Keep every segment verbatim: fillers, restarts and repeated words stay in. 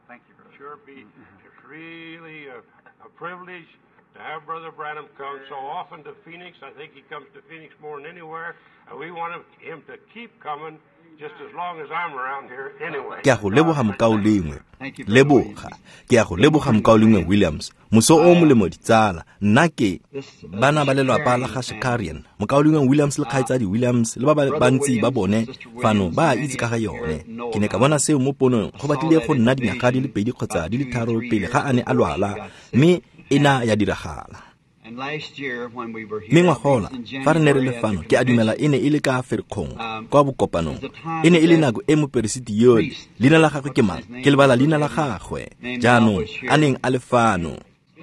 Thank you, brother. Sure be it's really a, a privilege to have Brother Branham come so often to Phoenix. I think he comes to Phoenix more than anywhere, and we want him to keep coming just as long as I'm around here anyway. Ke a go leboga mokaulengwe. Leboga. Ke a go leboga mokaulengwe Williams. Moso o molemo ditsala. Nna ke bana ba lelwapa la ga Shakarian. Mokaulengwe Williams le kgaitsadi Williams le ba ba bantsi ba bone fano ba a itse ka ga yone. Ke ne ka bona seo mo ponong go batlile go nna dinyaga di le pedi kgotsa di le tharo pele ga a ne a lwala, mme e na ya diragala. Mme ngwagola fa re ne re le fano, ke a dumela e ne e le ka Ferikgong kwa bokopanong. E ne e le nako e moperesiti yole, leina la gagwe ke mang? Ke lebala leina la gagwe jaanong, a neng a le fano.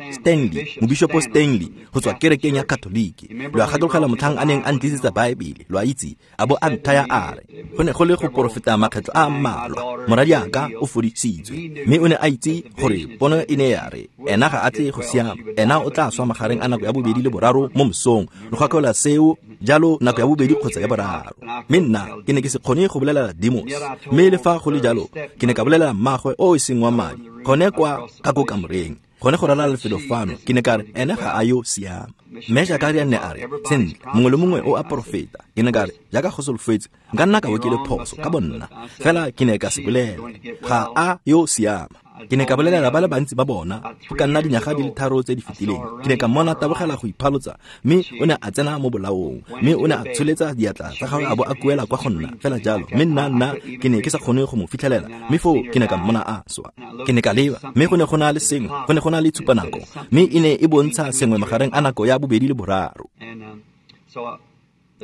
Stanley, mobishopo Stanley, go tswa kerekeng ya Katoliki. Lo a gakologela motlhang a neng a ntlisetsa Baebele, lo a itse, a bo a nthaya a re, go ne go le go porofeta makgetlho a mmalwa, moradiaka o fodisitswe. Mme o ne a itse gore pono e ne ya re, ena ga a tle go siama, ena o tla swa magareng a nako ya bobedi le boraro mo mosong. Lo gakolola seo, jalo nako ya bobedi kgotsa ya boraro. Mme nna ke ne ke se kgone go bolelela Demos, mme le fa go le jalo, ke ne ka bolelela mmagwe o e seng wa madi, gone kwa ka ko kamoreng. Gone go ralala lefelo fano, ke ne ka re, ene ga a yo siama. Mme Shakarian ne a re, sentle, mongwe le mongwe o a porofeta. Ke ne ka re, jaaka go solofetse, nka nna ka bo ke le phoso ka bonna, fela ke ne ka se bolela. Ga a yo siama. Ke ne ka bolelela ba le bantsi ba bona, go ka nna dinyaga di le tharo tse di fetileng. Ke ne ka mmona tabogela go iphalotsa, mme o ne a tsena mo bolaong, mme o ne a tsholetsa diatla tsa gagwe a bo a kuela kwa go nna, fela jalo. Mme nna nna ke ne ke sa kgone go mo fitlhelela, mme foo ke ne ka mmona a swa. Ke ne ka leba, mme go ne go na le sengwe, go ne go na le tshupanako, mme e ne e bontsha sengwe magareng a nako ya bobedi le boraro.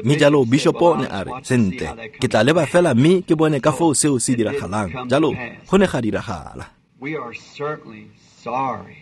Mme jalo bishopo ne a re, sentle, ke tla leba fela mme ke bone ka foo seo se diragalang. Jalo go ne ga diragala. We are certainly sorry.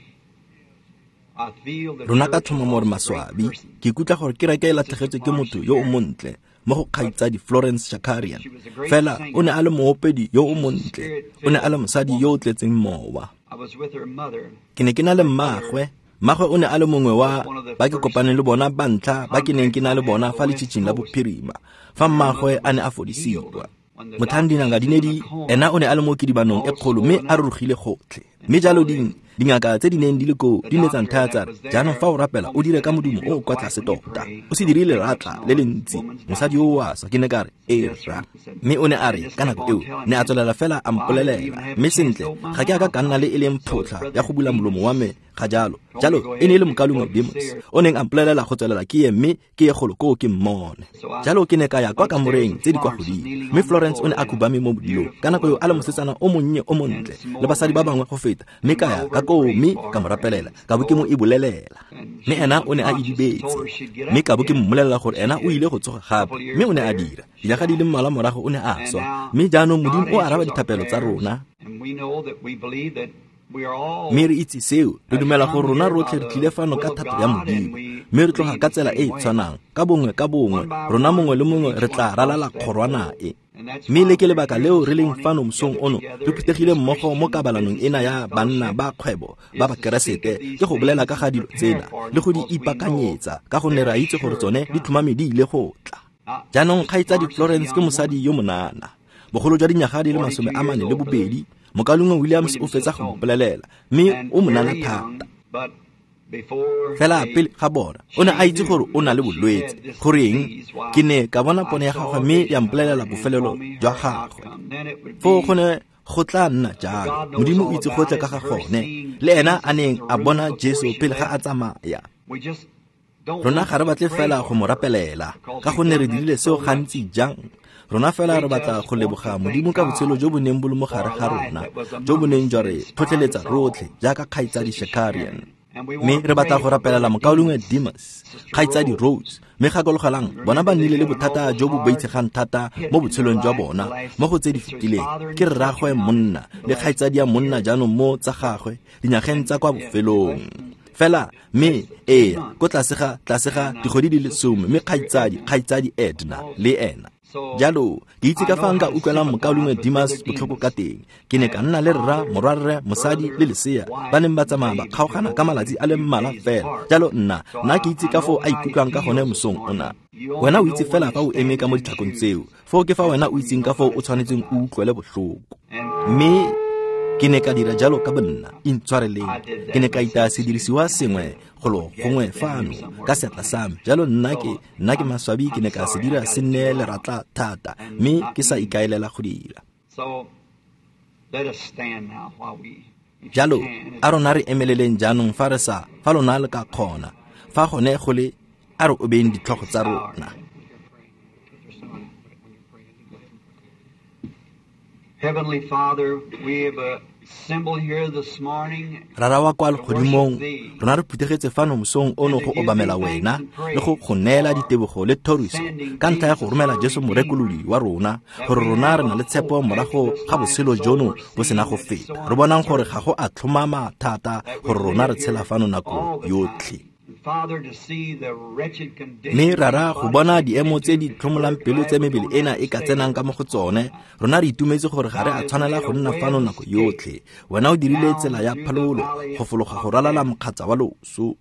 I feel the Rona ka tlhomamo re maswabi. Ke ikutlwa gore kereke e latlhegetswe ke motho yo o montle mo go kgaitsadi Florence Shakarian. Fela o ne a le moopedi yo o montle, o ne a le mosadi yo o tletseng mowa. I was with her mother. Ke ne ke na le mmagwe. Mmagwe o ne a le mongwe wa ba ke kopaneng le bona ba ntlha ba ke neng ke na le bona fa letšhitšhing la bophirima, fa mmagwe a ne a fodisiwa. Motlhang dingaka di ne di, ena o ne a le mo kidibanong e kgolo mme a rurugile gotlhe. Mme jalo ding, dingaka tse di neng di le koo di ne tsa nthaya tsa re, jaanong fa o rapela o dire ka modumo o o kwa tlase tota, o se dire leratla le le ntsi, mosadi o a swa. Ke ne ka re, ee rra. Mme o ne a re ka nako eo ne a tswelela fela a mpolelela, mme sentle ga ke a ka ka nna le e leng photlha ya go bula molomo wa me ga jalo. Jalo e ne e le mokaulengwe Demos o neng a mpolelela go tswelela ke ye, mme ke ye golo koo ke mmone. Jalo ke ne ka ya kwa kamoreng tse di kwa godimo, mme Florence o ne a khubame mo bodilong ka nako eo a le mosetsana o monnye o montle le basadi ba bangwe go feta, mme ka ya ka koo mme ka mo rapelela, ka bo ke mo e bolelela. Mme ena o ne a idibetse, mme ka bo ke mmolelela gore ena o ile go tsoga gape, mme o ne a dira. Dinyaga di le mmalwa morago o ne a swa, mme jaanong Modimo o araba dithapelo tsa rona. Mme re itse seo, re dumela gore rona rotlhe re tlile fano ka thato ya Modimo, mme re tloga ka tsela e e tshwanang, ka bongwe ka bongwe, rona mongwe le mongwe re tla ralala kgorwana e. Mme le ke lebaka leo re leng fano mosong ono, re phuthegile mmogo mo kabalanong ena ya banna ba kgwebo ba Bakeresete, ke go bolela ka ga dilo tsena le go di ipakanyetsa, ka gonne re a itse gore tsone di tlhomame di ile go tla. Jaanong kgaitsadi Florence ke mosadi yo monana, bogolo jwa dinyaga di le masome a mane le bobedi. Mokaulengwe Williams o fetsa go mpolelela, mme o monana thata. Fela pele ga bona, o ne a itse gore o na le bolwetse. Goreng? Ke ne ka bona pono ya gagwe mme ya mpolelela bofelelo jwa gagwe. Foo go ne go tla nna jalo. Modimo o itse gotlhe ka ga gone, le ena a neng a bona Jesu pele ga a tsamaya. Rona ga re batle fela go mo rapelela, ka gonne re dirile seo gantsi jang. Rona fela re batla go leboga Modimo ka botshelo jo bo neng bo le mo gare ga rona, jo bo neng jwa re tlhotlheletsa rotlhe jaaka kgaitsadi Shakarian. Mme re batla go rapelela mokaulengwe Demas, kgaitsadi Rhodes, mme gakologelang bona ba nnile le bothata jo bo boitshegang thata mo botshelong jwa bona mo go tse di fetileng. Ke rraagwe monna le kgaitsadi ya monna jaanong mo tsa gagwe dinyageng tsa kwa bofelong. Fela mme ee ko tlase ga tlase ga dikgwedi di le some, mme kgaitsadi kgaitsadi Edna le ena. Jalo ke itse ka fa nka utlwelang mokaulengwe Demas botlhoko ka teng. Ke ne ka nna le rra, morwarre, mosadi le lesea ba neng ba tsamaya ba kgaogana ka malatsi a le mmalwa fela. Jalo nna nna ke itse ka foo a ikutlwang ka gone mosong ona. Wena o itse fela fa o eme ka mo ditlhakong tseo, foo ke fa wena o itseng ka foo o tshwanetseng o utlwele botlhoko. Mme Ke ne ka dira jalo ka bonna, intshwareleng. Ke ne ka itaya sedirisiwa sengwe golo gongwe fano ka seatla sa me. Jalo nna ke nna ke maswabi ke ne ka se dira se nne leratla thata, mme ke sa ikaelela go dira. Jalo a rona re emeleleng jaanong fa re sa fa lona le ka kgona. Fa gone go le a re obeng ditlhogo tsa rona. Heavenly Father, we have assembled here this morning. Rara wa kwa legodimong, rona re phuthegetse fano mosong ono go obamela wena le go go neela ditebogo le thoriso ka ntlha ya go romela Jesu morekolodi wa rona, gore rona re na le tshepo morago ga botshelo jono bo sena go feta. Re bonang gore ga go a tlhomama thata gore rona re tshela fano nako yotlhe. Mme rara go bona diemo tse di tlhomolang pelo tse mebele ena e ka tsenang ka mo go tsone, rona re itumetse gore ga re a tshwanela go nna fano nako yotlhe. Wena o dirile tsela ya phalolo go fologa go ralala mokgatsa wa loso.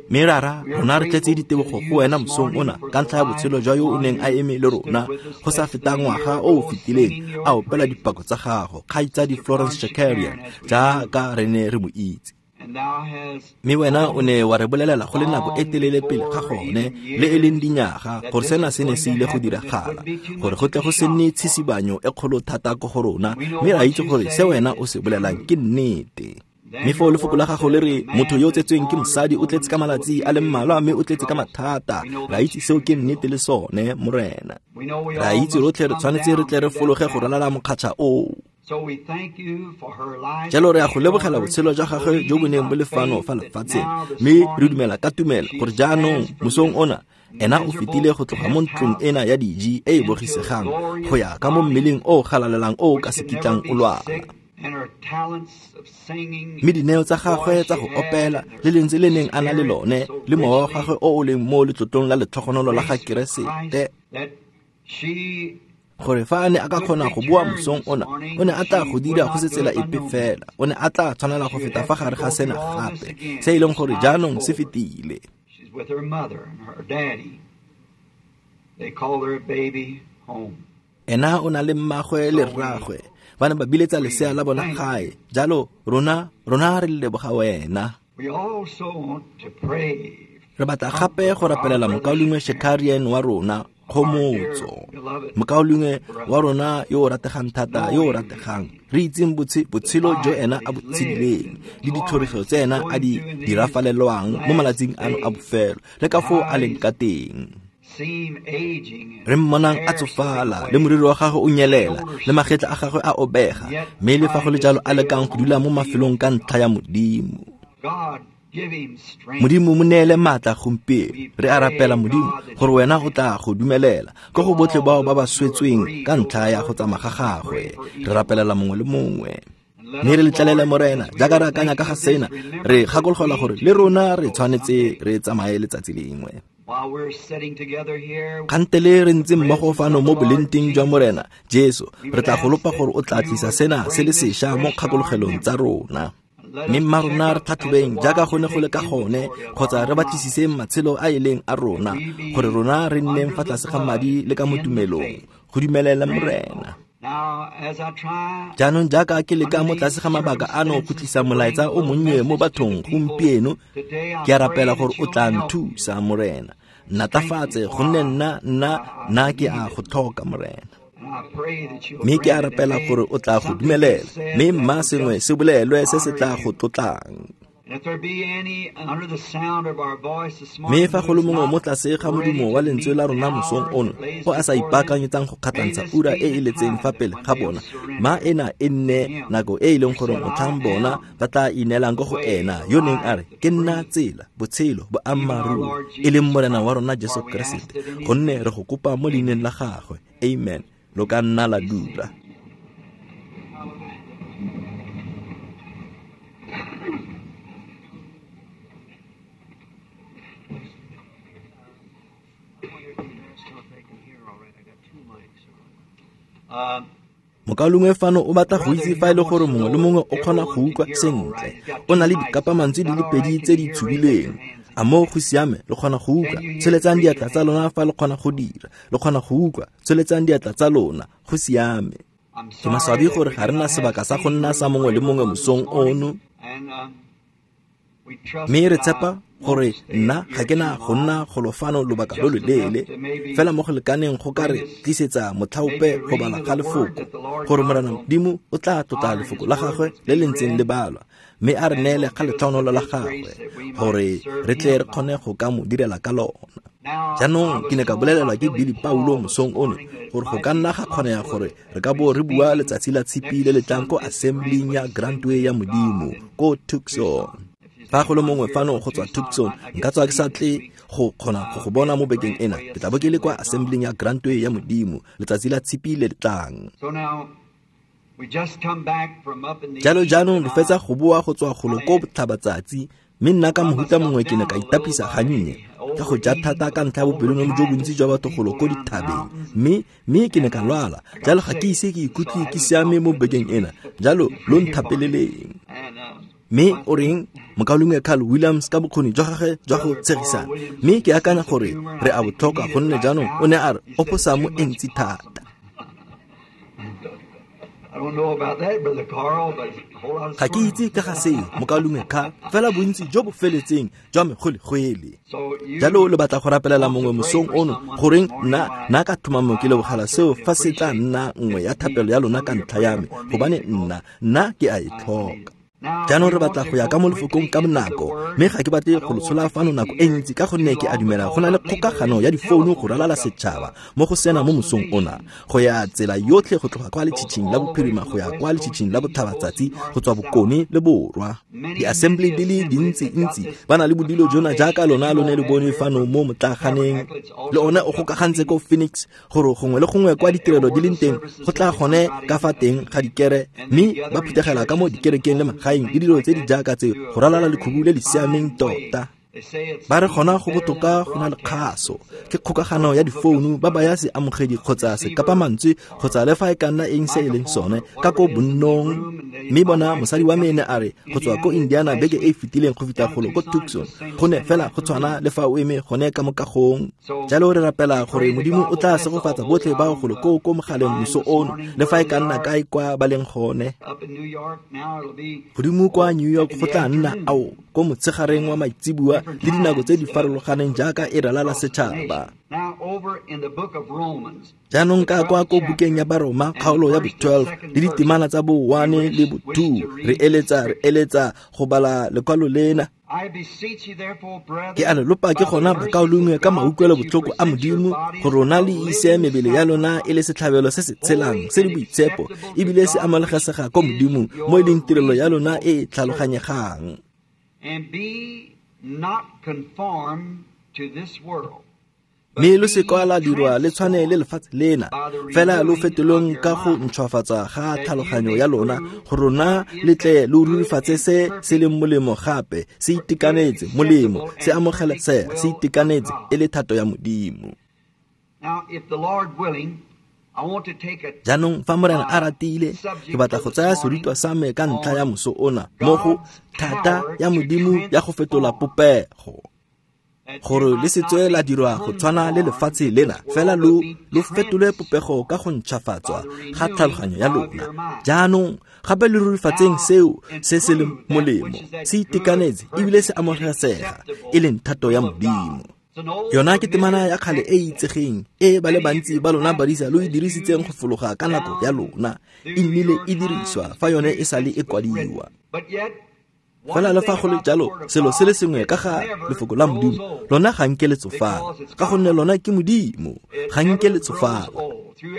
Mme rara rona re tletse ditebogo go wena mosong ona ka ntlha ya botshelo jwa yo o neng a eme le rona go sa feta ngwaga o o fetileng a opela dipako tsa gago, kgaitsadi Florence Shakarian, jaaka re ne re mo itse. Mme wena o ne wa re bolelela go le nako e telele pele ga gone le e leng dinyaga gore sena se ne se ile go diragala, gore go tle go se nne tshisibanyo e kgolo thata ko go rona, mme ra itse gore se wena o se bolelang ke nnete. Mme foo lefoko la gago le re motho yo o tsetsweng ke mosadi o tletse ka malatsi a le mmalwa mme o tletse ka mathata. Ra itse seo ke nnete le sone, Morena. Ra itse rotlhe re tshwanetse re tle re fologe go ralala mokgatšha oo. Jalo re a go lebogela botshelo jwa gagwe jo bo neng bo le fano fa lefatsheng, mme re dumela ka tumelo gore jaanong mosong ona ena o fetile go tloga mo ntlong ena ya diji e e bogisegang go ya ka mo mmeleng o o galalelang o o ka se kitlang o lwala. Mme dineo tsa gagwe tsa go opela le lentswe le neng a na le lone le mowa wa gagwe o o leng mo letlotlong la letlhogonolo la ga Keresete, gore fa a ne a ka kgona go boa mosong ona, o ne a tla go dira go se tsela epe fela. O ne a tla tshwanela go feta fa gare ga sena gape, se e leng gore jaanong se fetile. Ena o na le mmagwe le rragwe, ba ne ba biletsa lesea la bona gae. Jalo rona rona re leboga wena. Re batla gape go rapelela mokaulengwe Shakarian wa rona, kgomotso, mokaulengwe wa rona yo o rategang thata, yo o rategang. Re itseng botshelo jo ena a bo tshedileng le ditlhoriso tse ena a di dirafalelwang mo malatsing ano a bofelo, le ka foo a leng ka teng. Re mmonang a tsofala, le moriri wa gagwe o nyelela, le magetla a gagwe a obega, mme le fa go le jalo a lekang go dula mo mafelong ka ntlha ya Modimo. Modimo mo neele maatla gompieno. Re a rapela Modimo gore wena o tla go dumelela ko go botlhe bao ba ba swetsweng ka ntlha ya go tsamaya ga gagwe. Re rapelela mongwe le mongwe. Mme re letlalele Morena, jaaka re akanya ka ga sena, re gakologelwa gore le rona re tshwanetse re tsamaye letsatsi lengwe. Kgantele re ntse mmogo fano mo bolenteng jwa Morena Jesu, re tla go lopa gore o tla tlisa sena se le sešwa mo kgakologelong tsa rona. Mme mma rona re tlhatlhobeng jaaka go ne go le ka gone, kgotsa re batlisiseng matshelo a e leng a rona, gore rona re nneng fa tlase ga madi le ka mo tumelong go dumelela Morena. Jaanong jaaka ke leka mo tlase ga mabaka ano go tlisa molaetsa o monnye mo bathong gompieno, ke a rapela gore o tla nthusa Morena. Nnatafatse gonne nna nna nna ke a go tlhoka Morena. Mme ke a rapela gore o tla go dumelela, mme mma sengwe se bolelwe se se tla go tlotlang. Mme fa go le mongwe mo tlase ga modumo wa lentswe la rona mosong ono o a sa ipaakanyetsang go kgatlhantsha ura e e letseng fa pele ga bona, ma ena e nne nako e e leng gore motlhang bona ba tla ineelang ko go ena yo neng a re ke nna tsela, botshelo, boammaaruri, e leng Morena wa rona Jesu Keresete, gonne re go kopa mo leineng la gagwe. Amen. Lo ka nna la dula. Mokaulengwe fano o batla go itse fa e le gore mongwe le mongwe o kgona go utlwa sentle. O na le dikapamantswe di le pedi tse di tshubileng. A moo go siame, le kgona go utlwa? Tsholetsang diatla tsa lona fa le kgona go dira. Le kgona go utlwa? Tsholetsang diatla tsa lona. Go siame. Ke maswabi gore ga re na sebaka sa go nna sa mongwe le mongwe mosong ono. Mme re tshepa gore nna ga ke na go nna golo fano lobaka lo loleele, fela mo go lekaneng go ka re tlisetsa motlhaope go bala ga lefoko, gore Morena Modimo o tla tlotla lefoko la gagwe le le ntseng le balwa, mme a re neele ga letlhogonolo la gagwe gore re tle re kgone go ka mo direla ka lona. Jaanong ke ne ka bolelelwa ke Billy Paulo mosong ono gore go ka nna ga kgonega gore re ka bo re bua letsatsi la tshipi le le tlang ko assembling ya Grantway ya Modimo ko Tucson. Fa go le mongwe fano go tswa Tucson, nka tswa ke sa tle go kgona go go bona mo bekeng ena. Ke tla bo ke le kwa assembling ya Grantway ya Modimo letsatsi la tshipi le le tlang. Jalo jaanong re fetsa go boa go tswa golo ko botlhabatsatsi, mme nna ka mohuta mongwe ke ne ka itapisa gannye ka go ja thata ka ntlha ya bopelonomi jo bontsi jwa batho golo ko dithabeng, mme mme ke ne ka lwala. Jalo ga ke ise ke ikutlwe ke siame mo bekeng ena, jalo lo nthapeleleng. Mme o reng mokaulengwe Carl Williams ka bokgoni jwa gagwe jwa go tshegisana, mme ke akanya gore re a bo tlhoka gonne jaanong o ne a re oposamo e ntsi thata. Ga ke itse ka ga seo mokaulengwe Carl, fela bontsi jo bo feletseng jwa megwelegwele. Jalo le batla go rapelela mongwe mosong ono, goreng nna nna ka tlhomamo ke lebogela seo fa se tla nna nngwe ya thapelo ya lona ka ntlha ya me, gobane nna nna ke a e tlhoka. Jaanong re batla go ya ka mo lefokong ka bonako, mme ga ke batle go lo tshola fano nako e ntsi ka gonne ke a dumela go na le kgokagano ya difounu go ralala setšhaba mo go sena mo mosong ona, go ya tsela yotlhe go tloga kwa letšhitšhing la bophirima go ya kwa letšhitšhing la botlhabatsatsi go tswa bokone le borwa. Di-assembly di le dintsi-ntsi ba na le bodilo jona jaaka lona lo ne le bone fano mo motlaaganeng, le one o gokagantse ko Phoenix gore gongwe le gongwe kwa ditirelo di leng teng go tla gone ka fa teng ga dikere, mme ba phuthegela ka mo dikerekeng le magae le dilo tse di jaaka tseo go ralala lekhubu le le siameng tota. Ba re gona go botoka go na le kgaso, ke kgokagano ya difounu ba baya seamogedi kgotsa sekapamantswe kgotsa le fa e ka nna eng se e leng sone ka ko bonnong. Mme bona mosadi wa me ne a re go tswa ko Indiana beke e e fetileng go fitlha golo ko Tucson, go ne fela go tshwana le fa o eme gone ka mo kagong. Jalo re rapela gore Modimo o tla segofatsa botlhe bao golo ko ko mogaleng moso ono le fa e ka nna kae kwa ba leng gone. Godimo kwa New York go tla nna ao ko motshegareng wa maitseboa le dinako tse di farologaneng jaaka e ralala setšhaba. Jaanong ka kwa ko bukeng ya Baroma kgaolo ya bo twelve le ditemana tsa bo one le bo two, re eletsa re eletsa go bala lekwalo lena. Ke a le lopa ke gona bakaulengwe ka mautlwelo botlhoko a Modimo gore rona le ise mebele ya lona e le setlhabelo se se tshelang se le boitshepo ebile se amogelesega ko Modimong mo e leng tirelo ya lona e e tlhaloganyegang. Mme lo se kwa la dirwa le tshwane le lefatshe lena, fela lo fetolong ka go ntšhwafatsa ga tlhaloganyo ya lona gore rona le tle lo rurifatse se se leng molemo gape se itekanetse molemo se amogelesega se itekanetse e le thato ya Modimo. Jaanong fa Morena a ratile, ke batla go tsaya serutwa sa me ka ntlha ya moso ona mo go thata ya Modimo ya go fetola popego, gore le se tswe la dirwa go tshwana le lefatshe lena, fela lo lo fetole popego ka go ntšhafatswa ga tlhaloganyo ya lona. Jaanong gape le rurifatseng seo se se leng molemo, se itekanetse ebile se amogelesega e leng thato ya Modimo. Yona ke temana ya kgale e e itsegeng e ba le bantsi ba lona badisa lo e dirisitseng go fologa ka nako ya lona, e nnile e diriswa fa yone e sale e kwadiwa. Fela le fa go le jalo, selo se le sengwe ka ga lefoko la Modimo, lona ga nke le tsofala, ka gonne lona ke Modimo, ga nke le tsofala.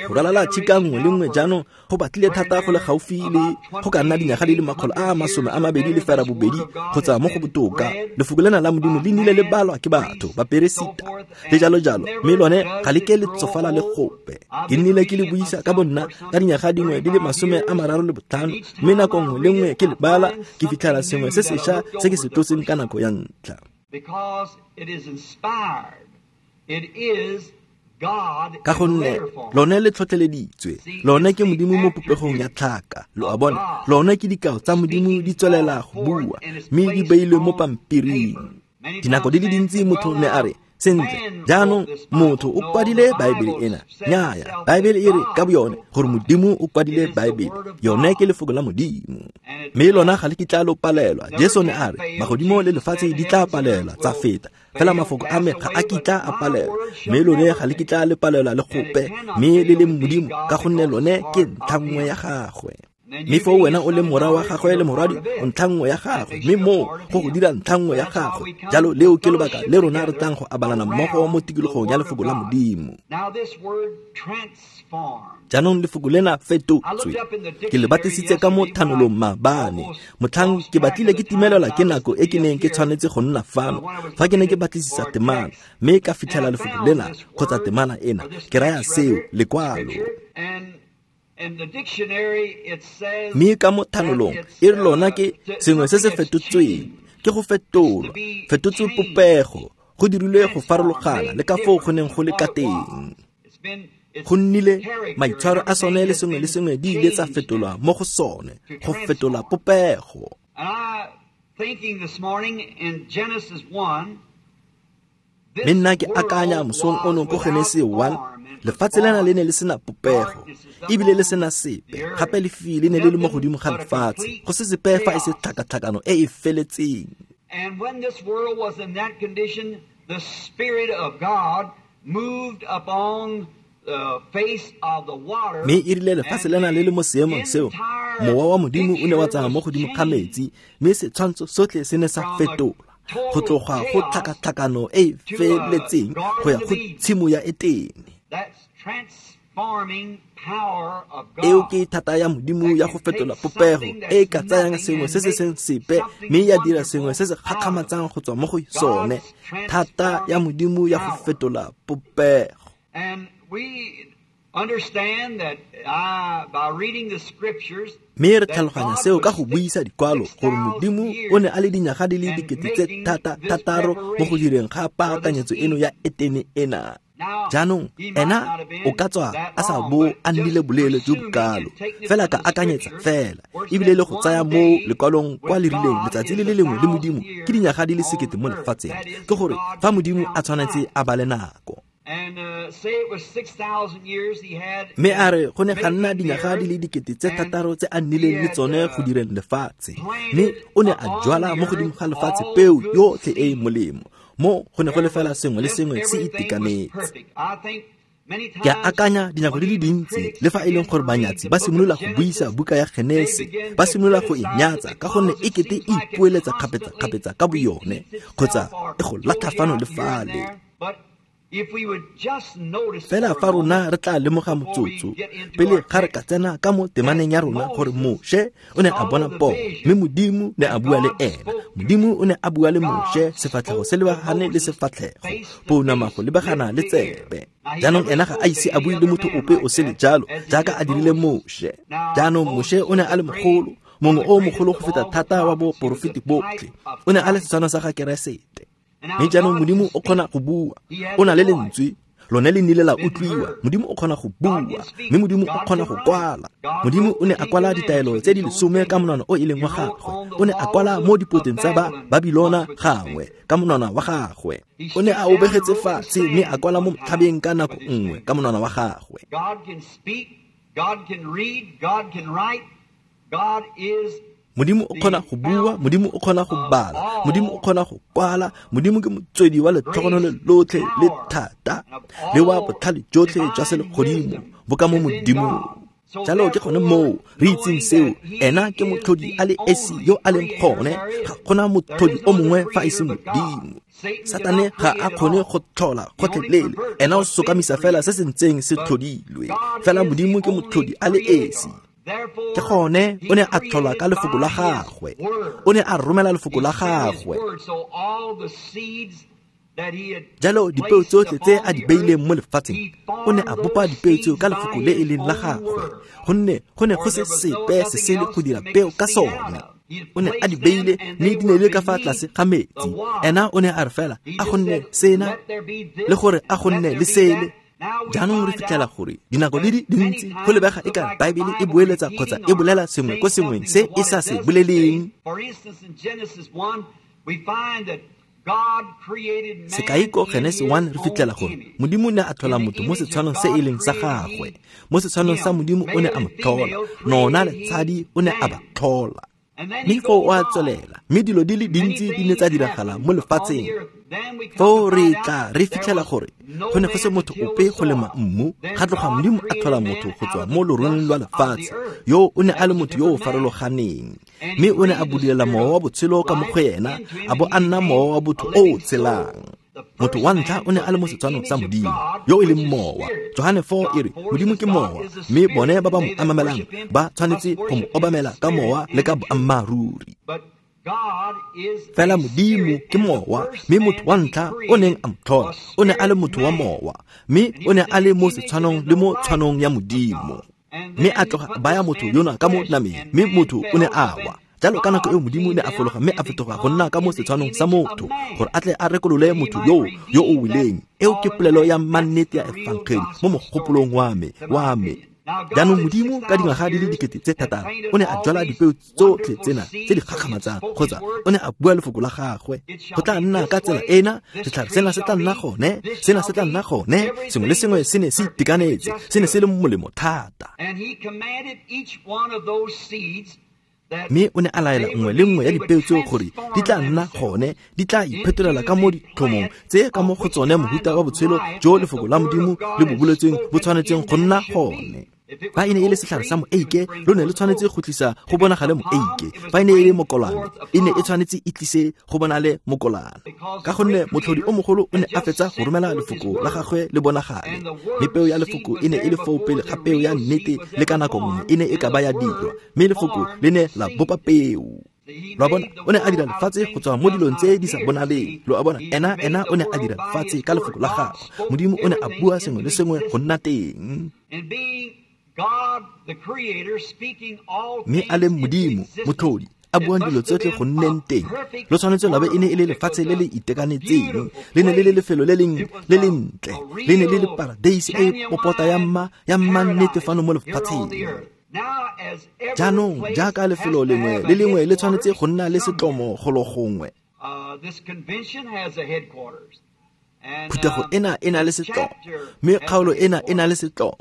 Go ralala tšhika nngwe le nngwe jaanong go batlile thata go le gaufi le go ka nna dinyaga di le makgolo a masome a mabedi le fera bobedi kgotsa mo go botoka. Lefoko lena la Modimo le nnile le balwa ke batho, baperesita le jalo jalo, mme lone ga le ke le tsofala le gope. Ke nnile ke le buisa ka bonna ka dinyaga dingwe di le masome a mararo le botlhano, mme nako nngwe le nngwe ke le bala ke fitlhela sengwe se sešwa se ke se tlotseng ka nako ya ntlha. Ka gonne lone le tlhotlheleditswe, lone ke Modimo mo popegong ya tlhaka, lo a bona, lone ke dikao tsa Modimo di tswelela go bua, mme di beilwe mo pampiring. Dinako di le dintsi motho ne a re, Sentle, jaanong motho o kwadile Baebele ena. Nnyaya, Baebele e re ka boyone gore Modimo o kwadile Baebele. Yone ke lefoko la Modimo. Mme lona ga le kitla lo palelwa. Jesu ne a re, magodimo le lefatshe di tla palelwa tsa feta. Fela mafoko a me ga a kitla a palelwa. Mme lone ga le kitla le palelwa le gope, mme le le Modimo ka gonne lone ke ntlha nngwe ya gagwe. Mme foo wena o le morwa wa gagwe le morwadi o ntlha nngwe ya gagwe, mme moo go go dira ntlha nngwe ya gagwe. Jalo leo ke lobaka le rona re tlang go abalana mmogo mo tikologong ya lefoko la Modimo. Jaanong lefoko lena fetotswe. Ke le batlisitse ka mo thanolong maabane. Motlhang ke batlile ke timelelwa ke nako e ke neng ke tshwanetse go nna fano fa ke ne ke batlisisa temana, mme ka fitlhela lefoko lena kgotsa temana ena. Ke raya seo, lekwalo. Mme ka mo thanolong e re lona ke sengwe se se fetotsweng, ke go fetolwa, fetotswe popego, go dirilwe go farologana le ka foo go neng go le ka teng. Go nnile maitshwaro a sone le sengwe le sengwe di ile tsa fetolwa mo go sone, go fetola popego. Mme nna ke akanya mosong ono ko Genese one, lefatshe lena le ne le sena popego, ebile le sena sepe, gape lefifi le ne le le mo godimo ga lefatshe, go se sepe fa e se tlhakatlhakano e e feletseng. And when this world was in that condition, the Spirit of God moved upon the face of the water. Mme e rile lefatshe lena le le mo seemong seo, mowa wa Modimo o ne wa tsamaya mo godimo ga metsi, mme setshwantsho sotlhe se ne sa fetola go tloga go tlhakatlhakano e e feletseng go ya go tshimo ya Etene. Eo ke thata ya Modimo ya go fetola popego e e ka tsayang sengwe se se seng sepe mme ya dira sengwe se se gakgamatsang go tswa mo go sone. Thata ya Modimo ya go fetola popego. Mme re tlhaloganya seo ka go buisa dikwalo gore Modimo o ne a le dinyaga di le dikete tse thata thataro mo go direng ga paakanyetso eno ya Etene ena. Jaanong ena o ka tswa a sa bo a nnile boleele jo bokalo, fela ka akanyetsa fela, ebile le go tsaya mo lekwalong kwa le rileng letsatsi le le lengwe le Modimo ke dinyaga di le sekete mo lefatsheng. Ke gore fa Modimo a tshwanetse a bale nako. Mme a re go ne ga nna dinyaga di le dikete tse thataro tse a nnileng le tsone go direng lefatshe, mme o ne a jwala mo godimo ga lefatshe peo yotlhe e e molemo. Mo go ne go le fela sengwe le sengwe se itekanetse. Ke a akanya dinako di le dintsi le fa e leng gore banyatsi ba simolola go buisa buka ya Genese, ba simolola go e nyatsa ka gonne e kete e ipoeletsa kgapetsa-kgapetsa ka boyone kgotsa e go latlha fano le fale. Fela fa rona re tla lemoga motsotso pele ga re ka tsena ka mo temaneng ya rona gore Moshe o ne a bona pono, mme Modimo ne a bua le ena. Modimo o ne a bua le Moshe sefatlhego se lebagane le sefatlhego, pounama go lebagana le tsebe. Jaanong ena ga a ise a bue le motho ope o sele jalo jaaka a dirile Moshe. Jaanong Moshe o ne a le mogolo, mongwe o mogolo go feta thata wa boporofeti botlhe. O ne a le setshwano sa ga Keresete. Mme jaanong Modimo o kgona go bua, o na le lentswe, lone le nnile la utlwiwa. Modimo o kgona go bua, mme Modimo o kgona go kwala. Modimo o ne a kwala ditaelo tse di lesome ka monwana o e leng wa gagwe. O ne a kwala mo dipoteng tsa ba Babilona gangwe ka monwana wa gagwe. O ne a obegetse fatshe mme a kwala mo thabeng ka nako nngwe ka monwana wa gagwe. Modimo o kgona go bua, Modimo o kgona go bala, Modimo o kgona go kwala. Modimo ke motswedi wa letlhogonolo lotlhe le thata le wa botlhale jotlhe jwa selegodimo bo ka mo Modimong. Jalo ke gone moo re itseng seo, ena ke motlhodi a le esi yo a leng gone, ga gona motlhodi o mongwe fa e se Modimo. Satane ga a kgone go tlhola gotlhelele, ena o sokamisa fela se se ntseng se tlhodilwe. Fela Modimo ke motlhodi a le esi. Ke gone o ne a tlhola ka lefoko la gagwe, o ne a romela lefoko la gagwe. Jalo dipeo tsotlhe tse a di beileng mo lefatsheng, o ne a bopa dipeo tseo ka lefoko le e leng la gagwe, gonne go ne go se sepe se sele go dira peo ka sone. O ne a di beile mme di ne le ka fa tlase ga metsi. Ena o ne a re fela a gonne sena le gore a gonne le sele. Jaanong re fitlhela gore dinako di le dintsi go lebega e ka Baebele e boeletsa kgotsa e bolela sengwe ko sengweng se e sa se boleleng. For instance, in Genesis one, we find that Sekai ko Genesi one re fitlhela gore Modimo ne a tlhola motho mo setshwanong se e leng sa gagwe. Mo setshwanong sa Modimo o ne a mo tlhola, nona le tshadi o ne a ba tlhola. Mme foo o a tswelela, mme dilo di le dintsi di ne tsa diragala mo lefatsheng. Foo re tla re fitlhela gore go ne go se motho ope go lema mmu, ga tloga Modimo a tlhola motho go tswa mo loroleng lwa lefatshe, yo o ne a le motho yo o farologaneng. Mme o ne a budulela mowa wa botshelo ka mo go ena, a bo a nna mowa wa botho o o tshelang. Motho wa ntlha o ne a le mo setshwanong sa Modimo, yo e leng mowa. Johane four e re Modimo ke mowa, mme bone ba ba mo amamelang ba tshwanetse go mo obamela ka mowa le ka boammaaruri. Fela Modimo ke mowa, mme motho wa ntlha o neng a mo tlhola o ne a le motho wa mowa, mme o ne a le mo setshwanong le mo tshwanong ya Modimo. Mme a tloga a baya motho yona ka mo nameng, mme motho o ne a wa. Jalo ka nako eo Modimo ne a fologa mme a fetoga go nna ka mo setshwanong sa motho, gore a tle a rekolole motho yoo yo o weleng. Eo ke polelo ya mannete ya efangeli mo mogopolong wa me, wa me. Jaanong Modimo ka dingwaga di le dikete tse thataro o ne a jwala dipeo tsotlhe tsena tse di gakgamatsang, kgotsa o ne a bua lefoko la gagwe. Go tla nna ka tsela ena, setlhare sena se tla nna gone, sena se tla nna gone, sengwe le sengwe se ne se itekanetse, se ne se le molemo thata. Mme o ne a laela nngwe le nngwe ya dipeo tseo gore di tla nna gone, di tla iphetolela ka mo ditlhomong tse ka mo go tsone mohuta wa botshelo jo lefoko la Modimo le bo boletsweng bo tshwanetseng go nna gone. Fa e ne e le setlhare sa moeike, lo ne le tshwanetse go tlisa go bonagale moeike. Fa e ne e le mokolane, e ne e tshwanetse e tlise go bonale mokolane. Ka gonne motlhodi o mogolo o ne a fetsa go romela lefoko la gagwe le bonagale, mme peo ya lefoko e ne e le foo pele ga peo ya nnete le ka nako nngwe e ne e ka ba ya dirwa, mme lefoko le ne la bopa peo. Lo a bona, o ne a dira lefatshe go tswa mo dilong tse di sa bonaleng. Lo a bona, ena ena o ne a dira lefatshe ka lefoko la gagwe. Modimo o ne a bua sengwe le sengwe go nna teng. Mme a le Modimo, motlhodi, a buang dilo tsotlhe go nneng teng, lo tshwanetse lwa be e ne e le lefatshe le le itekanetseng, le ne le le lefelo le leng le lentle, le ne le le paradeise e popota ya mma ya mmannete fano mo lefatsheng. Jaanong jaaka lefelo lengwe le lengwe le tshwanetse go nna le setlomo golo gongwe, phuthego ena e na le setlomo, mme kgaolo ena e na le setlomo,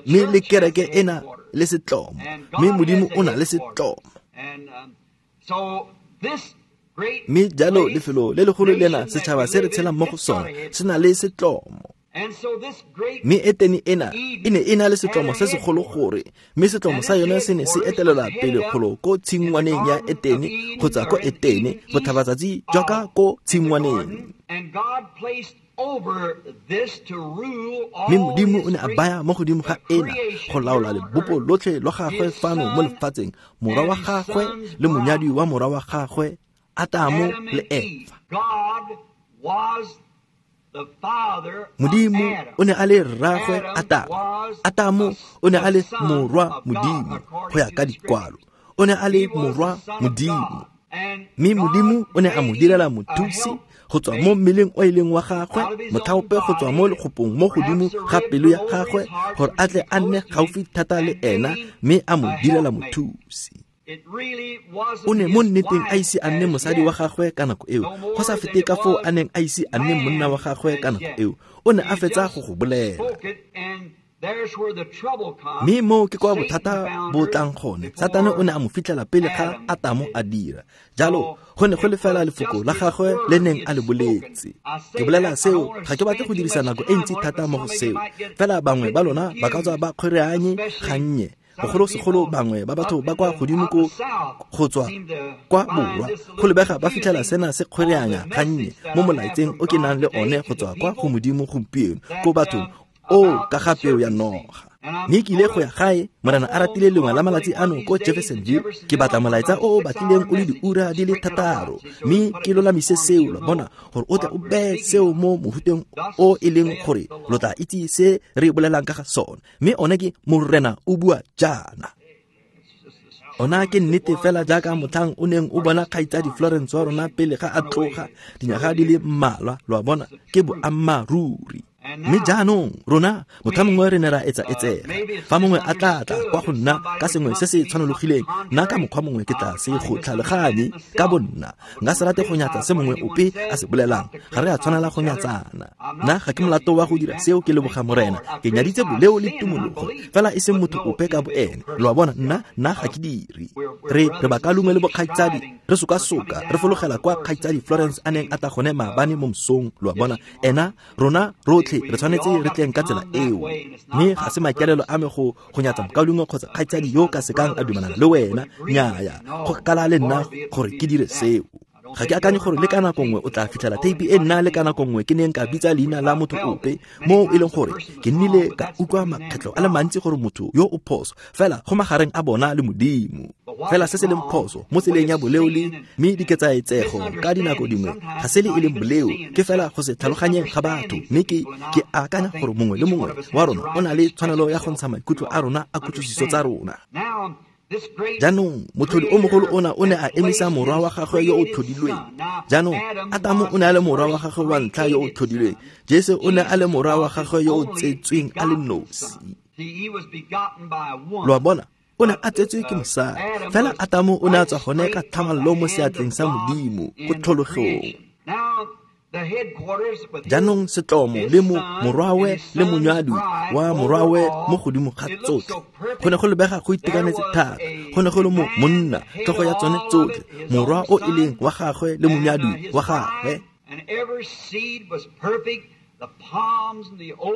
mme le kereke ena le setlomo, mme Modimo o na le setlomo. Mme jalo lefelo le legolo lena setšhaba se re tshelang mo go sone se na le setlomo. Mme Etene ena e ne e na le setlomo se segolo gore, mme setlomo sa yone se ne se etelela pele kgolo ko tshingwaneng ya Etene kgotsa ko Etene, botlhabatsatsi jwa ka ko tshingwaneng. Mme Modimo o ne a baya mo godimo ga ena go laola lebopo lotlhe lwa gagwe fano mo lefatsheng, morwa wa gagwe le monyadi wa morwa wa gagwe, Atamo le Efa. Modimo o ne a le rraagwe Atamo. Atamo o ne a le morwa Modimo go ya ka dikwalo. O ne a le morwa Modimo. Mme Modimo o ne a mo direla mothusi go tswa mo mmeleng o e leng wa gagwe, mothaope go tswa mo lekgopong mo godimo ga pelo ya gagwe, gore a tle a nne gaufi thata le ena, mme a mo direla mothusi. O ne mo nneteng a ise a nne mosadi wa gagwe ka nako eo, go sa fete ka foo a neng a ise a nne monna wa gagwe ka nako eo. O ne a fetsa go go bolela. Mme moo ke kwa bothata bo tlang gone. Satane o ne a mo fitlhela pele ga Atamo a dira. Jalo go ne go le fela lefoko la gagwe le neng a le boletse. Ke bolela seo, ga ke batle go dirisa nako e ntsi thata mo go seo. Fela bangwe ba lona ba ka tswa ba kgwereanye gannye, bogolosegolo bangwe ba batho ba kwa godimo ko go tswa kwa borwa, go lebega ba fitlhela sena se kgwereanya gannye mo molaetseng o ke nang le one go tswa kwa go Modimo gompieno ko bathong o ka ga peo ya noga. Mme ke ile go ya gae, Morena a ratile lengwe la malatsi ano ko Jeffersonville, ke batla molaetsa o o batlileng o le diura di le thataro, mme ke lolamise seo, lo bona, gore o tle o beye seo mo mohuteng o e leng gore lo tla itse se re bolelang ka ga sone. Mme one ke Morena o bua jaana. Ona ke nnete fela jaaka motlhang o neng o bona kgaitsadi Florence wa rona pele ga a tloga dinyaga di le mmalwa, lo a bona, ke boammaaruri. Mme jaanong rona motlha mongwe re ne ra etsa etsega. Fa mongwe a tla tla kwa go nna ka sengwe se se tshwanologileng, nna ka mokgwa mongwe ke tla se go tlhaloganye ka bonna. Nka se rate go nyatsa se mongwe ope a se bolelang. Ga re a tshwanela go nyatsana. Nna ga ke molato wa go dira seo, ke leboga Morena. Ke nyaditse boleo le tumologo, fela e seng motho ope ka boene. Lo a bona, nna nna ga ke dire. Re re bakalungwe le bokgaitsadi, re sokasoka, re fologela kwa kgaitsadi Florence a neng a tla gone maabane mo mosong. Lo a bona, ena rona rotlhe re tshwanetse re tleng ka tsela eo. Mme ga se maikaelelo a me go go nyatsa mokaulengwe kgotsa kgaitsadi yo ka sekang a dumelana le wena. Nnyaya, go kala le nna gore ke dire seo. Ga ke akanye gore le ka nako nngwe o tla fitlhela theipi e nna le ka nako nngwe ke neng ka bitsa leina la motho ope, mo e leng gore ke nnile ka utlwa makgetlho a le mantsi gore motho yo o phoso, fela go magareng a bona le Modimo. Fela se se leng phoso mo tseleng ya boleo le mme diketsaetsego ka dinako dingwe ga se le e leng boleo, ke fela go se tlhaloganyeng ga batho. Mme ke ke akanya gore mongwe le mongwe wa rona o na le tshwanelo ya go ntsha maikutlo a rona a kutlwisiso tsa rona. Jaanong motlhodi o mogolo ona o ne a emisa morwa wa gagwe yo o tlhodilweng. Jaanong Atamo o ne a le morwa wa gagwe wa ntlha yo o tlhodilweng. Jesu o ne a le morwa wa gagwe yo o tsetsweng a le nosi. Lo a bona, o ne a tsetswe ke mosadi, fela Atamo o ne a tswa gone ka tlhamallo mo seatleng sa Modimo ko tlhologong. Jaanong setlomo le mo morwawe le monyadwi wa morwawe mo godimo ga tsotlhe. Go ne go lebega go itekanetse thata. Go ne go le mo monna tlhogo ya tsone tsotlhe, morwa o e leng wa gagwe le monyadwi wa gagwe.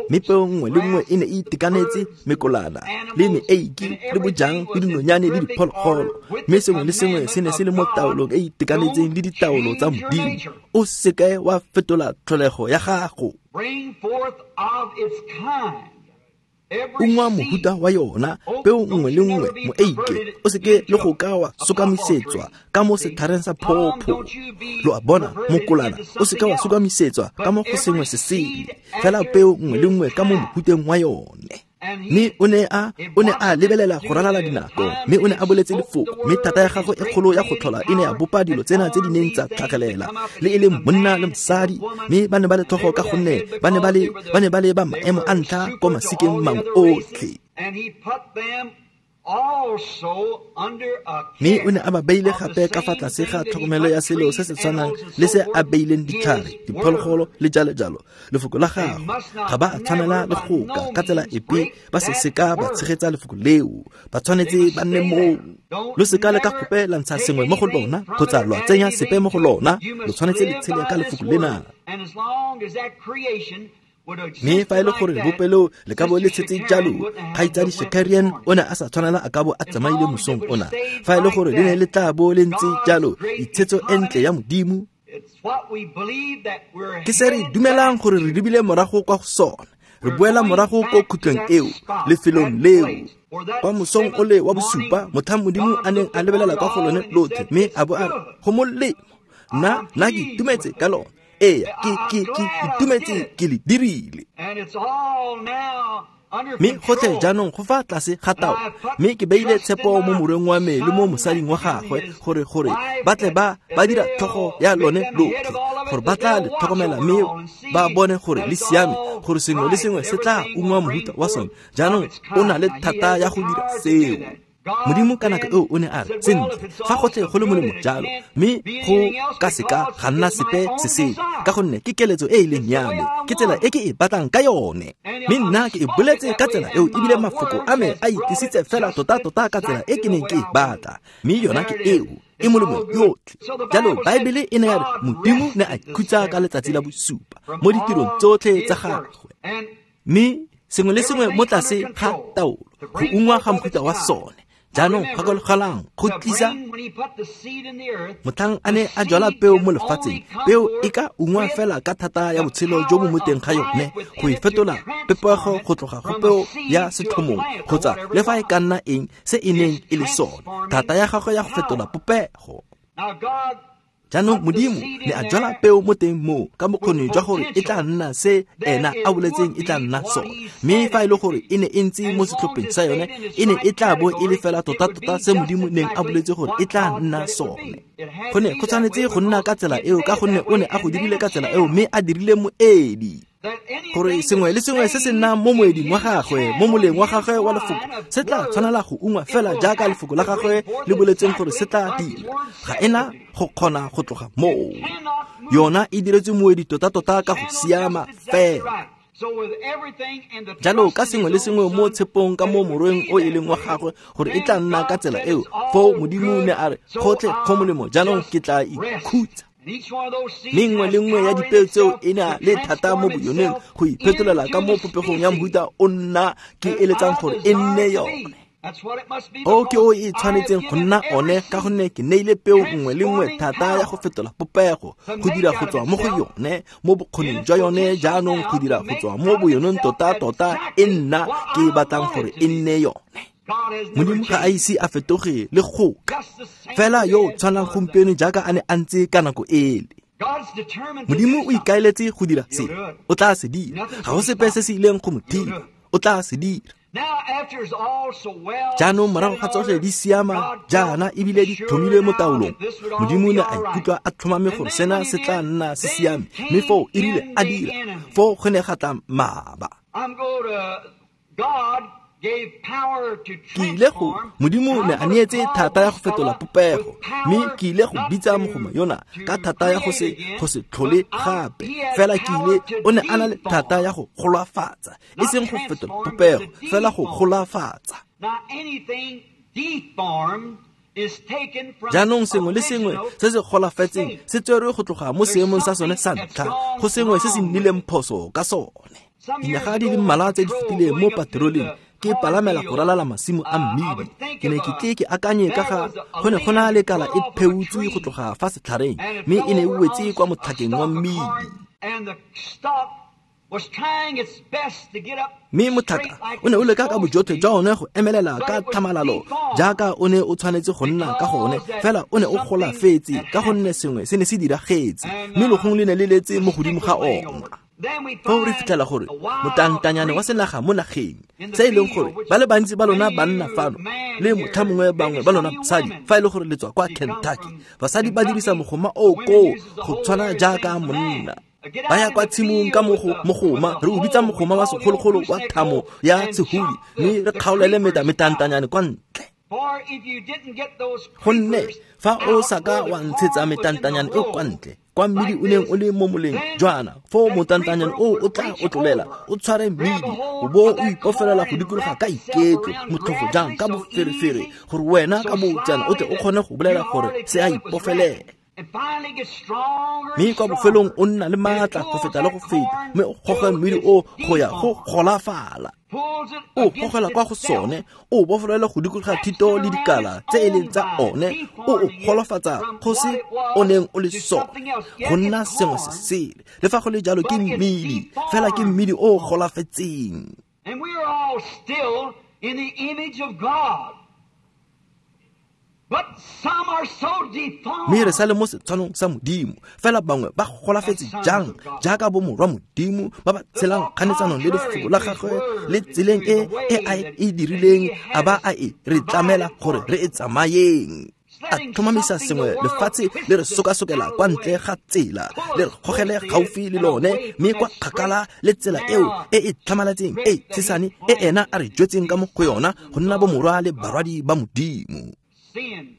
Mme peo nngwe le nngwe e ne e itekanetse, mekolana le meeiki le bojang le dinonyane le diphologolo. Mme sengwe le sengwe se ne se le mo taolong e itekanetseng le ditaolo tsa Modimo. O seke wa fetola tlholego ya gago. Ungwa mohuta wa yona, peo nngwe le nngwe, moeike, o seke le go ka wa sokamisetswa ka mo setlhareng sa phopho. Lo a bona, mokolana, o seke wa sokamisetswa ka mo go sengwe se sele, fela peo nngwe le nngwe ka mo mohuteng wa yone. Mme o ne a o ne a lebelela go ralala dinako, mme o ne a boletse lefoko, mme thata ya gagwe e kgolo ya go tlhola e ne ya bopa dilo tsena tse di neng tsa tlhagelela, le e leng monna le mosadi. Mme ba ne ba le tlhogo ka gonne ba ne ba le ba ne ba le ba maemo a ntlha ko masikeng mangwe otlhe. Mme o ne a ba beile gape ka fa tlase ga tlhokomelo ya selo se se tshwanang le se a beileng ditlhare, diphologolo le jalo jalo. Lefoko la gagwe ga ba a tshwanela le go ka ka tsela epe ba se seka ba tshegetsa lefoko leo. Ba tshwanetse ba nne moo. Lo seka le ka gope la ntsha sengwe mo go lona kgotsa lwa tsenya sepe mo go lona. Lo tshwanetse le tshele ka lefoko lena. Mme fa e le gore bopelo le ka bo le tshetse jalo, kgaitsadi Shakarian o ne a sa tshwanela a ka bo a tsamaile mosong ona. Fa e le gore le ne le tla bo le ntse jalo, itshetso e ntle ya Modimo ke se re dumelang gore re lebile morago kwa go sona. Re boela morago ko khutlong eo, lefelong leo, kwa mosong o le wa bosupa, motlhang Modimo a neng a lebelela kwa go lone lotlhe, mme a bo a re, go molemo, nna nna ke itumetse ka lone. Ee, ke ke ke itumetse ke le dirile. Mme gotlhe jaanong go fa tlase ga tao, mme ke beile tshepo mo morweng wa me le mo mosading wa gagwe gore gore ba tle ba ba dira tlhogo ya lone lotlhe, gore ba tla le tlhokomela mme ba bone gore le siame, gore sengwe le sengwe se tla ungwa mohuta wa sone. Jaanong o na le thata ya go dira seo. Modimo ka nako eo o ne a re, sentle, fa gotlhe go le molemo jalo, mme go ka seka ga nna sepe se sele, ka gonne ke keletso e e leng ya me, ke tsela e ke e batlang ka yone. Mme nna ke e boletse ka tsela eo, ebile mafoko a me a itisitse fela tota-tota ka tsela e ke neng ke e batla. Mme yona ke eo, e molemo yotlhe. Jalo Baebele e ne ya re Modimo ne a ikhutsa ka letsatsi la bosupa mo ditirong tsotlhe tsa gagwe. Mme sengwe le sengwe mo tlase ga taolo, go ungwa ga mohuta wa sone. Jaanong gakologelang go tlisa motlhang a ne a jwala peo mo lefatsheng, peo e ka ungwa fela ka thata ya botshelo jo bo mo teng ga yone, go e fetola pepego go tloga go peo ya setlhomong kgotsa le fa e ka nna eng se e neng e le sone, thata ya gagwe ya go fetola popego. Jaanong Modimo ne a jwala peo mo teng moo ka bokgoni jwa gore e tla nna se ena a boletseng e tla nna sone. Mme fa e le gore e ne e ntse mo setlhopheng sa yone, e ne e tla bo e le fela tota-tota se Modimo neng a boletse gore e tla nna sone. Go ne go tshwanetse go nna ka tsela eo ka gonne o ne a go dirile ka tsela eo, mme a dirile moedi. Gore sengwe le sengwe se se nnang mo moeding wa gagwe, mo moleng wa gagwe wa lefoko, se tla tshwanela go ungwa fela jaaka lefoko la gagwe le boletseng gore se tla dira. Ga ena go kgona go tloga moo. Yona e diretswe moedi tota-tota ka go siama fela. Jalo ka sengwe le sengwe mo tshepong ka mo morweng o e leng wa gagwe gore e tla nna ka tsela eo, foo Modimo ne a re gotlhe go molemo, jaanong ke tla ikhutsa. Mme nngwe le nngwe ya dipeo tseo e na le thata mo boyoneng go iphetolela ka mo popegong ya mohuta o nna ke eletsang gore e nne yone. O ke o e tshwanetseng go nna one, ka gonne ke neile peo nngwe le nngwe thata ya go fetola popego, go dira go tswa mo go yone, mo bokgoning jwa yone jaanong go dira go tswa mo boyoneng tota-tota e nna ke batlang gore e nne yone. Modimo ga a ise a fetoge le goka, fela yo o tshwanang gompieno jaaka a ne a ntse ka nako ele. Modimo o ikaeletse go dira se, o tla se dira. Ga go sepe se se ileng go mo dira, o tla se dira. Jaanong morago ga tsotlhe di siama jaana ebile di tlhomilwe mo taolong, Modimo ne a ikutlwa a tlhomame gore sena se tla nna se siame, mme foo e rile a dira, foo go ne ga tla mmaba. Ke ile go Modimo ne a neetse thata ya go fetola popego, mme ke ile go bitsa mogoma yona ka thata ya go se go se tlhole gape. Fela ke ile o ne a na le thata ya go golafatsa, e seng go fetola popego, fela go golafatsa. Jaanong sengwe le sengwe se se golafetseng se tserwe go tloga mo seemong sa sone sa ntlha go sengwe se se nnileng phoso ka sone. Dinyaga di le mmalwa tse di fetileng mo patroleng ke palamela go ralala masimo a mmidi, ke ne ke tle ke akanye ka ga go ne go na le kala e pheutswe go tloga fa setlhareng, mme e ne e wetse kwa motlhakeng wa mmidi. Mme motlhaka o ne o leka ka bojotlhe jwa one go emelela ka tlhamalalo jaaka o ne o tshwanetse go nna ka gone, fela o ne o golafetse ka gonne sengwe se ne se diragetse, mme logong le ne le letse mo godimo ga ona. Foo re fitlhela gore motantanyane wa senaga mo nageng, se e leng gore ba le bantsi ba lona banna fano le motlhamongwe bangwe ba lona basadi, fa e le gore le tswa kwa Kentucky, basadi ba dirisa mogoma o koo go tshwana jaaka monna. Ba ya kwa tshimong ka mogoma, re o bitsa mogoma wa segologolo wa thamo ya sehudi, mme re kgaolele meta metantanyane kwa ntle. Gonne fa o sa ka wa ntshetsa metantanyane e kwa ntle, kwa mmidi o neng o le mo moleng jwana, foo motantanyane o o tla o tlolela, o tshware mmidi, o bo o ipofelela go dikologa ka iketlo, motlhofo jang ka boferefere, gore wena ka boutsana o tle o kgone go bolela gore se a ipofelela. Mme kwa bofelong o nna le maatla go feta le go feta, mme o goge mmidi o go ya go golafala. O gogela kwa go sone, o bofelela go dikologa thito le dikala tse e leng tsa one, o o golofatsa go se o neng o le sone, go nna sengwe se sele. Le fa go le jalo ke mmidi, fela ke mmidi o golafetseng. And we are all still in the image of God. Mme re sa le mo setshwanong sa Modimo, fela bangwe ba golafetse jang jaaka bo morwa Modimo ba ba tshelang kganetsanong le lefoko la gagwe le tseleng e e a e dirileng, a ba a e re tlamela gore re e tsamayeng. A tlhomamisa sengwe lefatshe le re sokasokela kwa ntle ga tsela, le re gogele gaufi le lone, mme kwa kgakala le tsela eo e e tlhamaletseng e tshesane e ena a re jwetseng ka mo go yona go nna bo morwa le barwadi ba Modimo.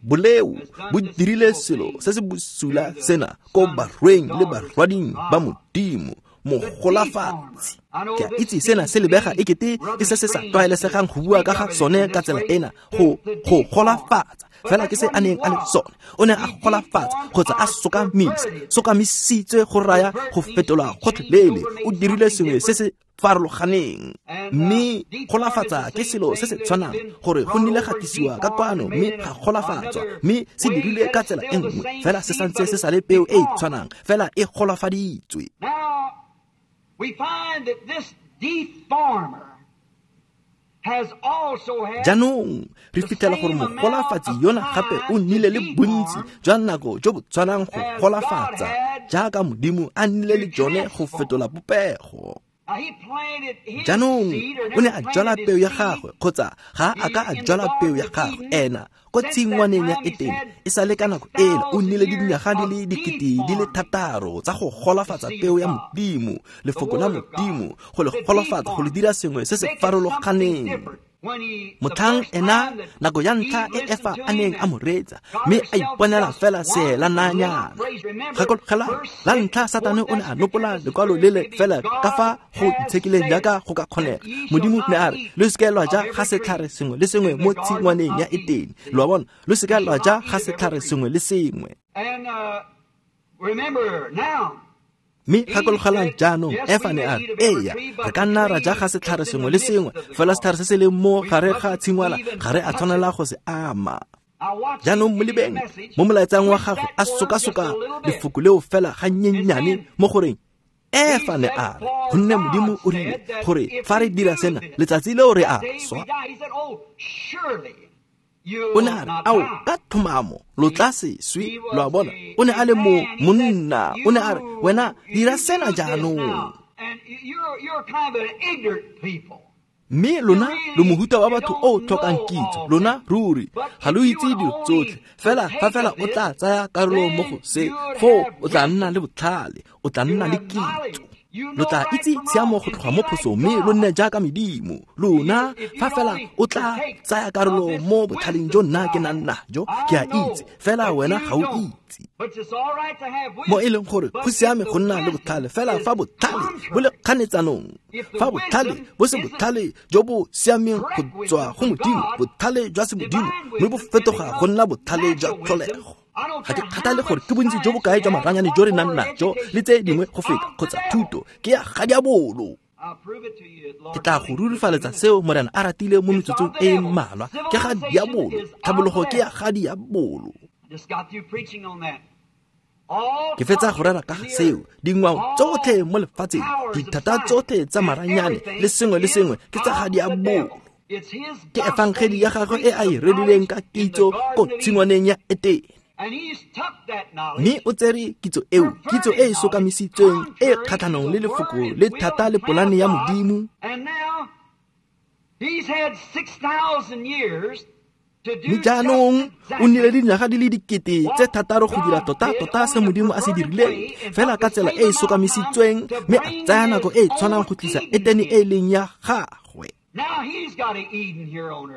Boleo bo dirile selo se se bosula sena ko barweng le barwading ba Modimo, mogolafatsi. Ke a itse sena se lebega ekete ke se se sa tlwaelesegang go bua ka ga sone ka tsela ena, go go golafatsa, fela ke se a neng a le sone. O ne a golafatsa kgotsa a sokamisa, sokamisitswe go raya go fetola gotlhelele, o dirile sengwe se se farologaneng. Mme golafatsa ke selo se se tshwanang, gore go nnile ga tlisiwa ka kwano mme ga golafatswa, mme se dirile ka tsela e nngwe, fela se santse se sa le peo e e tshwanang, fela e golafaditswe. Jaanong re fitlhela gore mogolafatsi yona gape o nnile le bontsi jwa nako jo bo tshwanang go golafatsa jaaka Modimo a nnile le jone go fetola popego. Jaanong o ne a jwala peo ya gagwe, kgotsa ga a ka a jwala peo ya gagwe ena ko tshingwaneng ya Etene. E sale ka nako ela o nnile le dinyaga di le dikete di le thataro tsa go golafatsa peo ya Modimo, lefoko la Modimo, go le golafatsa, go le dira sengwe se se farologaneng. Motlhang ena nako ya ntlha e Efa a neng a mo reetsa, mme a iponela fela seelananyana. Gakologelwa, la ntlha Satane o ne a nopola lekwalo le le fela ka fa go itshekileng jaaka go ka kgonega. Modimo ne a re, lo seke lwa ja ga setlhare sengwe le sengwe mo tshingwaneng ya Etene. Lo a bona, lo seke lwa ja ga setlhare sengwe le sengwe. Mme gakologelwang jaanong, Efa ne a re, eya, re ka nna ra ja ga setlhare sengwe le sengwe, fela setlhare se se leng mo gare ga tshingwana ga re a tshwanela go se ama. Jaanong mo lebeng, mo molaetsang wa gagwe a sokasoka lefoko leo fela ga nnyennyane mo goreng Efa ne a re, gonne Modimo o rile gore fa re dira sena, letsatsi leo re a swa. O ne a re, ao, ka tlhomamo lo tla se swe. Lo a bona, o ne a le mo monna, o ne a re, wena dira sena jaanong. Mme lona lo mohuta wa batho o tlhokang kitso, lona ruri ga lo itse dilo tsotlhe, fela fa fela o tla tsaya karolo mo go se, foo o tla nna le botlhale, o tla nna le kitso. Lo tla itse tshiamo go tloga mo phosong, mme lo nne jaaka medimo. Lona fa fela o tla tsaya karolo mo botlhaleng jo nna ke nang najo, ke a itse, fela wena ga o itse. Mo e leng gore go siame go nna le botlhale, fela fa botlhale bo le kganetsanong, fa botlhale bo se botlhale jo bo siameng go tswa go Modimo, botlhale jwa semodimo mme bo fetoga go nna botlhale jwa tlholego. Ga ke kgathale gore ke bontsi jo bokae jwa maranyane jo re nang najo le tse dingwe go feta, kgotsa thuto ke ya ga diabolo. Ke tla go rurifaletsa seo Morena a ratile mo metsotsong e mmalwa. Ke ga diabolo, tlhabologo ke ya ga diabolo. Ke fetsa go rera ka ga seo, dingwao tsotlhe mo lefatsheng, dithata tsotlhe tsa maranyane le sengwe le sengwe ke tsa ga diabolo. Ke efangeli ya gagwe e a e rerileng ka kitso ko tshingwaneng ya Etene. Mme o tsere kitso eo, kitso e e sokamisitsweng e kgatlhanong le lefoko le thata le polane ya Modimo. Mme jaanong o nnile le dinyaga di le dikete tse thataro go dira tota-tota se Modimo a se dirileng, fela ka tsela e e sokamisitsweng, mme a tsaya nako e e tshwanang go tlisa Etene e e leng ya gagwe.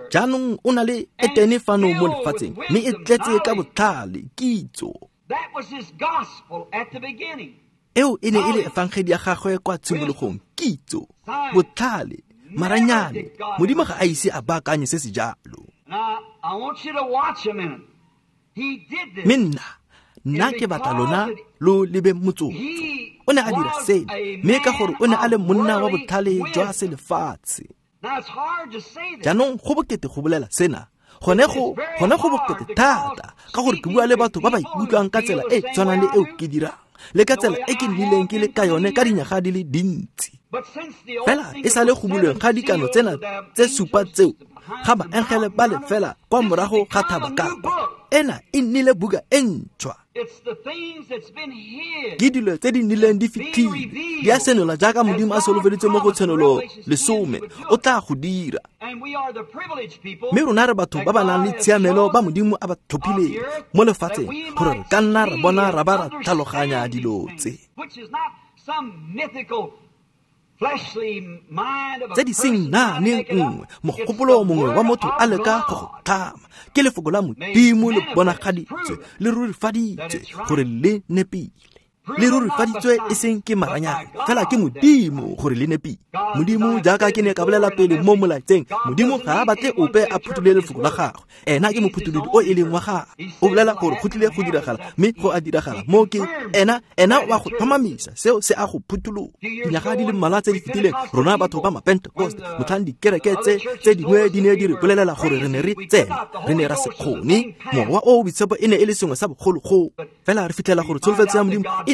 Jaanong o na le Etene fano mo lefatsheng, mme e tletse ka botlhale, kitso. Eo e ne e le efangedi ya gagwe kwa tshimologong, kitso, botlhale, maranyane. Modimo ga a ise a baakanye se se jalo. Mme nna, nna ke batla lona lo lebe motsotso. O ne a dira sena, mme ka gore o ne a le monna wa botlhale jwa selefatshe. Jaanong go bokete go bolela sena, gone go gone go bokete thata, ka gore ke bua le batho ba ba ikutlwang ka tsela e tshwanang le eo ke dirang, le ka tsela e ke nnileng ke le ka yone ka dinyaga di le dintsi. Fela e sale go bulweng ga dikano tsena tse supa tseo, ga baengele ba le fela kwa morago ga thaba ka kwa, ena e nnile buka e ntšhwa. Ke dilo tse di nnileng di fitlhile, di a senola jaaka Modimo a solofeditse mo go Tshenolo lesome, o tla go dira. Mme rona re batho ba ba nang le tshiamelo ba Modimo a ba tlhophileng mo lefatsheng, gore re ka nna ra bona ra ba ra tlhaloganya dilo tse. Tse di seng naaneng nngwe, mogopolo mongwe wa motho a leka go go tlhama, ke lefoko la Modimo le bonagaditswe, le rurifaditswe gore le nepile. Le rurifaditswe e seng ke maranyane, fela ke Modimo gore le nepile. Modimo, jaaka ke ne ka bolela pele mo molaetseng, Modimo ga a batle ope a phutholole lefoko la gagwe. Ena ke mophutholodi o e leng wa gagwe. O bolela gore go tlile go diragala, mme go a diragala. Mo ke ena, ena wa go tlhomamisa seo se a go phuthulola. Dinyaga di le mmalwa tse di fetileng, rona batho ba Mapentecost, motlhang dikereke tse tse dingwe di ne di re bolelela gore re ne re tsena, re ne ra se kgone. Mowa o o boitshepo e ne e le sengwe sa bogologolo. Fela re fitlhela gore tsholofetso ya Modimo e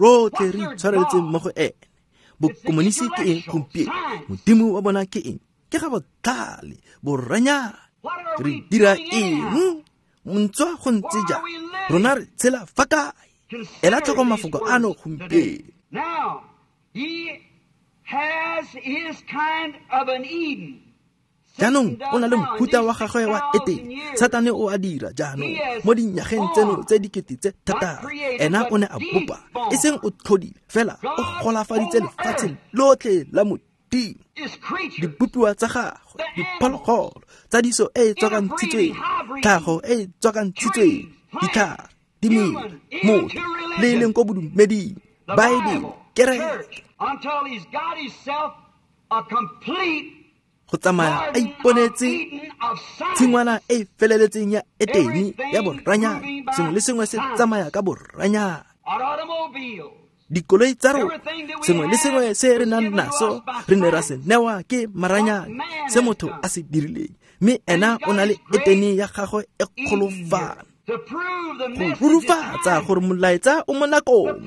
rotlhe re itshwareletseng mo go ene. Bokomonisi ke eng gompieno? Modimo wa bona ke eng? Ke ga botlhale, boranyane. Re dira eng? Ntswa go ntse jang? Rona re tshela fa kae? Ela tlhoko mafoko ano gompieno. Now, he has his kind of an Eden. Jaanong o na le mohuta wa gagwe wa Etene. Satane o a dira jaanong mo dinyageng tseno tse dikete tse thataro. Ena o ne a bopa, e seng o tlhodile, fela o golafaditse lefatshe lotlhe la Modimo. Dibopiwa tsa gagwe, diphologolo, tsadiso e e tswakantshitsweng, tlhago e e tswakantshitsweng, ditlhare, dimela, motho, le e leng ko bodumeding, Baebele, kereke. Until he's got himself a complete go tsamaya a iponetse tshingwana e feleletseng ya Etene ya boranyane. Sengwe le sengwe se tsamaya ka boranyane. Dikoloi tsa rona, sengwe le sengwe se re nang naso re ne ra se newa ke maranyane, se motho a se dirileng. Mme ena o na le Etene ya gagwe e kgolofana. Go rurufatsa gore molaetsa o mo nakong,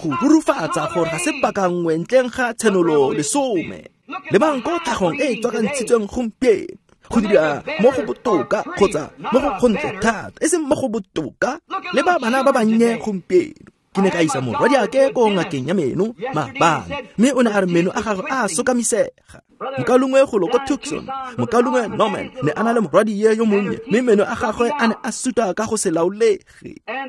go rurufatsa gore ga se paka nngwe ntleng ga tshenolo lesome. Lebang ko tlhagong e e tswakantshitsweng gompieno, go dira mo go botoka kgotsa mo go gontle thata, e seng mo go botoka. Le ba bana ba bannye gompieno. Ke ne ka isa morwadiake ko ngakeng ya meno maabane, mme o ne a re meno a gagwe a sokamisega. Mokalongwe golo ko Tucson, mokalongwe Norman ne a na le morwadie yo monnye, mme meno a gagwe a ne a suta ka go se laolege.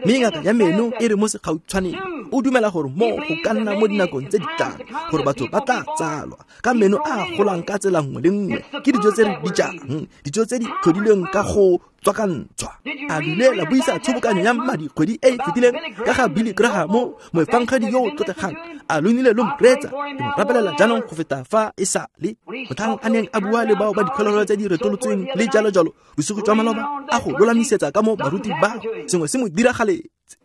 Mme ngaka ya meno e re mo segautshwaneng o dumela gore mo go ka nna mo dinakong tse di tlang gore batho ba tla tsalwa ka meno a golang ka tsela nngwe le nngwe ke dijo tse re di jang, dijo tse di tlhodilweng ka go tswakantshwa. A bile la buisa tshobokanyo ya madi kgwedi e e fetileng ka ga Billy Graham, moefangedi yo o tlotlegang. A lo nnile lo mreetsa, ke mo rapelela jaanong go feta fa e sa le motlhang a neng a bua le bao ba dikgolelo tse di retolotsweng le jalo jalo bosigo jwa maloba, a go lolamisetsa ka mo baruti bao sengwe se mo diragaletse.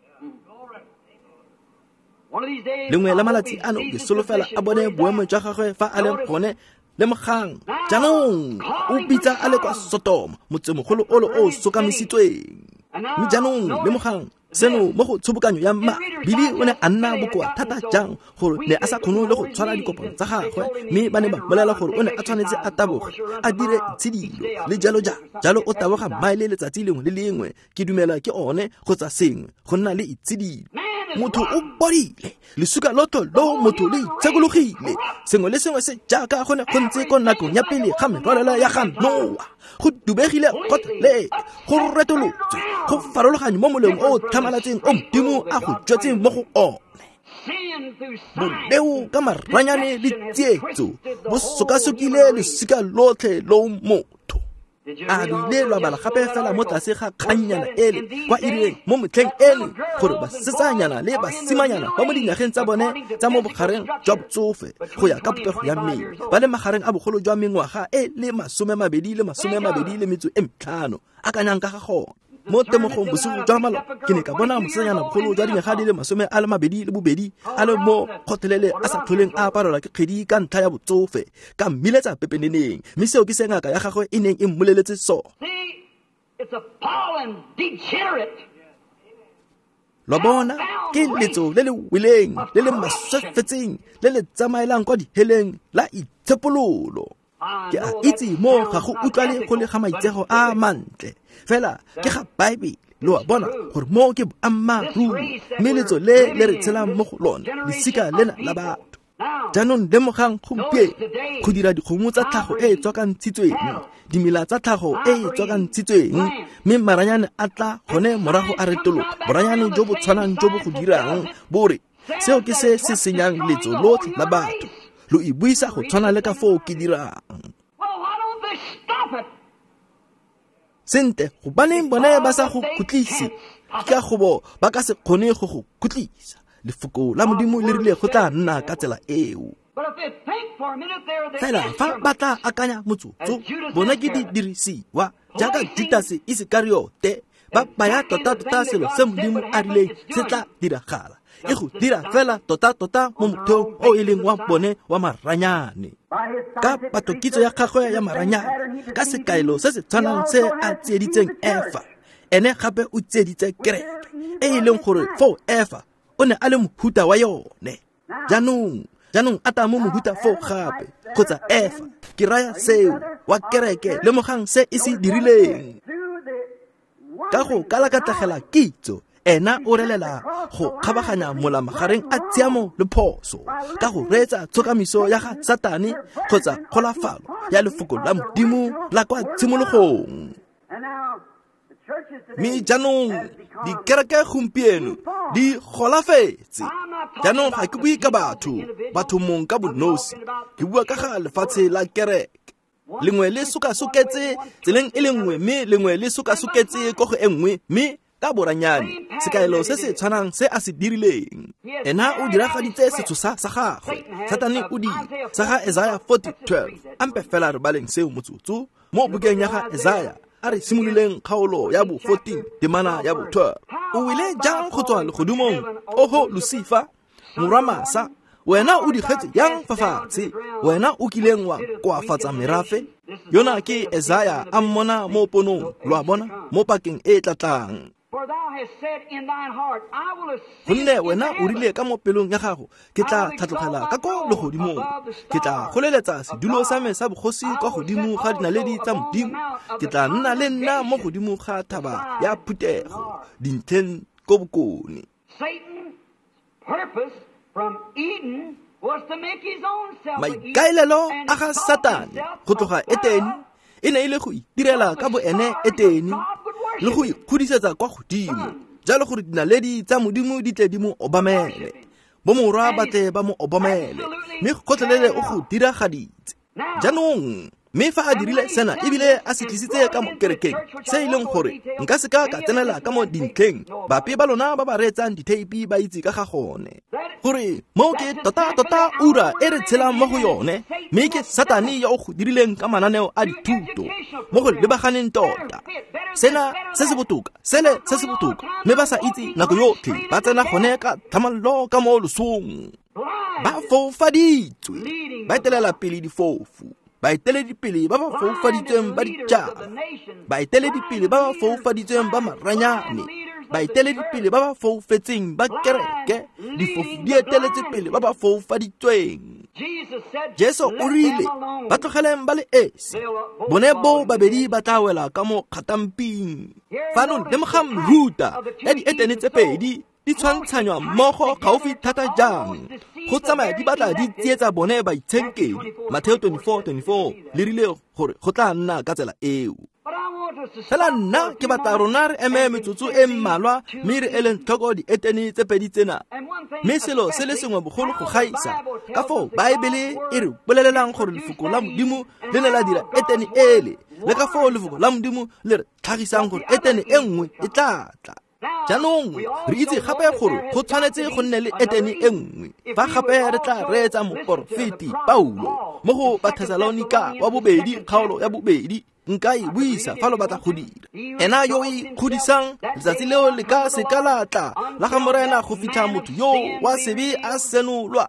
Lengwe la malatsi ano ke solofela a bone boemo jwa gagwe fa a leng gone. Lemogang jaanong o bitsa a le kwa Sotoma, motsemogolo olo o sokamisitsweng. Mme jaanong lemogang seno mo go tshobokanyo ya mma. Billy o ne a nna bokoa thata jang gore ne a sa kgone le go tshwara dikopano tsa gagwe, mme ba ne ba mmolelela gore o ne a tshwanetse a taboge, a dire tshidilo le jalo jalo. Jalo o taboga maele letsatsi lengwe le lengwe, ke dumela ke one kgotsa sengwe, go nna le itshidilo. Motho o bodile, lesuka lotho lo motho le itshekologile. Sengwe le sengwe se jaaka go ne go ntse ko nakong ya pele ga merwalela ya ga Noa. Go dubegile gotlhelele, go retolotswe, go farologanye mo moleng o o tlhamalatseng o Modimo a go jwetseng mo go one. Boleo ka maranyane le tsietso bo sokasokile lesika lotlhe lo motho. A bile lwa bala gape fela mo tlase ga kgannyana ele kwa irileng mo motlheng ele gore basetsanyana le basimanyana ba mo dinageng tsa bone tsa mo bogareng jwa botsofe go ya ka popego ya mmele ba le magareng a bogolo jwa mengwaga e le masome mabedi le masome mabedi le metso e metlhano. Akanyang ka ga gone. Mo temogong bosigo jwa maloba ke ne ka bona mosetsanyana bogolo jwa dinyaga di le masome a le mabedi le bobedi a le mo kgothelele a sa tlholeng a aparelwa ke kgwedi ka ntlha ya botsofe, ka mmiletsa pepeneneng, mme seo ke se ngaka ya gagwe e neng e mmoleletse sone. Lo bona, ke letso le le weleng, le le maswefetseng, le le tsamaelang kwa diheleng la itshepololo. Ke a itse mo ga go utlwale go le ga maitsego a mantle, fela ke ga Baebele. Lo a bona gore mo ke boammaaruri, mme letso le le re tshelang mo go lone, lesika lena la batho. Jaanong lemogang gompieno go dira dikgomo tsa tlhago e e tswakantshitsweng, dimela tsa tlhago e e tswakantshitsweng, mme maranyane a tla gone morago a retologa. Boranyane jo bo tshwanang jo bo go dirang bo re seo ke se se senyang letso lotlhe la batho. Lo e buisa go tshwana le ka foo ke dirang. Sente, gobaneng bone ba sa go khutlise? Ke ka gobo ba ka se kgone go go khutlisa. Lefoko la Modimo le rile go tla nna ka tsela eo. Fela fa ba tla akanya motsotso, bona ke didirisiwa jaaka Judase Isekariote, ba baya tota-tota selo se Modimo a rileng se tla diragala. E go dira fela tota-tota mo motheong o e leng wa bone wa maranyane. Ka patokitso ya gagwe ya maranyane, ka sekaelo se se tshwanang se a tsieditseng Efa, ene gape o tsieditse kereke, e e leng gore foo Efa o ne a le mohuta wa yone. Jaanong, jaanong Atamo mohuta foo gape, kgotsa Efa, ke raya seo, wa kereke, lemogang se e se dirileng. Ka go kalakatlhagela kitso Ena o relela go kgabaganya mola magareng a tshiamo le phoso ka go reetsa tshokamiso ya ga Satane kgotsa kgolafalo ya lefoko la Modimo la kwa tshimologong. Mme jaanong dikereke gompieno di golafetse. Jaanong ga ke bue ka batho, batho mong ka bonosi, ke bua ka ga lefatshe la kereke. Lengwe le sokasoketse tseleng e le nngwe, mme lengwe le sokasoketse ko go e nngwe, mme ka boranyane sekaelo se se tshwanang se a se dirileng. Ena o diragaditse setshosa sa gagwe, Satane o dira sa ga Isaiah forty twelve. Ampe fela re baleng seo motsotso mo bukeng ya ga Isaiah. A re simololeng kgaolo ya bo fourteen temana ya bo twelve. O wile jang go tswa legodimong, oho Lucifer, morwa Masa, wena o digetse yang fa fatshe, wena o kileng wa koafatsa merafe. Yona ke Isaiah a mmona mo ponong, lo a bona, mo pakeng e tlatlang. Gonne wena o rile ka mo pelong ya gago, ke tla tlhatlogela ka ko legodimong, ke tla goleletsa sedulo sa me sa bogosi kwa godimo ga dinaledi tsa Modimo, ke tla nna le nna mo godimo ga thaba ya phuthego dintlheng ko bokone. Maikaelelo a ga Satane go tloga Etene e ne e le go itirela ka boene Etene le go ikgodisetsa kwa godimo, jalo gore dinaledi tsa Modimo di tle di mo obamele, bomorwa ba tle ba mo obamele, mme gotlhelele o go diragaditse. Jaanong mme fa a dirile sena ebile a se tlisitse ka mo kerekeng, se e leng gore nka se ka ka tsenela ka mo dintlheng, bape ba lona ba ba reetsang ditheipi ba itse ka ga gone, gore mo ke tota-tota ura e re tshelang mo go yone, mme ke Satane yo o go dirileng ka mananeo a dithuto mo go lebaganeng tota. Sena se se botoka, sele se se botoka, mme ba sa itse nako yotlhe ba tsena gone ka tlhamallo ka mo losong. Ba foufaditswe, ba etelela pele difofu, baeteledipele ba ba foufaditsweng ba ditšhaba, baeteledipele ba ba foufaditsweng ba maranyane, baeteledipele ba ba foufetseng ba kereke, difofu di eteletse pele ba ba foufaditsweng. Jesu o rile ba tlogeleng ba le esi, bone bo babedi ba tla wela ka mo kgatamping. Fano lemogang mehuta ya dietene tse pedi di tshwantshanywa mmogo gaufi thata jang, go tsamaya di batla di tsietsa bone baitshenkedi. Mateo twenty-four twenty-four le rile gore go tla nna ka tsela eo. Fela nna ke batla rona re eme metsotso e mmalwa mme re eleng tlhoko dietene tse pedi tsena. Mme selo se le sengwe bogolo go gaisa ka foo Baebele e re bolelelang gore lefoko la Modimo le ne la dira etene ele, le ka foo lefoko la Modimo le re tlhagisang gore etene e nngwe e tla tla. Jaanong re itse gape gore go tshwanetse go nne le etene e nngwe. Fa gape re tla reetsa moporofeti Paulo mo go Bathesalonika wa bobedi kgaolo ya bobedi, nka e buisa fa lo batla go dira. Ena yo o ikgodisang letsatsi leo le ka se ka la tla la ga Morena go fitlha motho yo wa sebe a senolwa.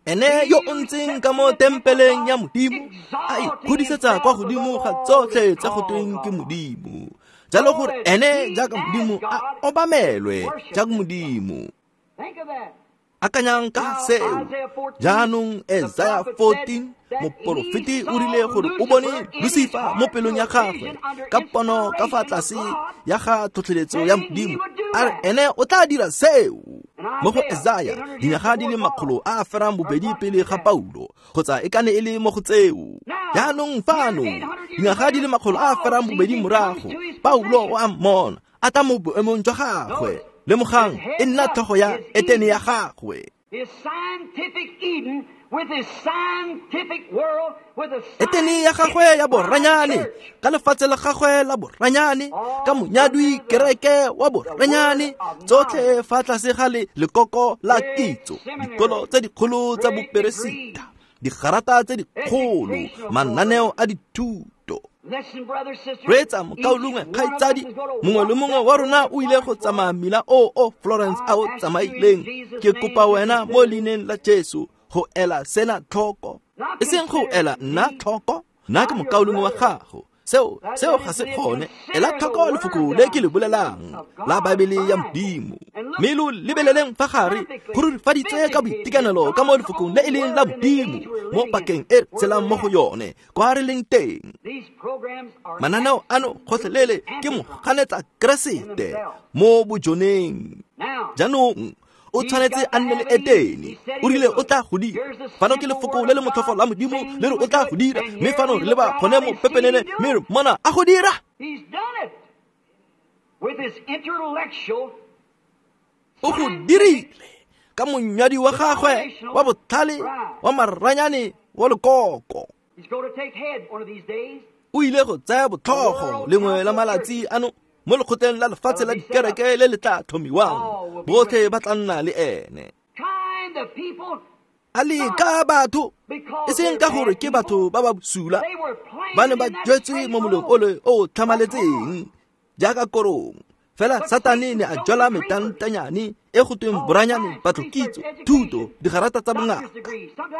Ene yo o ntseng ka mo tempeleng ya Modimo a ikgodisetsa kwa godimo ga tsotlhe tse go tweng ke Modimo, jalo gore ene jaaka Modimo a obamelwe jaaka Modimo. Akanyang ka seo. Jaanong Isaiah fourteen, moporofeti o rile gore o bone Lucifer mo pelong ya gagwe ka pono ka fa tlase ya ga tlhotlheletso ya Modimo, a re ene o tla dira seo. Mo go Isaiah dinyaga di le makgolo a a ferang bobedi pele ga Paulo, kgotsa e kane e le mo go tseo. Jaanong fano dinyaga di le makgolo a a ferang bobedi morago, Paulo o a mmona a tla mo boemong jwa gagwe. Lemogang e nna tlhogo ya etene ya gagwe. Etene ya gagwe ya boranyane, ka lefatshe la gagwe la boranyane, ka monyadwi kereke wa boranyane, tsotlhe fa tlase ga le lekoko la kitso, dikolo tse dikgolo tsa boperesita, digarata tse dikgolo, mananeo a dithuto. Reetsa mokaulengwe kgaitsadi, mongwe le mongwe wa rona o ile go tsamaya mmila o o Florence a o tsamaileng. Ke kopa wena mo leineng la Jesu go ela sena tlhoko, e seng go ela nna tlhoko, nna ke mokaulengwe wa gago. Seo seo ga se gone. Ela tlhoko lefoko le ke le bolelang la Baebele ya Modimo, Mme lo lebeleleng fa gare go rurifaditswe ka boitekanelo ka mo lefokong le e leng la Modimo mo pakeng e re tshelang mo go yone kwa re leng teng. Mananeo ano gotlhelele ke moganetsa Keresete mo bojoneng. Jaanong o tshwanetse a nne le Etene. O rile o tla go dira. Fano ke lefoko le le motlhofo la Modimo le re o tla go dira, mme fano re leba gone mo pepenene mme re mmona a go dira. O go dirile ka monyadi wa gagwe wa botlhale wa maranyane wa lekoko. O ile go tsaya botlhogo lengwe la malatsi ano mo lekgotleng la lefatshe la dikereke le le tla tlhomiwang. Botlhe ba tla nna le ene. A leka batho, e seng ka gore ke batho ba ba bosula, ba ne ba jwetswe mo molong ole o tlhamaletseng jaaka korong. Fela Satane ne a jwala metantanyane e go tweng boranyane, patlokitso, thuto, digarata tsa bongaka.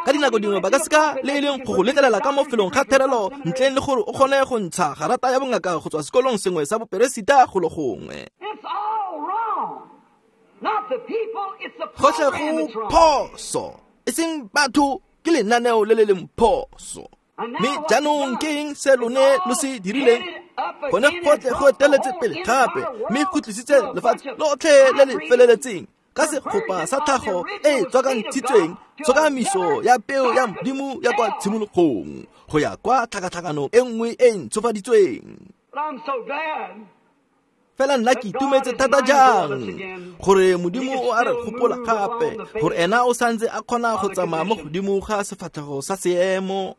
Ka dinako dingwe ba ka seka le e leng go go letlelela ka mo felong ga therelo ntleng le gore o kgone go ntsha garata ya bongaka go tswa sekolong sengwe sa boperesita golo gongwe. Gotlhe go phoso, e seng batho, ke lenaneo le le leng phoso. Mme jaanong ke eng se lone lo se dirileng? Gone gotlhe go eteletse pele gape, mme go tlisitse lefatshe lotlhe le le feleletseng ka segopa sa tlhago e e tswakantshitsweng, tshokamiso ya peo ya Modimo ya kwa tshimologong go ya kwa tlhakatlhakanong e nngwe e ntshofaditsweng. Fela nna ke itumetse thata jang gore Modimo o a re gopola gape, gore ena o santse a kgona go tsamaya mo godimo ga sefatlhego sa seemo.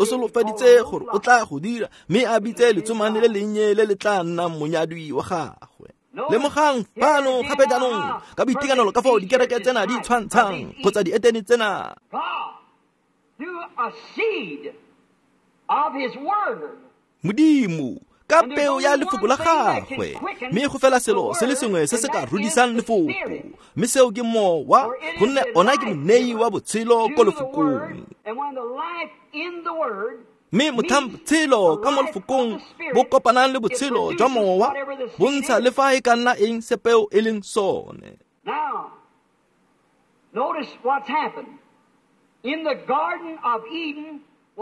O solofeditse gore o tla go dira, mme a bitse letsomane le lennye le le tla nnang monyadwi wa gagwe. Lemogang fano gape jaanong ka boitekanelo ka fao dikereke tsena di tshwantshang kgotsa dietene tsena. Modimo ka peo ya lefoko la gagwe, mme go fela selo se le sengwe se se ka rudisang lefoko, mme seo ke mowa, gonne ona ke monei wa botshelo ko lefokong. Mme motlhang botshelo ka mo lefokong bo kopanang le botshelo jwa mowa, bo ntsha le fa e ka nna eng se peo e leng sone.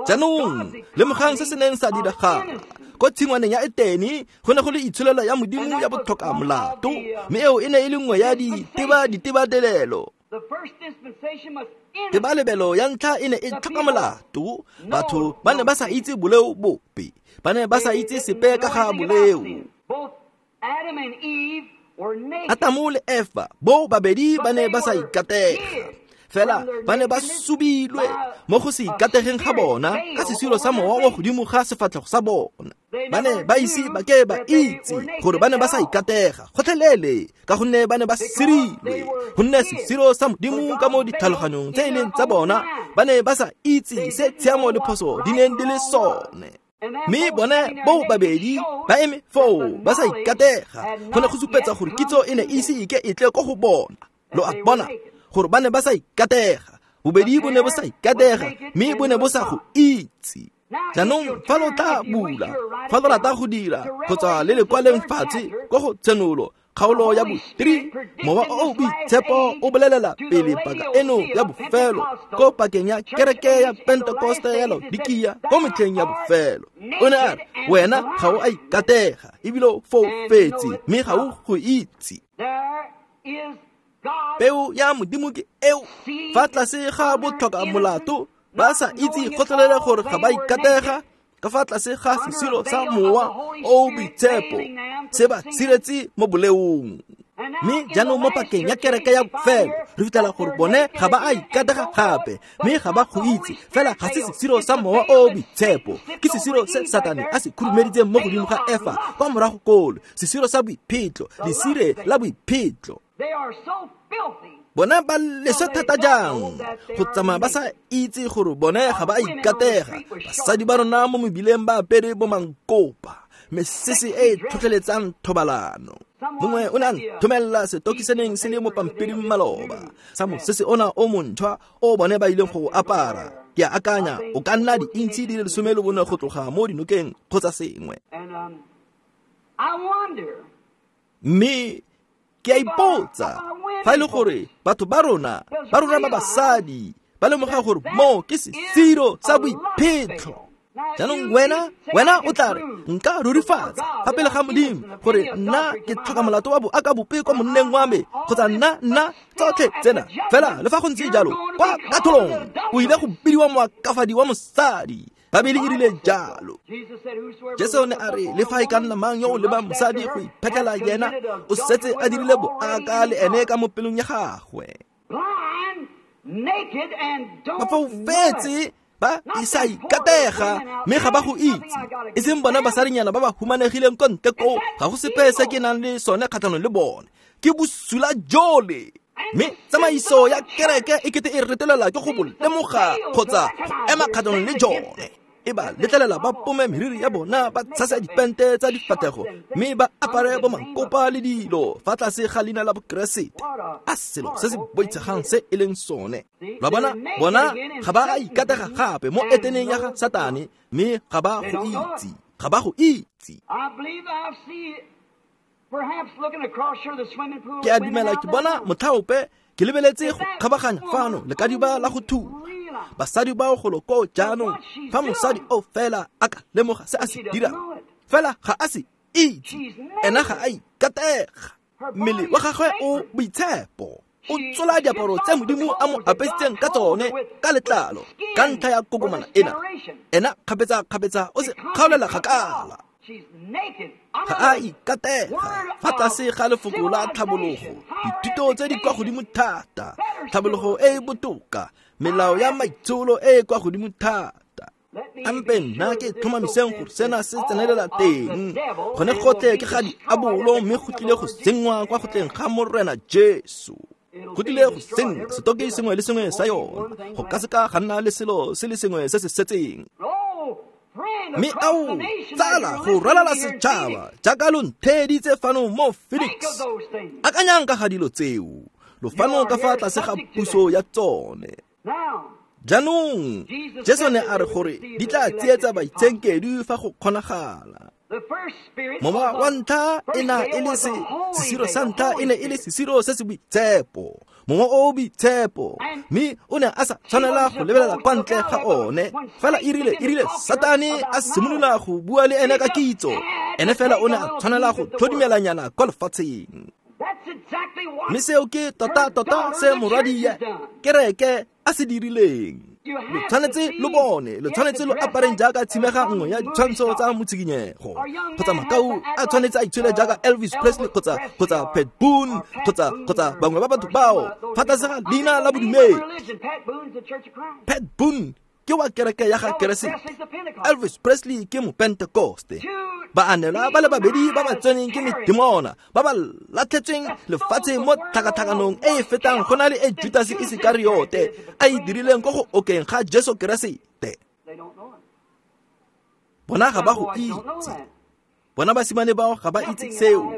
Jaanong lemogang se se neng sa diragala ko tshingwaneng ya Etene. Go ne go le itsholelo ya Modimo ya botlhoka molato, mme eo e ne e le nngwe ya diteba ditebatelelo. Tebalebelo ya ntlha e ne e tlhoka molato. Batho ba ne ba sa itse boleo bope, ba ne ba sa itse sepe ka ga boleo. Atamo le Efa bo babedi ba ne ba sa ikatega, fela ba ne ba subilwe mo go se ikategeng ga bona ka sesiro sa mowa wa godimo ga sefatlhego sa bona. Ba ne ba ise ba ke ba itse gore ba ne ba sa ikatega gotlhelele, ka gonne ba ne ba sirilwe, gonne sesiro sa Modimo ka mo ditlhaloganyong tse e leng tsa bona ba ne ba sa itse se tshiamo le phoso di neng di le sone. Mme bone bo babedi ba eme foo ba sa ikatega, go ne go supetsa gore kitso e ne ise e ke e tle ko go bona. Lo a bona gore ba ne ba sa ikatega, bobedi bo ne bo sa ikatega, mme bo ne bo sa go itse. Jaanong fa lo tla bula, fa lo rata go dira kgotsa le le kwaleng fatshe ko go Tshenolo kgaolo ya bo three, mowa o o boitshepo o bolelela pele paka eno ya bofelo ko pakeng ya kereke ya Pentekoste ya Laodikia ko metlheng ya bofelo. O ne a re, wena ga o a ikatega ebile o foufetse, mme ga o go itse. Peo ya Modimo ke eo fa tlase ga botlhoka molato, ba sa itse gotlhelele gore ga ba ikatega, ka fa tlase ga sesiro sa mowa o boitshepo se ba siretse mo boleong. Mme jaanong mo pakeng ya kereke ya bofelo re fitlhela gore bone ga ba a ikatega gape, mme ga ba go itse. Fela ga se sesiro sa mowa o boitshepo, ke sesiro se Satane a se khurumeditseng mo godimo ga Efa kwa morago kolo, sesiro sa boiphetlo, lesire la boiphetlo. Bona ba leswe thata jang go tsamaya ba sa itse gore bone ga ba a ikatega. Basadi ba rona mo mebileng ba apere bo mankopa, mesese e e tlhotlheletsang thobalano. Mongwe o ne a nthomelela setokisaneng se le mo pampiring maloba sa mosese ona o montšhwa o bone ba ileng go apara. Ke a akanya o ka nna di-intšhi di le lesome le bone go tloga mo dinokeng kgotsa sengwe. Mme Ke a ipotsa fa e le gore batho ba rona ba rona ba basadi ba lemoga gore mo ke sesiro sa boiphetlho. Jaanong wena wena o tla re nka rurifatsa fa pele ga Modimo gore nna ke tlhoka molato wa boaka bope kwa monneng wa me kgotsa nna nna tsotlhe tsena. Fela le fa go ntse jalo kwa katlholong o ile go bidiwa moakafadi wa mosadi. Babele e rile jalo. Jesu ne a re le fa e ka nna mang yo o lebang mosadi go iphetlhela yena o setse a dirile boaka le ene ka mo pelong ya gagwe. Ba foufetse ba isa ikatega mme ga ba go itse. E seng bona basadinyana ba ba humanegileng ko ntle koo, ga go sepe se ke nang le sone kgatlhanong le bone. Ke bosula jole. Mme tsamaiso ya kereke e kete e retelela ke go bo lemoga kgotsa go ema kgatlhanong le jone. E ba letlelela ba pome meriri ya bona, ba tshasa dipente tsa difatlhego mme ba apare bo mankopa le dilo fa tlase ga leina la Bokeresete. A selo se se boitshegang se e leng sone. Lwa bona, bona ga ba a ikatega gape mo eteneng ya ga Satane mme ga ba go itse. Ga ba go itse. Ke a dumela ke bona motlhaope ke lebeletse go kgabaganya fano lekadiba la go thuba. Basadi bao golo koo jaanong fa mosadi o fela a ka lemoga se a se dirang, fela ga a se itse, ena ga a ikatega. Mmele wa gagwe o boitshepo, o tsola diaparo tse Modimo a mo apesitseng ka tsone ka letlalo ka ntlha ya kokomana ena. Ena kgapetsa-kgapetsa o se kgaolela kgakala. Ga a ikatega fa tlase ga lefoko la tlhabologo, dithuto tse di kwa godimo thata, tlhabologo e e botoka, melao ya maitsholo e e kwa godimo thata. Ampe nna ke tlhomamiseng gore sena se tsenelela teng. Gone gotlhe ke ga diabolo mme go tlile go senngwa kwa gotleng ga Morena Jesu. Go tlile go senngwa setoki sengwe le sengwe sa yona. Go ka seka ga nna le selo se le sengwe se se setseng. Mme ao tsala go ralala setšhaba jaaka lo ntheeditse fano mo Phoenix. Akanyang ka ga dilo tseo, lo fano ka fa tlase ga puso ya tsone. Jaanong Jesu ne a re gore di tla tsietsa baitshenkedwi fa go kgonagala. Mowa wa ntlha e na e le se sesiro sa ntlha e ne e le sesiro se se boitshepo, mowa o o boitshepo, mme o ne a sa tshwanela go lebelela kwa ntle ga one. Fela e rile e rile Satane a simolola go bua le ene ka kitso, ene fela o ne a tshwanela go tlhodimelanyana kwa lefatsheng. Mme seo ke tota-tota se morwadi ya kereke a se dirileng. Lo tshwanetse lo bone, lo tshwanetse lo apareng jaaka tshimega nngwe ya ditshwantsho tsa motshikinyego, kgotsa makau a tshwanetse a itshwele jaaka Elvis Presley kgotsa kgotsa Pat Boone kgotsa kgotsa bangwe ba batho bao fa tlase ga leina la bodumedi. Pat Boone ke wa kereke ya ga Keresete, Elvis Presley ke mopentekoste. Baanelwa ba le babedi ba ba tseneng ke medimona ba ba latlhetsweng lefatshe mo tlhakatlhakanong e e fetang go na le e Judase Isekariote a e dirileng ko go okeng ga Jesu Keresete. Bona ga ba go itse. Bona basimane bao ga ba itse seo.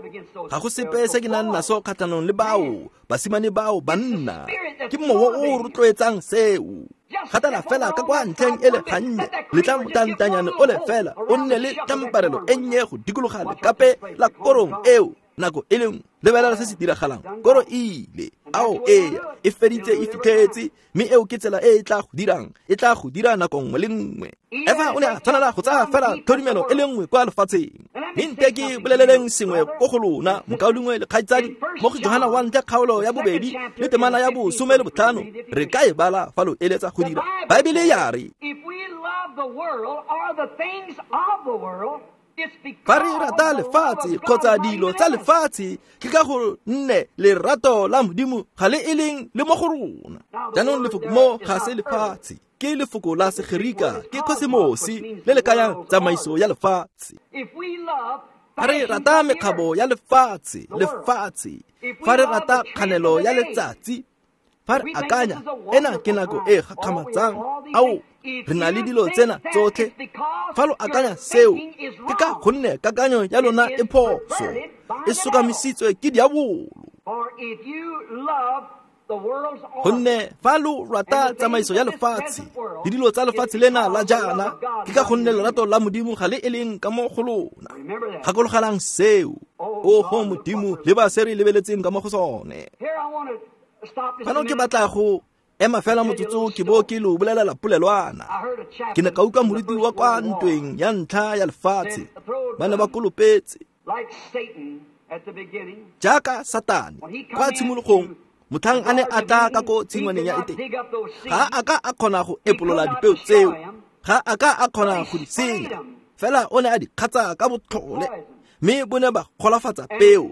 Ga go sepe se ke nang naso kgatlhanong le bao basimane bao banna. Ke mowa o o rotloetsang seo. Gatela fela ka kwa ntlheng e le gannye, letla motantanyane o le fela o nne le tlamparelo e nnye go dikologa lekape la korong eo nako e le nngwe. Lebelela se se diragalang. Koro e ile, ao ee, e feditse e fitlhetse, mme eo ke tsela e e tla go dirang, e tla go dira nako nngwe le nngwe. Efa o ne a tshwanela go tsaya fela tlhodumelo e le nngwe kwa lefatsheng. Mme nte ke boleleleng sengwe ko go lona, mokaulengwe le kgaitsadi, mo go Johana wa ntlha kgaolo ya bobedi le temana ya bosome le botlhano, re ka e bala fa lo eletsa go dira. Baebele ya re, fa re rata lefatshe kgotsa dilo tsa lefatshe, ke ka go nne lerato la Modimo ga le e leng le mo go rona. Jaanong lefoko mo ga se lefatshe, ke lefoko la Segerika, ke kosmosi le le kayang tsamaiso ya lefatshe. Fa re rata mekgabo ya lefatshe, lefatshe, fa re rata kganelo ya letsatsi, fa re akanya ena ke nako e gakgamatsang, ao re na le dilo tsena tsotlhe. Fa lo akanya seo, ke ka gonne kakanyo ya lona e phoso, e sokamisitswe ke diabolo. Gonne fa lo rata tsamaiso ya lefatshe le dilo tsa lefatshe lena la jaana, ke ka gonne lerato la Modimo ga le e leng ka mo go lona. Gakologelang seo. Oho Modimo, le ba se re lebeletseng ka mo go sone. Fano ke batla go ema fela motsotso ke bo ke lo bolelela polelwana. Ke ne ka utlwa moruti wa kwa ntweng ya ntlha ya lefatshe, ba ne ba kolopetse jaaka Satane kwa tshimologong. Motlhang a ne a tla ka ko tshingwaneng ya Etene, ga a ka a kgona go epolola dipeo tseo, ga a ka a kgona go di senya, fela o ne a di kgatsa ka botlhole, mme bo ne ba golafatsa peo.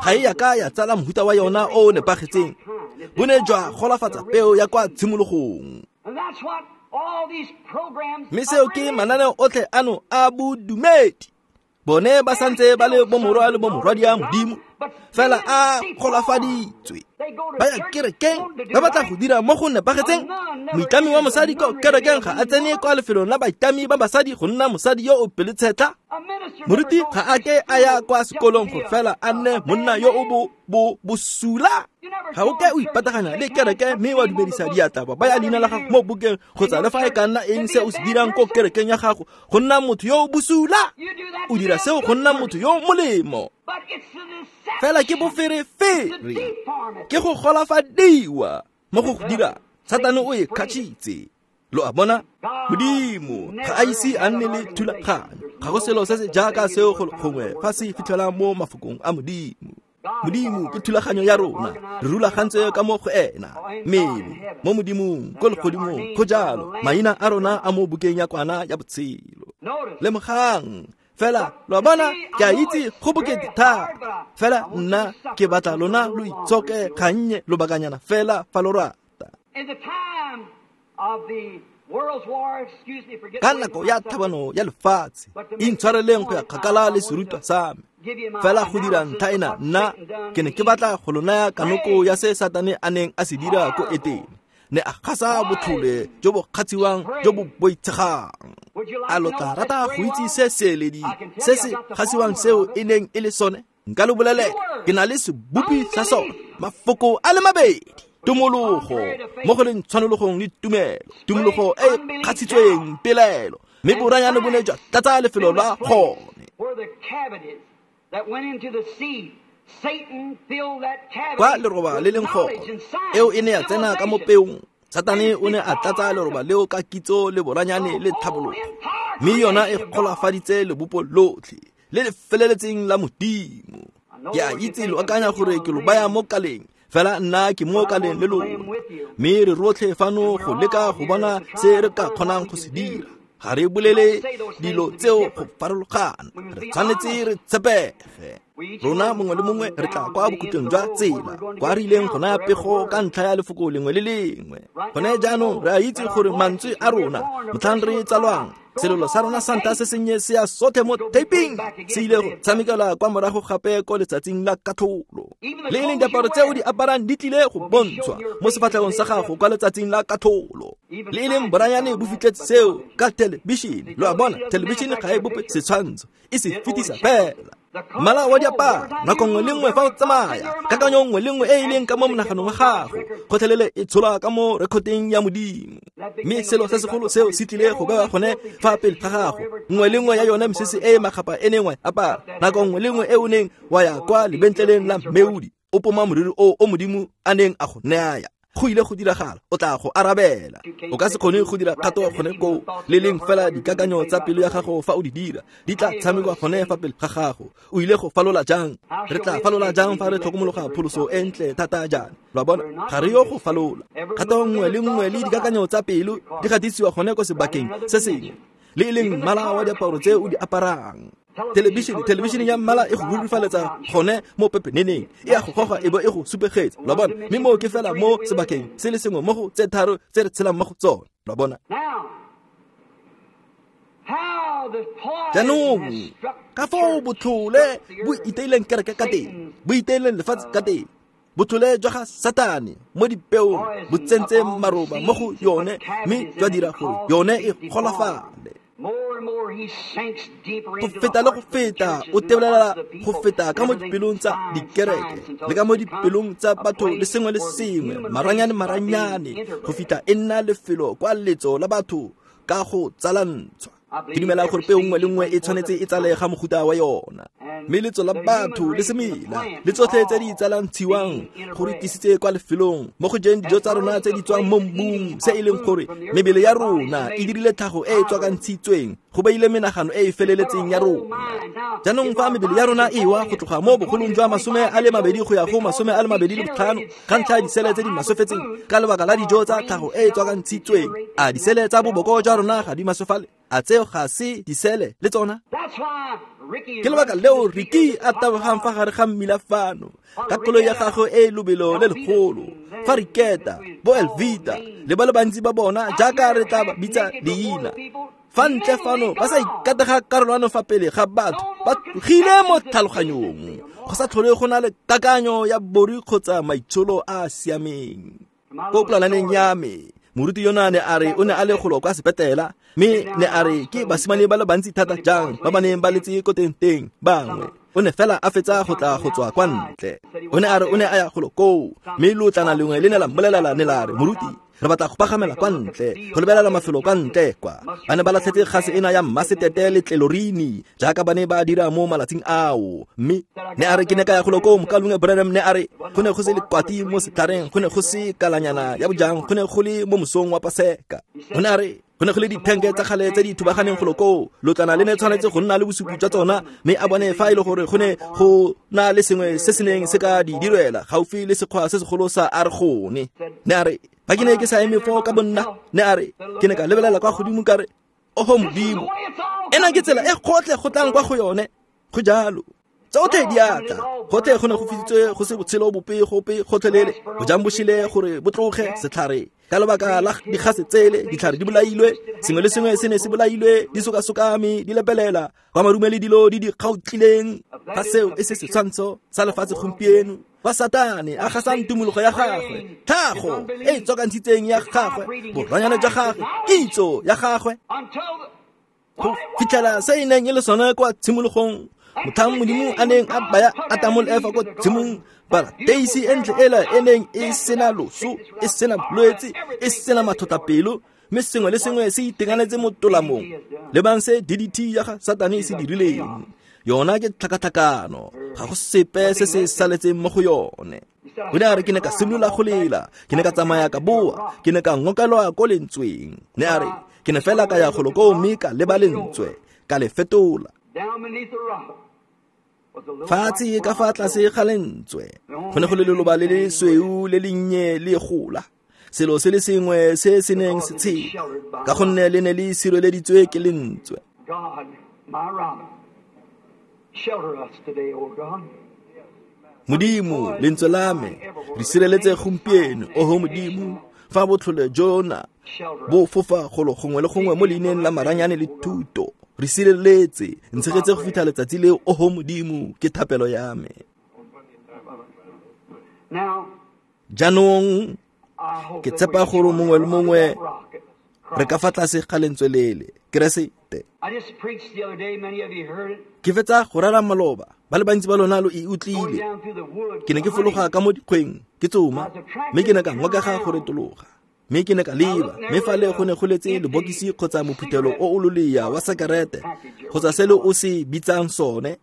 Ga e ya ka ya tsala mohuta wa yona o o nepagetseng, bo ne jwa golafatsa peo ya kwa tshimologong. Mme seo ke mananeo otlhe ano a bodumedi. Bone ba santse ba le bomorwa le bomorwadia Modimo, fela a golafaditswe. Ba ya kerekeng, ba batla go dira mo go nepagetseng. Moitlami wa mosadi ko kerekeng ga a tsene kwa lefelong la baitlami ba basadi go nna mosadi yo o pelotshetlha. Moruti ga a ke a ya kwa sekolong go fela a nne monna yo o bo bo bosula. Ga o ke o ipataganya le kereke mme wa dumedisa diatla ba baya leina la gago mo bukeng kgotsa le fa e ka nna eng se o se dirang ko kerekeng ya gago go nna motho yo o bosula. O dira seo go nna motho yo o molemo. Fela ke boferefere, ke go golafadiwa mo go go dira. Satane o e kgatšhitse. Lo a bona? Modimo ga a ise a nne le thulaganyo. Ga go selo se se jaaka seo gongwe fa se fitlhela mo mafokong a Modimo. Modimo ke thulaganyo ya rona, re rulagantswe ka mo go ena. Mmele mo Modimong ko legodimong, go jalo maina a rona a mo bukeng ya kwana ya botshelo. Lemogang fela, lo a bona, ke a itse go bokete thata, fela nna ke batla lona lo itshoke gannye lobakanyana fela fa lo rata. Ka nako ya tlhabano ya lefatshe, intshwareleng go ya kgakala le serutwa sa me, fela go dira ntlha ena nna ke ne ke batla go lo naya kanoko ya se Satane a neng a se dira ko Etene. Ne a gasa botlhole jo bo kgatshiwang jo bo boitshegang. A lo tla rata go itse se seeledi se se gasiwang seo e neng e le sone? Nka lo bolelela, ke na le sebopi sa sone, mafoko a le mabedi: tumologo mo go leng tshwanologong le tumelo, tumologo e e kgatshitsweng pelaelo, mme boranyane bo ne jwa tlatsa lefelo la gone. Kwa leroba le leng gone, eo e ne ya tsena ka mo peong. Satane o ne a tlatsa leroba leo ka kitso le boranyane le tlhabologo, mme yona e golafaditse lebopo lotlhe le le feleletseng la Modimo. Ke a itse lo akanya gore ke lo baya mo kaleng, fela nna ke mo kaleng le lona, mme re rotlhe fano go leka go bona se re ka kgonang go se dira. Ga re bolele dilo tseo go farologana, re tshwanetse re tshepege. Rona mongwe le mongwe re tla kwa bokhutlong jwa tsela kwa re ileng go naya pego ka ntlha ya lefoko lengwe le lengwe. Gone jaanong re a itse gore mantswe a rona motlhang re tsalwang, selelo sa rona sa ntlha se sennye se ya sothe mo taping, se ile go tshamekela kwa morago gape ko letsatsing la katlholo. Le e leng diaparo tse o di aparang di tlile go bontshwa mo sefatlhegong sa gago kwa letsatsing la katlholo. Le e leng boranyane bo fitlhetse seo ka thelebišene. Lo a bona, thelebišene ga e bope setshwantsho, e se fetisa fela. Mmala wa diaparo nako nngwe le nngwe fa o tsamaya, kakanyo nngwe le nngwe e e leng ka mo monaganong wa gago, kgotlhelele e tsholwa ka mo rekoteng ya Modimo. Mme selo se segolo seo se tlile go bewa gone fa pele ga gago, nngwe le nngwe ya yone mesese e e makgapha e neng wa e apara, nako nngwe le nngwe e o neng wa ya kwa lebentleleng la Mmeodi, o poma moriri o o Modimo a neng a go naya. Go ile go diragala, o tla go arabela. O ka se kgone go dira kgato gone koo, le leng fela dikakanyo tsa pelo ya gago fa o di dira di tla tshamekwa gone fa pele ga gago. O ile go falola jang? Re tla falola jang fa re tlhokomologa pholoso e ntle thata jaana? Lo a bona, ga re yo go falola. Kgato nngwe le nngwe le dikakanyo tsa pelo di gatisiwa gone ko sebakeng se sengwe, le e leng mmala wa diaparo tse o di aparang. Thelebišene, thelebišene ya mmala e go rurifaletsa gone mo pepeneneng, e a go goga e bo e go supegetsa. Lo a bona, mme moo ke fela mo sebakeng se le sengwe mo go tse tharo tse re tshelang mo go tsone. Lo a bona. Jaanong ka foo botlhole bo iteileng kereke ka teng, bo iteileng lefatshe ka teng, botlhole jwa ga Satane mo dipeong bo tsentse maroba mo go yone, mme jwa dira gore yone e golafale. Go feta le go feta o tebelela go feta ka mo dipelong tsa dikereke le ka mo dipelong tsa batho le sengwe le sengwe, maranyane maranyane, go fitlha e nna lefelo kwa letso la batho ka go tsalantshwa. Ke dumela gore peo nngwe le nngwe e tshwanetse e tsale ga mofuta wa yona, mme letso la batho le semela le tsotlhe tse di tsalantshiwang go re tlisitse kwa lefelong mo go jeng dijo tsa rona tse di tswang mo mmung, se e leng gore mebele ya rona e dirile tlhago e e tswakantshitsweng go beile menagano e e feleletseng ya rona. Jaanong fa mebele ya rona e wa go tloga mo bogolong jwa masome a le mabedi go ya go masome a le mabedi le botlhano ka ntlha ya disele tse di maswefetseng ka lebaka la dijo tsa tlhago e e tswakantshitsweng, a disele tsa boboko jwa rona ga di maswefale? A tseo ga se disele le tsona? Ke lebaka leo Ricky a tabogang fa gare ga mmila fano ka koloi ya gagwe e lobelo le legolo, fa Riketa, bo Elvita le ba le bantsi ba bona jaaka re tla ba bitsa leina fa ntle fano ba sa ikatega karolwana fa pele ga batho, ba tlogile mo tlhaloganyong, go sa tlhole go na le kakanyo ya bori kgotsa maitsholo a a siameng. Ko polaneng ya me, moruti yona ne a re o ne a le golo kwa sepetela, mme ne a re ke basimane ba le bantsi thata jang ba ba neng ba letse ko teng teng bangwe. O ne fela a fetsa go tla go tswa kwa ntle. O ne a re o ne a ya golo koo, mme lotlana lengwe le ne la mmolelela ne la re, moruti, re batla go pagamela kwa ntle, go lebelela mafelo kwa ntle kwa. Ba ne ba latlhetse gase ena ya mmasetete le tlelorini jaaka ba ne ba dira mo malatsing ao. Mme ne a re ke ne ka ya golo koo, mokalongwe Branham ne a re go ne go se lekwati mo setlhareng, go ne go se kalanyana ya bojang, go ne go le mo mosong wa Paseka. O ne a re go ne go le dithenke tsa kgale tse di thubaganeng golo koo, lotlana le ne tshwanetse go nna le bosupi jwa tsona, mme a bone fa e le gore go ne go na le sengwe se se neng se ka di direla gaufi le sekgwa se segolo sa Argone. Ne a re fa ke ne ke sa eme foo ka bonna, ne a re ke ne ka lebelela kwa godimo ka re, oho Modimo, ena ke tsela e gotlhe go tlang kwa go yone. Go jalo, tsotlhe di a tla, gotlhe go ne go fisitswe go se botshelo bope gope gotlhelele, bojang bo šile gore bo tloge setlhare ka lebaka la digase tsele, ditlhare di bolailwe, sengwe le sengwe se ne se bolailwe, di sokasokame, di lepelela kwa marume le dilo di di kgaotlileng. Fa seo e se setshwantsho sa lefatshe gompieno, fa Satane a gasang tumologo ya gagwe, tlhago e e tswakantshitseng ya gagwe, boranyane jwa gagwe, kitso ya gagwe, go fitlhela se e neng e le sone kwa tshimologong, motlhang Modimo a neng a baya Atamo le Efa ko tshimong, parateisi e ntle ela e neng e sena loso, e sena bolwetse, e sena mathotapelo, mme sengwe le sengwe se itekanetse mo tolamong. Lebang se D D T ya ga Satane e se dirileng. Yona ke tlhakatlhakano, ga go sepe se se saletseng mo go yone. O ne a re ke ne ka simolola go lela, ke ne ka tsamaya ka boa, ke ne ka ngokelwa ko lentsweng. Ne a re ke ne fela ka ya golo koo mme ka leba lentswe, ka le fetola. Fatshe ka fa tlase ga lentswe go ne go le leloba le le sweu le lennye le gola, selo se le sengwe se se neng se tshela, ka gonne le ne le sireleditswe ke lentswe. Modimo, lentswe la me, re sireletse gompieno, oho Modimo, fa botlhole jona bo fofa golo gongwe le gongwe mo leineng la maranyane le thuto, re sireletse, ntshegetse go fitlha letsatsi leo, oho Modimo, ke thapelo ya me. Jaanong ke tshepa gore mongwe le mongwe re ka fa tlase ga lentswe lele, Keresete. Ke fetsa go rera maloba, ba le bantsi ba lona lo e utlwile. Ke ne ke fologa ka mo dikgweng ke tsoma, mme ke ne ka ngokega go retologa, mme ke ne ka leba, mme fale go ne go letse lebokisi kgotsa mophuthelo o o lolea wa sekerete kgotsa se le o se bitsang sone,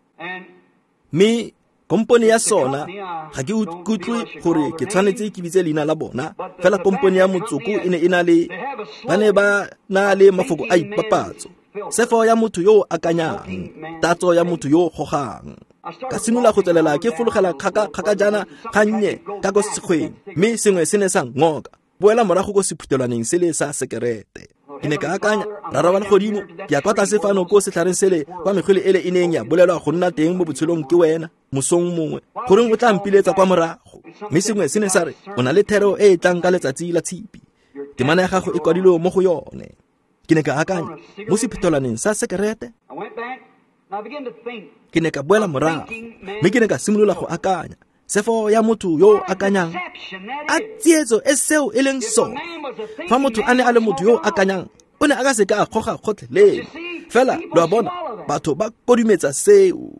mme kompone ya sona, ga ke utlwe gore ke tshwanetse ke bitse leina la bona, fela kompone ya motsoko e ne e na le, ba ne ba na le mafoko a ipapatso, sefo ya motho yo o akanyang, tatso ya motho yo o gogang. Ka simolola go tswelela ke fologela kgaka jaana gannye ka ko sekgweng, mme sengwe se ne sa ngoka, boela morago ko sephuthelwaneng sele sa sekerete. Ke ne ka akanya, Rara wa legodimo, ke ya kwa tlase fano ko setlhareng sele kwa mekgwele ele e neng ya bolelwa go nna teng mo botshelong ke wena mosong mongwe, goreng o tla mpiletsa kwa morago? Mme sengwe se ne sa re, o na le thero e e tlang ka letsatsi la tshipi, temana ya gago e kwadilwe mo go yone. Ke ne ka akanya, mo sephuthelwaneng sa sekerete. Ke ne ka boela morago, mme ke ne ka simolola go akanya, sefo ya motho yo o akanyang, a tsietso e seo e leng sone. Fa motho a ne a le motho yo o akanyang, o ne a ka se ka a goga gotlhelele. Fela lo a bona, batho ba kodumetsa seo.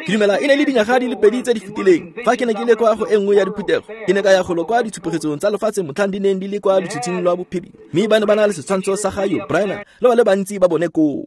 Ke dumela e ne le dinyaga di le pedi tse di fetileng fa ke ne ke le kwa go e nngwe ya diphuthego. Ke ne ka ya golo kwa ditshupegetsong tsa lefatshe motlhang di neng di le kwa lotshitshing lwa bophirima, mme ba ne ba na le setshwantsho sa ga Yul Brynner le ba le bantsi ba bone koo.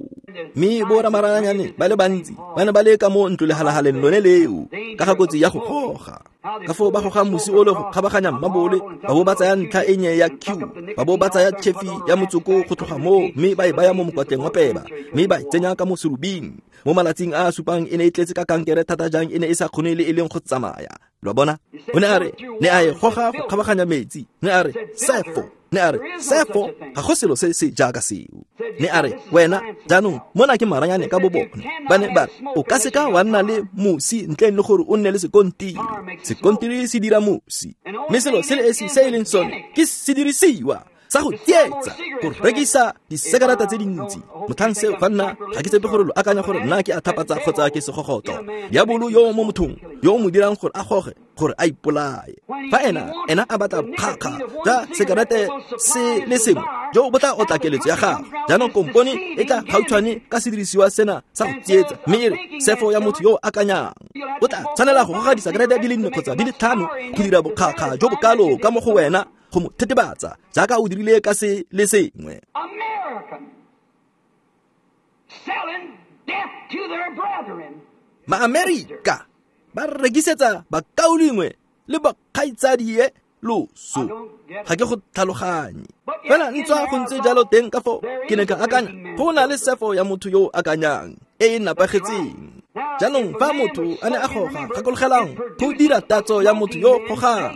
Mme boramaranyane ba le bantsi ba ne ba le ka mo ntlolehalahaleng lone leo ka ga kotsi ya go goga. Ka foo ba goga mosi o le go kgabaganya mmabole, ba bo ba tsaya ntlha e nnye ya Q, ba bo ba tsaya tšhefi ya motsoko go tloga moo, mme ba e baya mo mokwatleng wa peba, mme ba e tsenya ka mo serubing. Mo malatsing a a supang e ne e tletse ka kankere thata jang e ne e sa kgone le e leng go tsamaya. Lo a bona? O ne a re, ne a e goga go kgabaganya metsi. Ne a re, sefo. Ne a re, sefo, ga go selo se se jaaka seo. Ne a re, wena, jaanong, mona ke maranyane ka bobone. Ba ne ba re, o ka seka wa nna le mosi ntleng le gore o nne le sekontiri. Sekontiri se dira mosi. Mme selo se le esi se e leng sone ke sedirisiwa sa go tsietsa, go rekisa disekarata tse dintsi. Motlhang seo fa nna ga ke tshepe gore lo akanya gore nna ke a thapatsa kgotsa ke segogotlo. Diabolo yo mo mothong yo o mo dirang gore a goge, gore a ipolaye. Fa ena ena a batla bokgakga jwa sekarate se le sengwe jo bo tla otla keletso ya gagwe. Jaanong kompone e tla gautshwane ka sedirisiwa sena sa go tsietsa, mme e re sefo ya motho yo o akanyang. O tla tshwanela go goga disekarete di le nne kgotsa di le tlhano go dira bokgakga jo bokalo ka mo go wena go mo thetebatsa jaaka o dirile ka se le sengwe. Maamerika ba rekisetsa bakaulengwe le bakgaitsadie loso. Ga ke go tlhaloganye. Fela ntswa go ntse jalo teng ka foo ke ne ka akanya go na le sefo ya motho yo o akanyang e e napagetseng. Jaanong fa motho a ne a goga, gakologelang go dira tatso ya motho yo o gogang.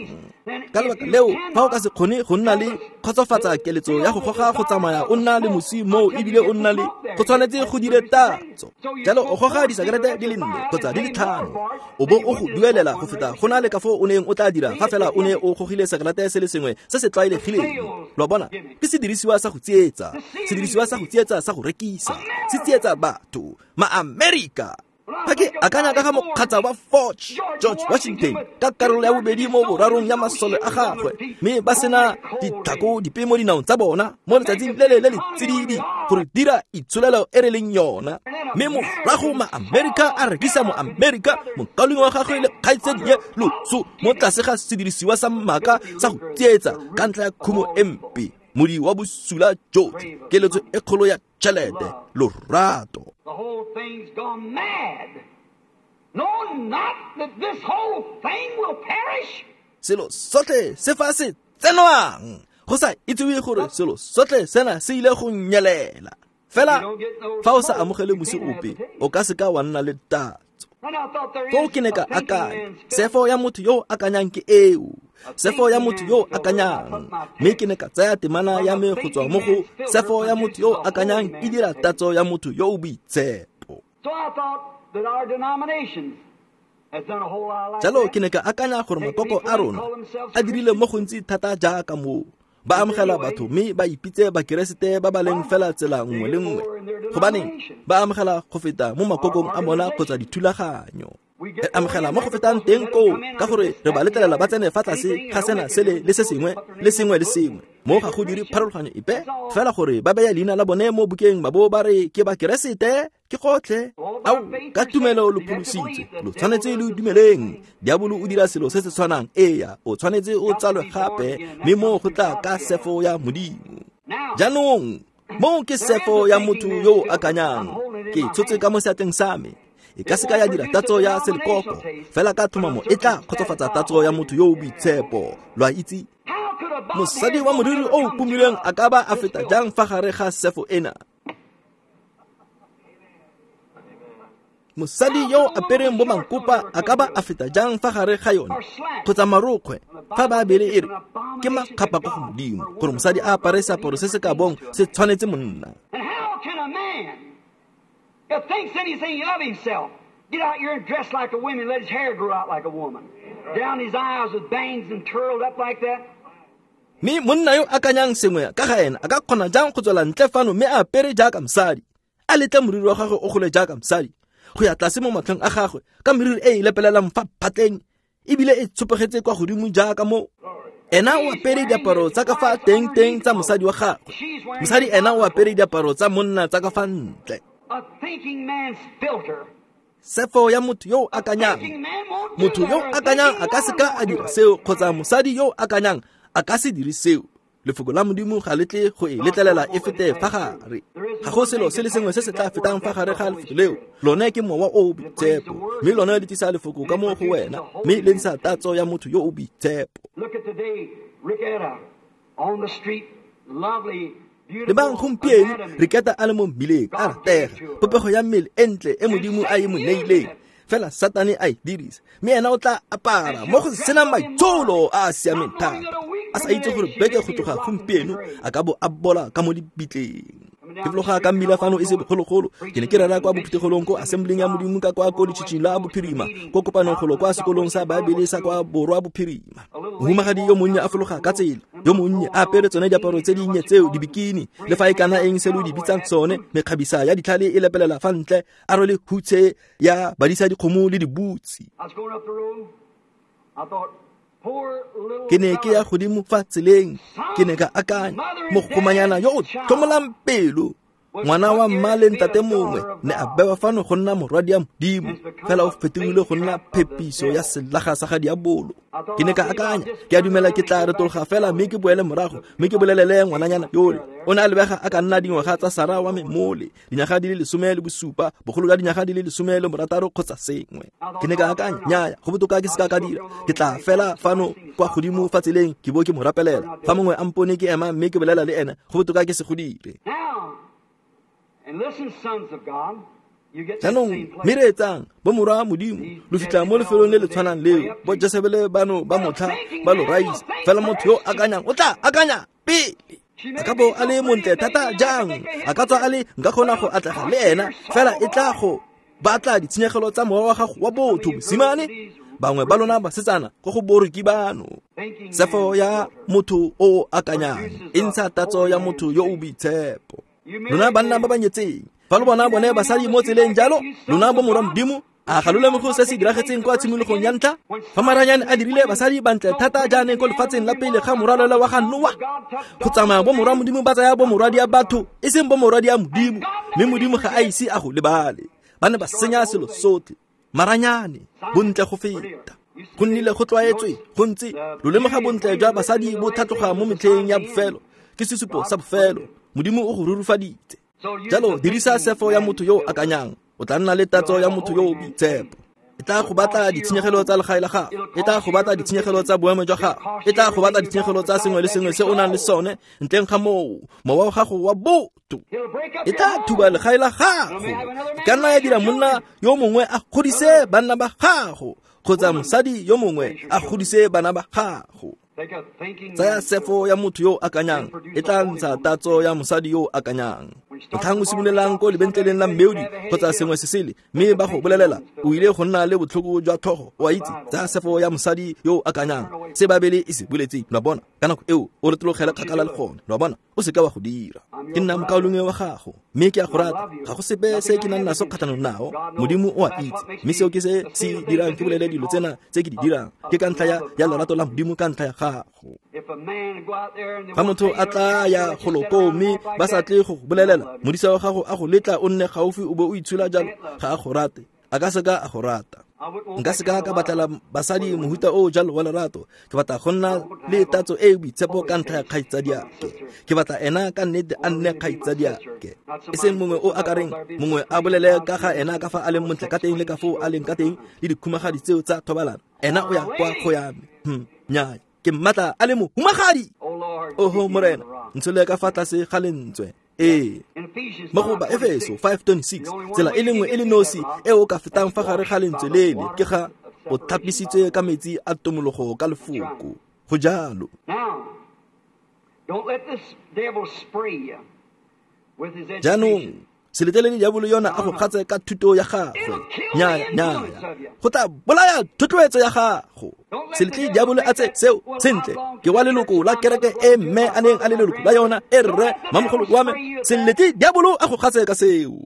Ka lebaka leo, fa o ka se kgone go nna le kgotsofatsa keletso ya go goga go tsamaya o nna le mosi moo ebile o nna le go tshwanetse go dire tatso. Jalo o goga disekerete di le nne kgotsa di le tlhano, o bo o go duelela go feta go na le ka foo o neng o tla dira fa fela o ne o gogile sekerete se le sengwe se se tlwaelegileng. Lo a bona, ke sedirisiwa sa go tsietsa, sedirisiwa sa go tsietsa sa go rekisa, se tsietsa batho. Maamerika. Fa ke akanya ka ga mokgatsa wa Forge, George Washington, ka karolo ya bobedi mo borarong ya masole a gagwe, mme ba sena ditlhako dipe mo dinaong tsa bona mo letsatsing le le le le tsididi gore dira itsholelo e re leng yona. Mme morago Maamerika a rekisa Moamerika mokaulengwe wa gagwe le kgaitsadie loso mo tlase ga sedirisiwa sa maaka sa go tsietsa ka ntlha ya khumo e mpe, modi wa bosula jotlhe, keletso e kgolo ya tšhelete, lorato. The whole thing's gone mad. Know not that this whole thing will perish. Selo sotlhe se fa se tsenwang, go sa itsewe gore selo sotlhe sena se ile go nyelela. Fela fa o sa amogele mosi ope, o ka seka wa nna le tatso. Foo ke ne ka akanya, sefo ya motho yo o akanyang ke eo. Sefo ya motho yo o akanyang. Mme ke ne ka tsaya temana ya me go tswa mo go sefo ya motho yo o akanyang e dira tatso ya motho yo o boitshepo. Jalo ke ne ka akanya gore makoko a rona a dirile mo gontsi thata jaaka moo. Ba amogela batho mme ba ipitse bakeresete ba ba leng fela tsela nngwe le nngwe. Gobaneng ba amogela go feta mo makokong a bona kgotsa dithulaganyo. Re amogela mo go fetang teng koo ka gore re ba letlelela ba tsene fa tlase ga sena sele le se sengwe le sengwe le sengwe. Mo ga go dire pharologanyo epe fela gore ba beya leina la bone mo bukeng ba bo ba re ke bakeresete ke gotlhe. Ao, ka tumelo lo pholositswe, lo tshwanetse lo dumeleng. Diabolo o dira selo se se tshwanang. Eya, o tshwanetse o tsalwe gape, mme mo go tla ka sefo ya Modimo. Jaanong mo ke sefo ya motho yo o akanyang. Ke tshotse ka mo seatleng sa me. E ka seka ya dira tatso ya selekoko, fela ka tlhomamo e tla kgotsofatsa tatso ya motho yo o boitshepo. Lo a itse, mosadi wa moriri o o pomilweng a ka ba a feta jang fa gare ga sefo ena? Mosadi yo o apereng bo mankopa a ka ba a feta jang fa gare ga yone? Kgotsa marokgwe, fa ba bele e re ke makgapa ko go Modimo gore mosadi a apare seaparo se se ka bong se tshwanetse monna. That thinks anything of himself, get out here and dress like a woman, let his hair grow out like a woman, down his eyes with bangs and curled up like that. Mme monna yo akanyang sengwe ka ga ena a ka kgona jang go tswela ntle fano mme a apere jaaka mosadi, a letle moriri wa gagwe o gole jaaka mosadi, go ya tlase mo matlhong a gagwe ka meriri e e lepelelang fa phatleng ebile e tshopegetse kwa godimo jaaka mo. Ena o apere diaparo tsa ka fa teng-teng tsa mosadi wa gagwe, mosadi ena o apere diaparo tsa monna tsa ka fa ntle. Sefo ya motho yo o akanyang. Motho yo o akanyang a ka se ka a dira seo, kgotsa mosadi yo o akanyang a ka se dire seo. Lefoko la Modimo ga le tle go e letlelela e fete fa gare. Ga go selo se le sengwe se se tla fetang fa gare ga lefoko leo. Lone ke mowa o o boitshepo, mme lone le tlisa lefoko ka mo go wena, mme le ntsha tatso ya motho yo o boitshepo. Lebang gompieno Riketa a le mo mmileng a ratega, popego ya mmele e ntle e Modimo a e mo neileng, fela Satane a e dirisa, mme ena o tla apara mo go senang maitsholo a a siameng thata, a sa itse gore beke go tloga gompieno a ka bo a bola ka mo dibitleng. Ke fologa ka mmila fano e se bogologolo, ke ne ke rera kwa bophuthegolong ko Assembling ya Modimo ka kwa ko letšhitšhing la Bophirima, ko kopanong golo kwa sekolong sa Baebele sa kwa Borwa Bophirima. Mohumagadi yo monnye a fologa ka tsela, yo monnye a apere tsone diaparo tse dinnye tseo, dibikini, le fa e kana eng se lo di bitsang tsone, mekgabisa ya ditlhale e lepelela fa ntle, a rwele hutshe ya badisa dikgomo le dibutsi. Ke ne ke ya godimo fa tseleng, ke ne ka akanya, mogomanyana yo o tlhomolang pelo, ngwana wa mma le ntate mongwe, ne a bewa fano go nna morwadi ya Modimo, fela o fetogile go nna phepiso ya selaga sa ga diabolo. Ke ne ka akanya, ke a dumela ke tla retologa fela mme ke boele morago, mme ke bolelele ngwananyana yole. O ne a lebega a ka nna dingwaga tsa Sara wa me mole, dinyaga di le lesome le bosupa, bogolo jwa dinyaga di le lesome le borataro kgotsa sengwe. Ke ne ka akanya, nnyaya, go botoka ke se ka ka dira, ke tla fela fano kwa godimo fa tseleng ke bo ke mo rapelela. Fa mongwe a mpone ke ema mme ke bolela le ena, go botoka ke se go dire. Jaanong mme reetsang, bo morwa Modimo, lo fitlha mo lefelong le le tshwanang leo, bo Jesebele bano ba motlha ba lo raisa, fela motho yo akanyang o tla akanya pele. A ka bo a le montle thata jang, a ka tswa a le nka kgona go atlega le ena, fela e tla go batla ditshenyegelo tsa mowa wa gago wa botho, mosimane. Bangwe ba lona basetsana ko go boroki bano. Sefo ya motho o akanyang e ntsha tatso ya motho yo o boitshepo. Lona banna ba ba nyetseng, fa lo bona bone basadi mo tseleng jalo, lona bo morwa Modimo, a ga lo lemoge se se diragetseng kwa tshimologong ya ntlha? Fa maranyane a dirile basadi bantle thata jaaneng ko lefatsheng la pele ga morwalela wa ga Noa, go tsamaya bo morwa Modimo ba tsaya bo morwadi ya batho, e seng bo morwadi ya Modimo, mme Modimo ga a ise a go lebale. Ba ne ba senya selo sotlhe, maranyane, bontle go feta. Go nnile go tlwaetswe, go ntse lo lemoga bontle jwa basadi bo tlhatloga mo metlheng ya bofelo, ke sesupo sa bofelo. Modimo o go rurufaditse. Jalo dirisa sefo ya motho yo o akanyang, o tla nna le tatso ya motho yo o boitshepo. E tla go batla ditshenyegelo tsa legae la gago, e tla go batla ditshenyegelo tsa boemo jwa gago, e tla go batla ditshenyegelo tsa sengwe le sengwe se o nang le sone, ntleng ga moo mowa wa gago wa botho. E tla thuba legae la gago, e ka nna ya dira monna yo mongwe a godise banna ba gago, kgotsa mosadi yo mongwe a godise bana ba gago. Tsaya sefo ya motho yo o akanyang, e tla ntsha tatso ya mosadi yo o akanyang. Motlhang o simololang ko lebentleleng la mmeodi kgotsa sengwe se sele, mme ba go bolelela o ile go nna le botlhoko jwa tlhogo, o a itse, tsaya sefo ya mosadi yo o akanyang, se Babele e se boletseng, lo a bona. Ka nako eo o retologele kgakala le gone, lo a bona, o seka wa go dira. Ke nna mokaulengwe wa gago, mme ke a go rata, ga go sepe se ke nang naso kgatlhanong nao, Modimo o a itse, mme seo ke se se dirang ke bolele dilo tsena tse ke di dirang, ke ka ntlha ya ya lerato la Modimo ka ntlha ya gago. Fa motho a tla ya golo koo mme ba sa tle go go bolelela, modisa wa gago a go letla o nne gaufi o bo o itshola jalo, ga a go rate, a ka seka a go rata. Nka seka ka batlela basadi mohuta o jalo wa lerato, ke batla go nna le tatso e e boitshepo ka ntlha ya kgaitsadiake. Ke batla ena ka nnete a nne kgaitsadiake, e seng mongwe o akareng mongwe a bolele ka ga ena ka fa a leng montle ka teng le ka foo a leng ka teng le dikhumagadi tseo tsa thobalano. Ena o ya kwa go ya me, hmm, nnyaya, ke mmatla a le mohumagadi. Oho Morena, ntshole ka fa tlase ga lentswe. Ee, mo go Baefeso five twenty-six, tsela e le nngwe e le nosi e o ka fetang fa gare ga lentswe lele ke ga o thapisitswe ka metsi a tomologo ka lefoko. Go jalo. Jaanong se letlelele diabolo yona a go kgatse ka thuto ya gagwe. Nnyaya, nnyaya, go tla bolaya thotloetso ya gago. Se letle diabolo a tse seo sentle, ke wa leloko la kereke e mme a neng a le leloko la yona, e rre mamogolo wa me. Se letle diabolo a go kgatse ka seo.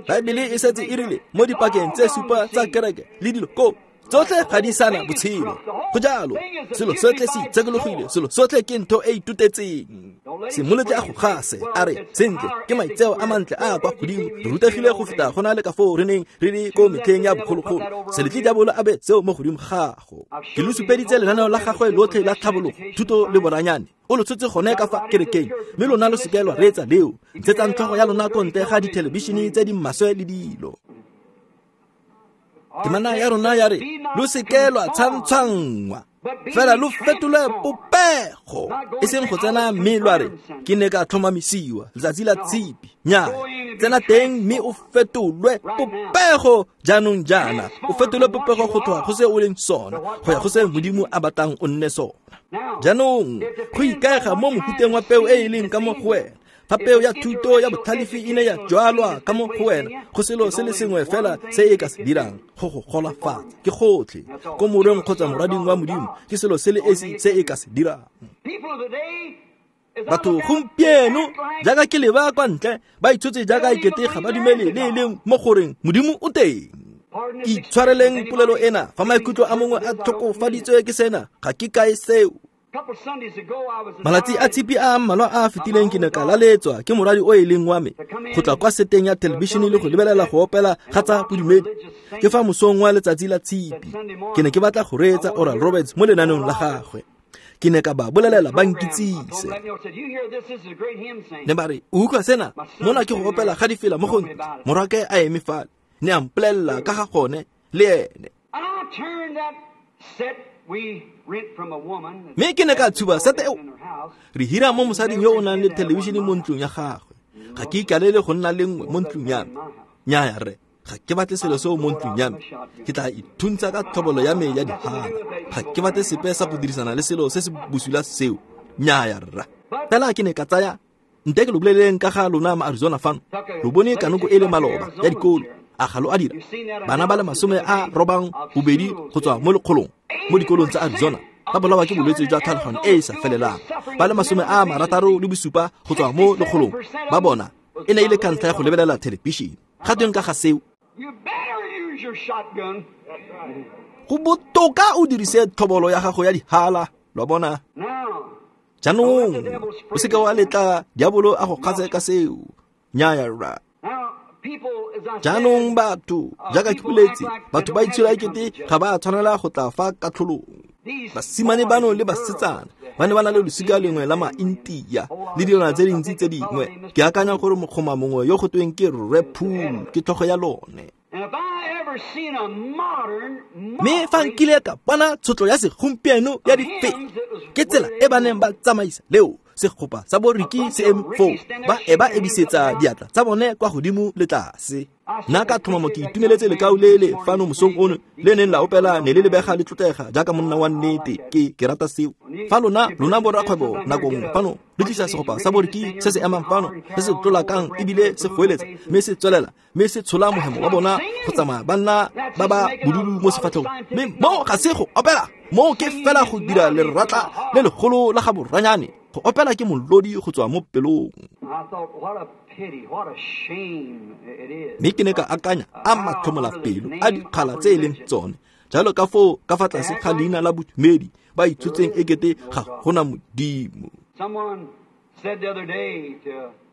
Baebele e setse e rile mo dipakeng tse supa tsa kereke le dilo ko tsotlhe ga di sana botshelo. Go jalo, selo sotlhe se itshekologile, selo sotlhe ke ntho e itutetseng. Se mo letle a go gase a re sentle ke maitseo a mantle a kwa godimo, re rutegile go feta go na le ka foo re neng re le ko metlheng ya bogologolo. Se letle diabolo a be seo mo godimo gago. Ke lo supeditse lenaneo la gagwe lotlhe la tlhabologo, thuto le boranyane. O lo tshotse gone ka fa kerekeng, mme lona lo seke lwa reetsa leo. Ntshetsang tlhogo ya lona ko ntle ga dithelebišene tse di maswe le dilo. Temana ya rona ya re lo seke lwa tshwantshwanngwa, fela lo fetolwe popego, e seng go tsena mme lwa re ke ne ka tlhomamisiwa letsatsi la tshipi. Nnyaa, tsena teng mme o fetolwe popego jaanong jaana, o fetolwe popego go tloga go se o leng sona go ya go se Modimo a batlang o nne sona. Jaanong go ikaega mo mofuteng wa peo e e leng ka mo go wena. Fa peo ya thuto ya botlhalefi e ne ya jwalwa ka mo go wena, go selo se le sengwe fela se e ka se dirang go go golafatsa ke gotlhe ko morweng kgotsa morading wa Modimo, ke selo se le esi se e ka se dirang. Batho gompieno jaaka ke leba kwa ntle ba itshotse jaaka ekete ga ba dumele le e leng mo goreng Modimo o teng. Itshwareleng polelo ena, fa maikutlo a mongwe a tlhokofaditswe ke sena, ga ke kae seo. Malatsi a tshipi a mmalwa a a fetileng ke ne ka laletswa ke moradi o e leng wa me go tla kwa seteng ya thelebišene le go lebelela go opela ga tsa bodumedi. Ke fa mosong wa letsatsi la tshipi ke ne ke batla go reetsa Oral Roberts mo lenaneong la gagwe. Ke ne ka ba bolelela ba nkitsise. Ne ba re, o utlwa sena, mona ke go opela ga difela mo go ntle. Morwake a eme fale, ne a mpolelela ka ga gone le ene. Mme ke ne ka tshuba sete eo re hira mo mosading yo o nang le thelebišene mo ntlong ya gagwe. Ga ke ikalele go nna le nngwe mo ntlong ya me. Nnyaya rre, ga ke batle selo seo mo ntlong ya me. Ke tla ithuntsha ka tlhobolo ya me ya dihala. Ga ke batle sepe sa go dirisana le selo se se bosula seo. Nnyaya rra. Fela ke ne ka tsaya nte ke lo boleleng ka ga lona ma Arizona fano. Lo bone kanoko e le maloba ya dikolo. A ga lo a dira? Bana ba le masome a robang bobedi go tswa mo lekgolong mo dikolong tsa Arizona ba bolawa ke bolwetse jwa tlhaloganyo e e sa felelang. Ba le masome a marataro le bosupa go tswa mo lekgolong ba bona e ne e le ka ntlha ya go lebelela thelebišene. Ga tweng ka ga seo? Go botoka o dirise tlhobolo ya gago ya dihala, lo bona. Jaanong o seke wa letla diabolo a go kgatse ka seo. Nnyaya rra. Jaanong batho, jaaka ke boletse, batho ba itshola ekete ga ba a tshwanela go tla fa katlholong. Basimane bano le basetsana ba ne ba na le losika lengwe la ma-Intia le dilwana tse dintsi tse dingwe. Ke akanya gore mokgoma mongwe yo go tweng ke Rre Poole ke tlhogo ya lone. Mme fa nkile ka bona tshotlo ya segompieno ya difela, ke tsela e ba neng ba tsamaisa leo segopa sa boriki se eme foo, ba e ba ebisetsa diatla tsa bone kwa godimo le tlase. Nna ka tlhomamo ke itumeletse lekau le le fano mosong ono le neng la opela ne le lebega le tlotlega jaaka monna wa nnete. Ke ke rata seo. Fa lona lona borakgwebo nako nngwe fano le tlisa segopa sa boriki se se emang fano se se tlolakang ebile se goeletsa mme se tswelela mme se tshola mohemo wa bona go tsamaya ba nna ba ba bodudu mo sefatlhegong. Mme moo ga se go opela, moo ke fela go dira leratla le legolo la ga boranyane. Go opela ke molodi go tswa mo pelong. Mme ke ne ka akanya a matlhomola pelo a dikgala tse e leng tsone jalo ka foo ka fa tlase ga leina la bodumedi ba itshotseng ekete ga gona Modimo.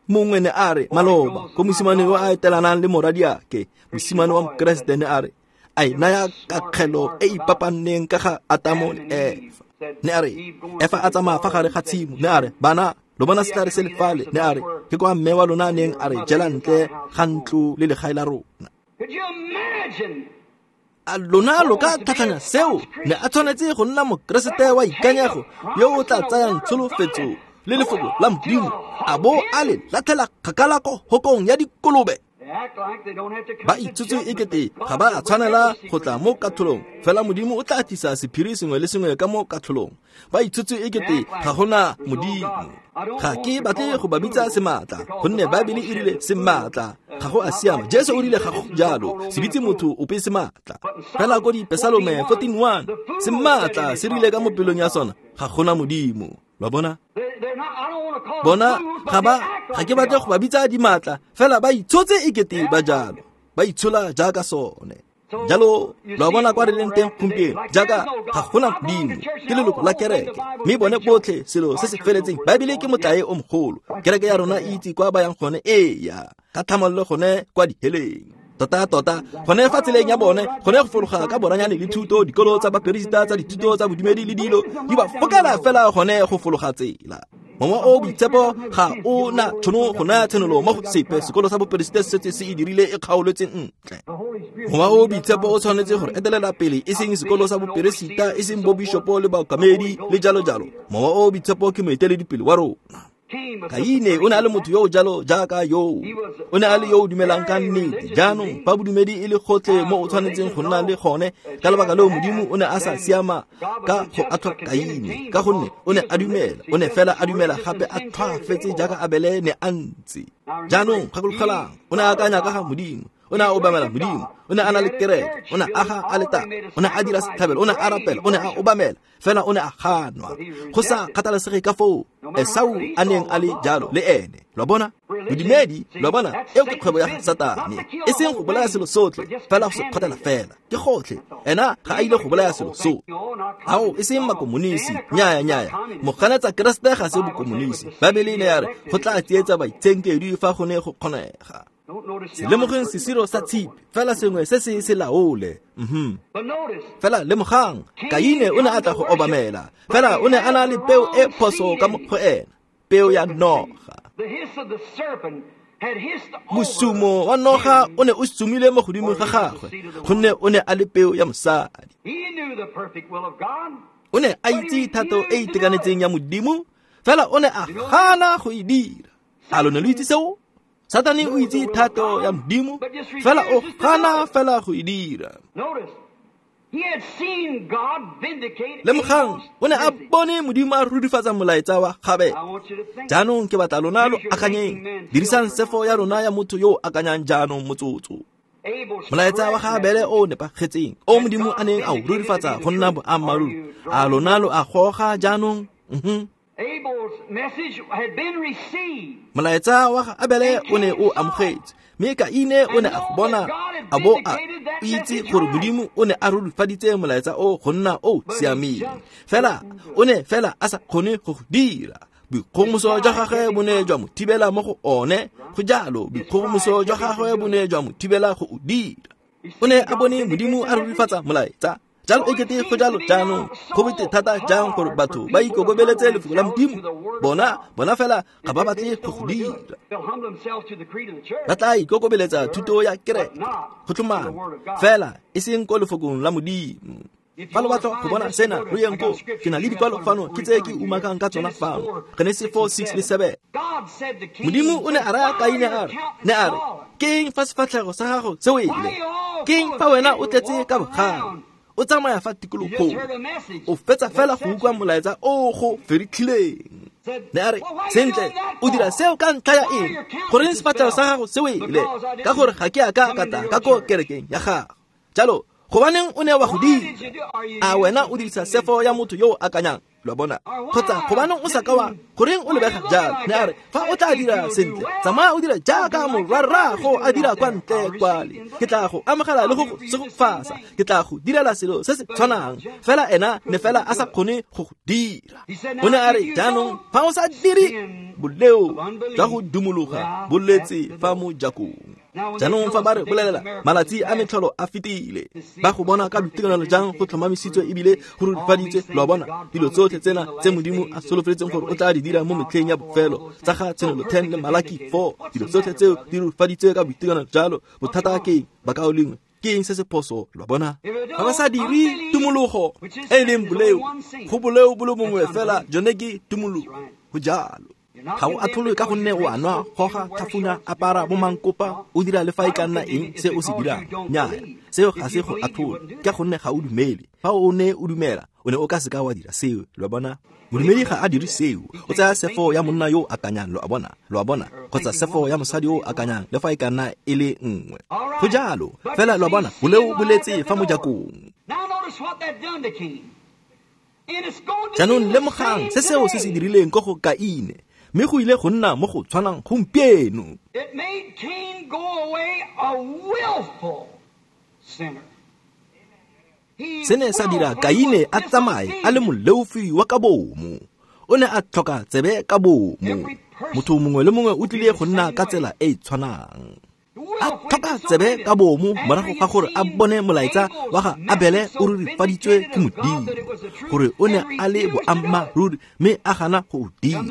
Mongwe ne a re maloba ko mosimane yo a etelanang le moradiake, mosimane wa Mokeresete ne a re a e naya kakgelo e ipapanneng ka ga Atamo le Efa. Ne a re Efa a tsamaya fa gare ga tshimo, ne a re bana lo bona setlhare se le fale, ne a re ke kwa mme wa lona a neng a re jela ntle ga ntlo le legae la rona. A lona lo ka tlhatlhanya seo? Ne a tshwanetse go nna Mokeresete wa ikanyego yo o tla tsayang tsholofetso le lefoko la Modimo a bo a le latlhela kgakala ko hokong ya dikolobe. Ba itsotse ekete ga ba a tshwanela go tla mo katlholong, fela Modimo o tla tlisa sephiri sengwe le sengwe ka mo katlholong. Ba itsotse ekete ga gona Modimo. Ga ke batle go ba bitsa sematla, gonne Baebele e rile sematla ga go a siama. Jesu o rile ga go jalo, se bitse motho ope sematla. Fela ko Dipesalome fourteen one, sematla se rile ka mo pelong ya sona ga gona Modimo. Lo bona? Bona ga ba ga ke batle go ba bitsa dimatla, fela ba itshotse ekete ba jalo, ba itshola jaaka sone. Jalo lo a bona kwa re leng teng gompieno, jaaka ga gona Modimo, ke leloko la kereke, mme bone botlhe selo se se feletseng. Baebele ke motlae o mogolo. Kereke ya rona e itse kwa ba yang gone, eya, ka tlhamallo gone kwa diheleng. Tota tota gone fa tseleng ya bone, gone go fologa ka boranyane le thuto, dikolo tsa baperesita tsa dithuto tsa bodumedi le dilo di ba fokela fela gone go fologa tsela. Mowa o boitshepo ga o na tšhono go naya tshenolo mo go sepe. Sekolo sa boperesite se setse se e dirile e kgaoletse ntle. Mowa o boitshepo o tshwanetse gore etelela pele, e seng sekolo sa boperesita, e seng bobishopo le baokamedi le jalo jalo. Mowa o boitshepo ke moeteledipele wa rona. Kaine o ne a le motho yo o jalo jaaka yo. O ne a le yo o dumelang ka nnete. Jaanong fa bodumedi e le gotlhe mo o tshwanetseng go nna le gone, ka lebaka leo Modimo o ne a sa siama ka go atlhola Kaine, ka gonne o ne a dumela, o ne fela a dumela gape a tlhwaafetse jaaka Abele ne a ntse. Jaanong gakologelang, o ne a akanya ka ga Modimo, o ne a obamela Modimo, o ne a na le kereke, o ne a aga aletare, o ne a dira setlhabelo, o ne a rapela, o ne a obamela, fela o ne a ganwa. Go sa kgathalesege ka foo Esau a neng a le jalo le ene. Lo a bona? Bodumedi, lo a bona, eo ke kgwebo ya Satane. E seng go bolaya selo sotlhe, fela go se kgothela fela. Ke gotlhe. Ena ga a ile go bolaya selo so. Ao, e seng makomonisi, nyaya nyaya. Moganetsa Keresete ga se bokomonisi. Baebele e ne ya re go tla tsietsa baitshenkedwi fa go ne go kgonega. Se lemogeng sesiro sa tshipi, fela sengwe se se se laole. Mhm. Fela lemogang, Kaine o ne a tla go obamela, fela o ne a na le peo e phoso ka mo go ena, peo ya noga. Mosumo wa noga o ne o sumile mo godimo ga gagwe, gonne o ne a le peo ya mosadi. O ne a itse thato e itekanetseng ya Modimo, fela o ne a gana go e dira. A lo ne lo itse seo? Satane o itse thato ya Modimo, fela o gana fela go e dira. Lemogang, o ne a bone Modimo a rurifatsa molaetsa wa gagwe. Jaanong ke batla lona lo akanyeng, dirisang sefo ya rona ya motho yo o akanyang jaanong motsotso. Molaetsa wa ga Abele o nepagetseng, o Modimo a neng a o rurifatsa go nna boammaaruri. A lona lo a goga jaanong? Mhm. Molaetsa wa ga Abele o ne o amogetse, mme Kaine o ne a go bona a bo a itse gore Modimo o ne a rurifaditse molaetsa o go nna o siameng. Fela o ne fela a sa kgone go go dira. Boikgogomoso jwa gagwe bo ne jwa mo thibela mo go one. Go jalo, boikgogomoso jwa gagwe bo ne jwa mo thibela go o dira. O ne a bone Modimo a rurifatsa molaetsa. Jalo e kete go jalo jaanong, go bete thata jang gore batho ba ikokobeletse lefoko la Modimo. Bona, bona fela ga ba batle go go dira. Ba tla ikokobeletsa thuto ya kereke, go tlhomama, fela e seng ko lefokong la Modimo. Fa lo batla go bona sena, lo yeng ko, ke na le dikwalo fano, ke tse ke umakang ka tsona fano. Genesi four, six le seven. Modimo o ne a raya Kaine a re, ne a re, ke eng fa sefatlhego sa gago se wele? Ke eng fa wena o tletse ka bogale? O tsamaya fa tikologong, o fetsa fela go utlwa molaetsa o go feritlhileng. Ne a re, sentle, o dira seo ka ntlha ya eng? Goreng sefatlhego sa gago se wele? Ka gore ga ke a ka ka tla ka ko kerekeng ya gago. Jalo, gobaneng o ne wa go dira? A wena o dirisa sefo ya motho yo o akanyang? Lo a bona? Kgotsa gobaneng o sa ka wa, goreng o lebega jalo? Ne a re, fa o tla dira sentle, tsamaya o dira jaaka morwarrago a dira kwa ntle kwale. Ke tla go amogela le go go segofatsa, ke tla go direla selo se se tshwanang. Fela ena ne fela a sa kgone go go dira. O ne a re, jaanong fa o sa dire, boleo jwa go dumologa bo letse fa mojakong. Jaanong fa ba re bolelela malatsi a metlholo a fetile, ba go bona ka boitekanelo jang go tlhomamisitswe ebile go rurifaditswe. Lo a bona, dilo tsotlhe tsena tse Modimo a solofeletseng gore o tla di dira mo metlheng ya bofelo, tsa ga Tshenolo ten le Malaki four, dilo tsotlhe tseo di rurifaditswe ka boitekanelo jalo. Bothata ke eng, bakaulengwe? Ke eng se se phoso? Lo a bona, fa ba sa dire tumologo e e leng boleo, go boleo bo le bongwe fela, jone ke tumologo. Go jalo. Ga o atlholwe ka gonne o a nwa, goga, tlhafuna, apara, bo mankopa, o dira le fa e ka nna eng se o se dirang. Nnyaya, seo ga se go atlhole, ka gonne ga o dumele. Fa o ne o dumela, o ne o ka seka wa dira seo. Lo a bona? Modumedi ga a dire seo. O tsaya sefo ya monna yo o akanyang, lo a bona, lo a bona, kgotsa sefo ya mosadi yo o akanyang, le fa e ka nna e le nngwe. Go jalo, fela lo a bona, boleo bo letse fa mojakong. Jaanong lemogang se seo se se dirileng ko go Kaine, mme go ile go nna mo go tshwanang gompieno. It made Cain go away a willful sinner. Se ne sa dira Kaine a tsamaye a le moleofi wa ka bomo. O ne a tlhoka tsebe ka bomo. Motho mongwe le mongwe o tlile go nna ka tsela e e tshwanang. A tlhoka tsebe ka bomo morago ga gore a bone molaetsa wa ga Abele o rurifaditswe ke Modimo, gore o ne a le boammaaruri mme a gana go o dira.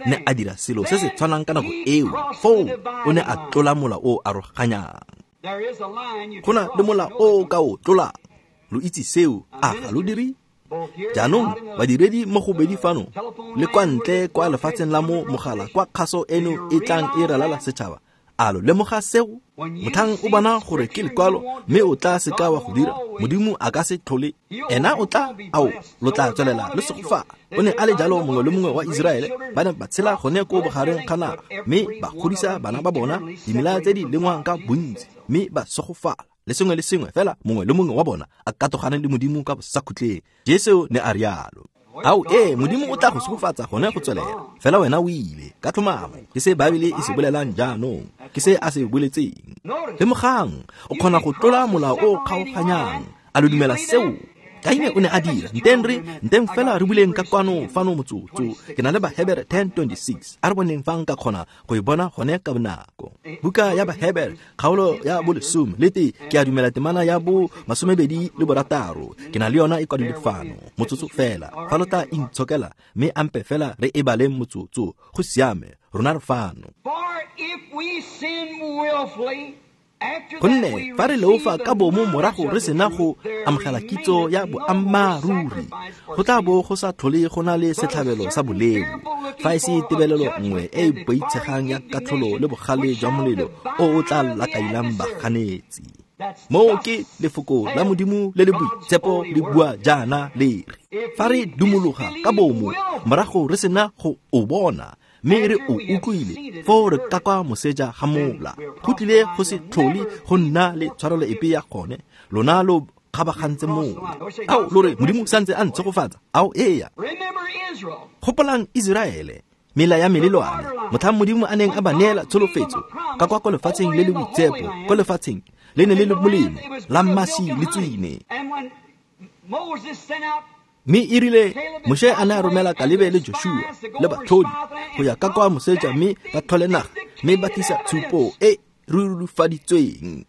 Ne a dira selo se se tshwanang ka nako eo. Foo o ne a tlola mola o aroganyang. Go na le mola o ka o tlolang. Lo itse seo, a ga lo dire? Jaanong badiredi mo go bedi fano le kwa ntle kwa lefatsheng la mo mogala kwa kgaso eno e tlang e ralala setšhaba, a lo lemoga seo? Motlhang o bona gore ke lekwalo mme o tla seka wa go dira, Modimo a ka se tlhole. Ena o tla, ao, lo tla tswelela le segofala. O ne a le jalo mongwe le mongwe wa Iseraele, ba ne ba tshela gone ko bogareng ga naga, mme ba godisa bana ba bona dimela tse di lengwang ka bontsi, mme ba segofala. Le sengwe le sengwe fela mongwe le mongwe wa bona a katogane le Modimo ka bosakhutleng. Jesu ne a rialo. Ao ee, Modimo o tla go segofatsa gone go tswelela. Fela wena o ile ka tlhomamo. Ke se Baebele e se bolelang jaanong, ke se a se boletseng. Lemogang, o kgona go tlola mola o kgaoganyang. A lo dumela seo? Kaine o ne a dira. Nteng re, nteng fela re buleng ka kwano fano motsotso. Ke na le Bahebere ten twenty-six. A re boneng fa nka kgona go e bona gone ka bonako. Buka ya Bahebere, kgaolo ya bolesome le te, ke a dumela temana ya bo masomebedi le borataro. Ke na le yona e kwadilwe fano. Motsotso fela. Fa lo tla intshokela mme ampe fela re e baleng motsotso. Go siame, rona re fano. For if we sin willfully, Gonne fa re leofa ka bomo morago re sena go amogela kitso ya boammaaruri, go tla bo go sa tlhole go na le setlhabelo sa boleo, fa e se tebelelo nngwe e e boitshegang ya katlholo le bogale jwa molelo o o tla lakailang baganetsi. Moo ke lefoko la Modimo le le boitshepo le bua jaana le re, fa re dumologa ka bomo morago re sena go o bona, mme re o utlwile, foo re ka kwa moseja ga mola. Go tlile go se tlhole go nna le tshwarelo epe ya gone, lona lo kgabagantse mola. Ao, lo re Modimo santse a ntshegofatsa. Ao eya. Gopolang Iseraele, mela ya melelwane, motlhang Modimo a neng a ba neela tsholofetso ka kwa ko lefatsheng le le boitshepo, ko lefatsheng le ne le le molemo la mmaši le tswine. Mme e rile Moshe a ne a romela Kalebe le Joshua le batlhodi go ya ka kwa moseja mme ba tlhole naga, mme ba tlisa tshupo e rurifaditsweng.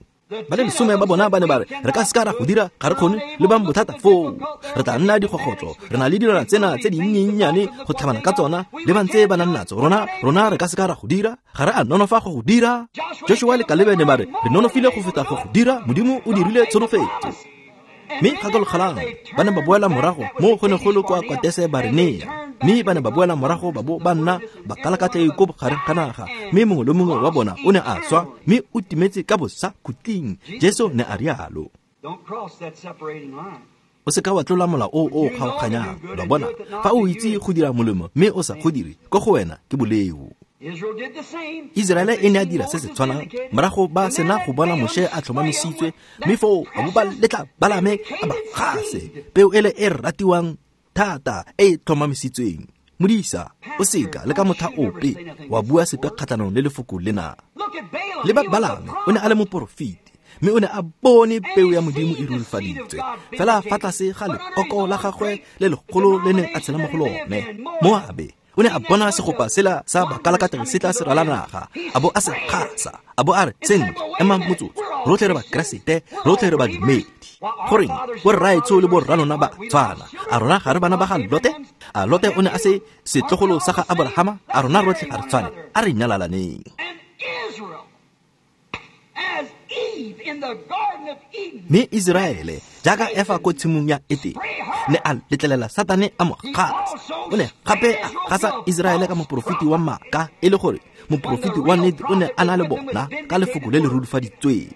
Ba le lesome ba bona ba ne ba re, re ka seka ra go dira, ga re kgone, le bang bothata foo. Re tla nna digogotlo, re na le dilwana tsena tse dinnyennyane go tlhabana ka tsona, le ba ntse ba nang natso. Rona, rona re ka seka ra go dira, ga re a nonofa go go dira. Joshua le Kalebe ne ba re, re nonofile go feta go go dira, Modimo o dirile tsholofetso. Mme gakologelang, ba ne ba boela morago mo go ne go le kwa Katese Barenea. Mme ba ne ba boela morago ba bo ba nna bakalakatlei ko bogareng ga naga, mme mongwe le mongwe wa bona o ne a swa, mme o timetse ka bosakhutleng. Jesu ne a rialo. O seka wa tlola mola o o kgaoganyang. Lo bona, fa o itse go dira molemo mme o sa go dire, ko go wena ke boleo. Iseraele e ne a dira se se tshwanang morago ba sena go bona Moshe a tlhomamisitswe, mme foo ba bo ba letla Balame a ba gase peo ele e ratiwang thata e e tlhomamisitsweng. Modisa, o seka le ka motlha ope wa bua sepe kgatlhanong le lefoko lena. Le ba Balame o ne a le moporofeti, mme o ne a bone peo ya Modimo e rurifaditswe fela fa tlase ga lekoko la gagwe le legolo le neng a tshela mo go lone. Moabe o ne a bona segopa sela sa bakalakatlegi se tla se rala naga, a bo a se gasa, a bo a re, sentle, emang motsotso, rotlhe re Bakeresete, rotlhe re badumedi. Goreng borraetsho le borralona ba tshwana? A rona ga re bana ba ga Lote? A Lote o ne a se setlogolo sa ga Aborahama? A rona rotlhe ga re tshwane? A re nyalalaneng. Mme Iseraele, jaaka Efa ko tshimong ya Etene, ne a letlelela Satane a mo gasa. O ne gape a gasa Iseraele ka moporofeti wa maaka, e le gore moporofeti wa nnete o ne a na le bona ka lefoko le le rurifaditsweng.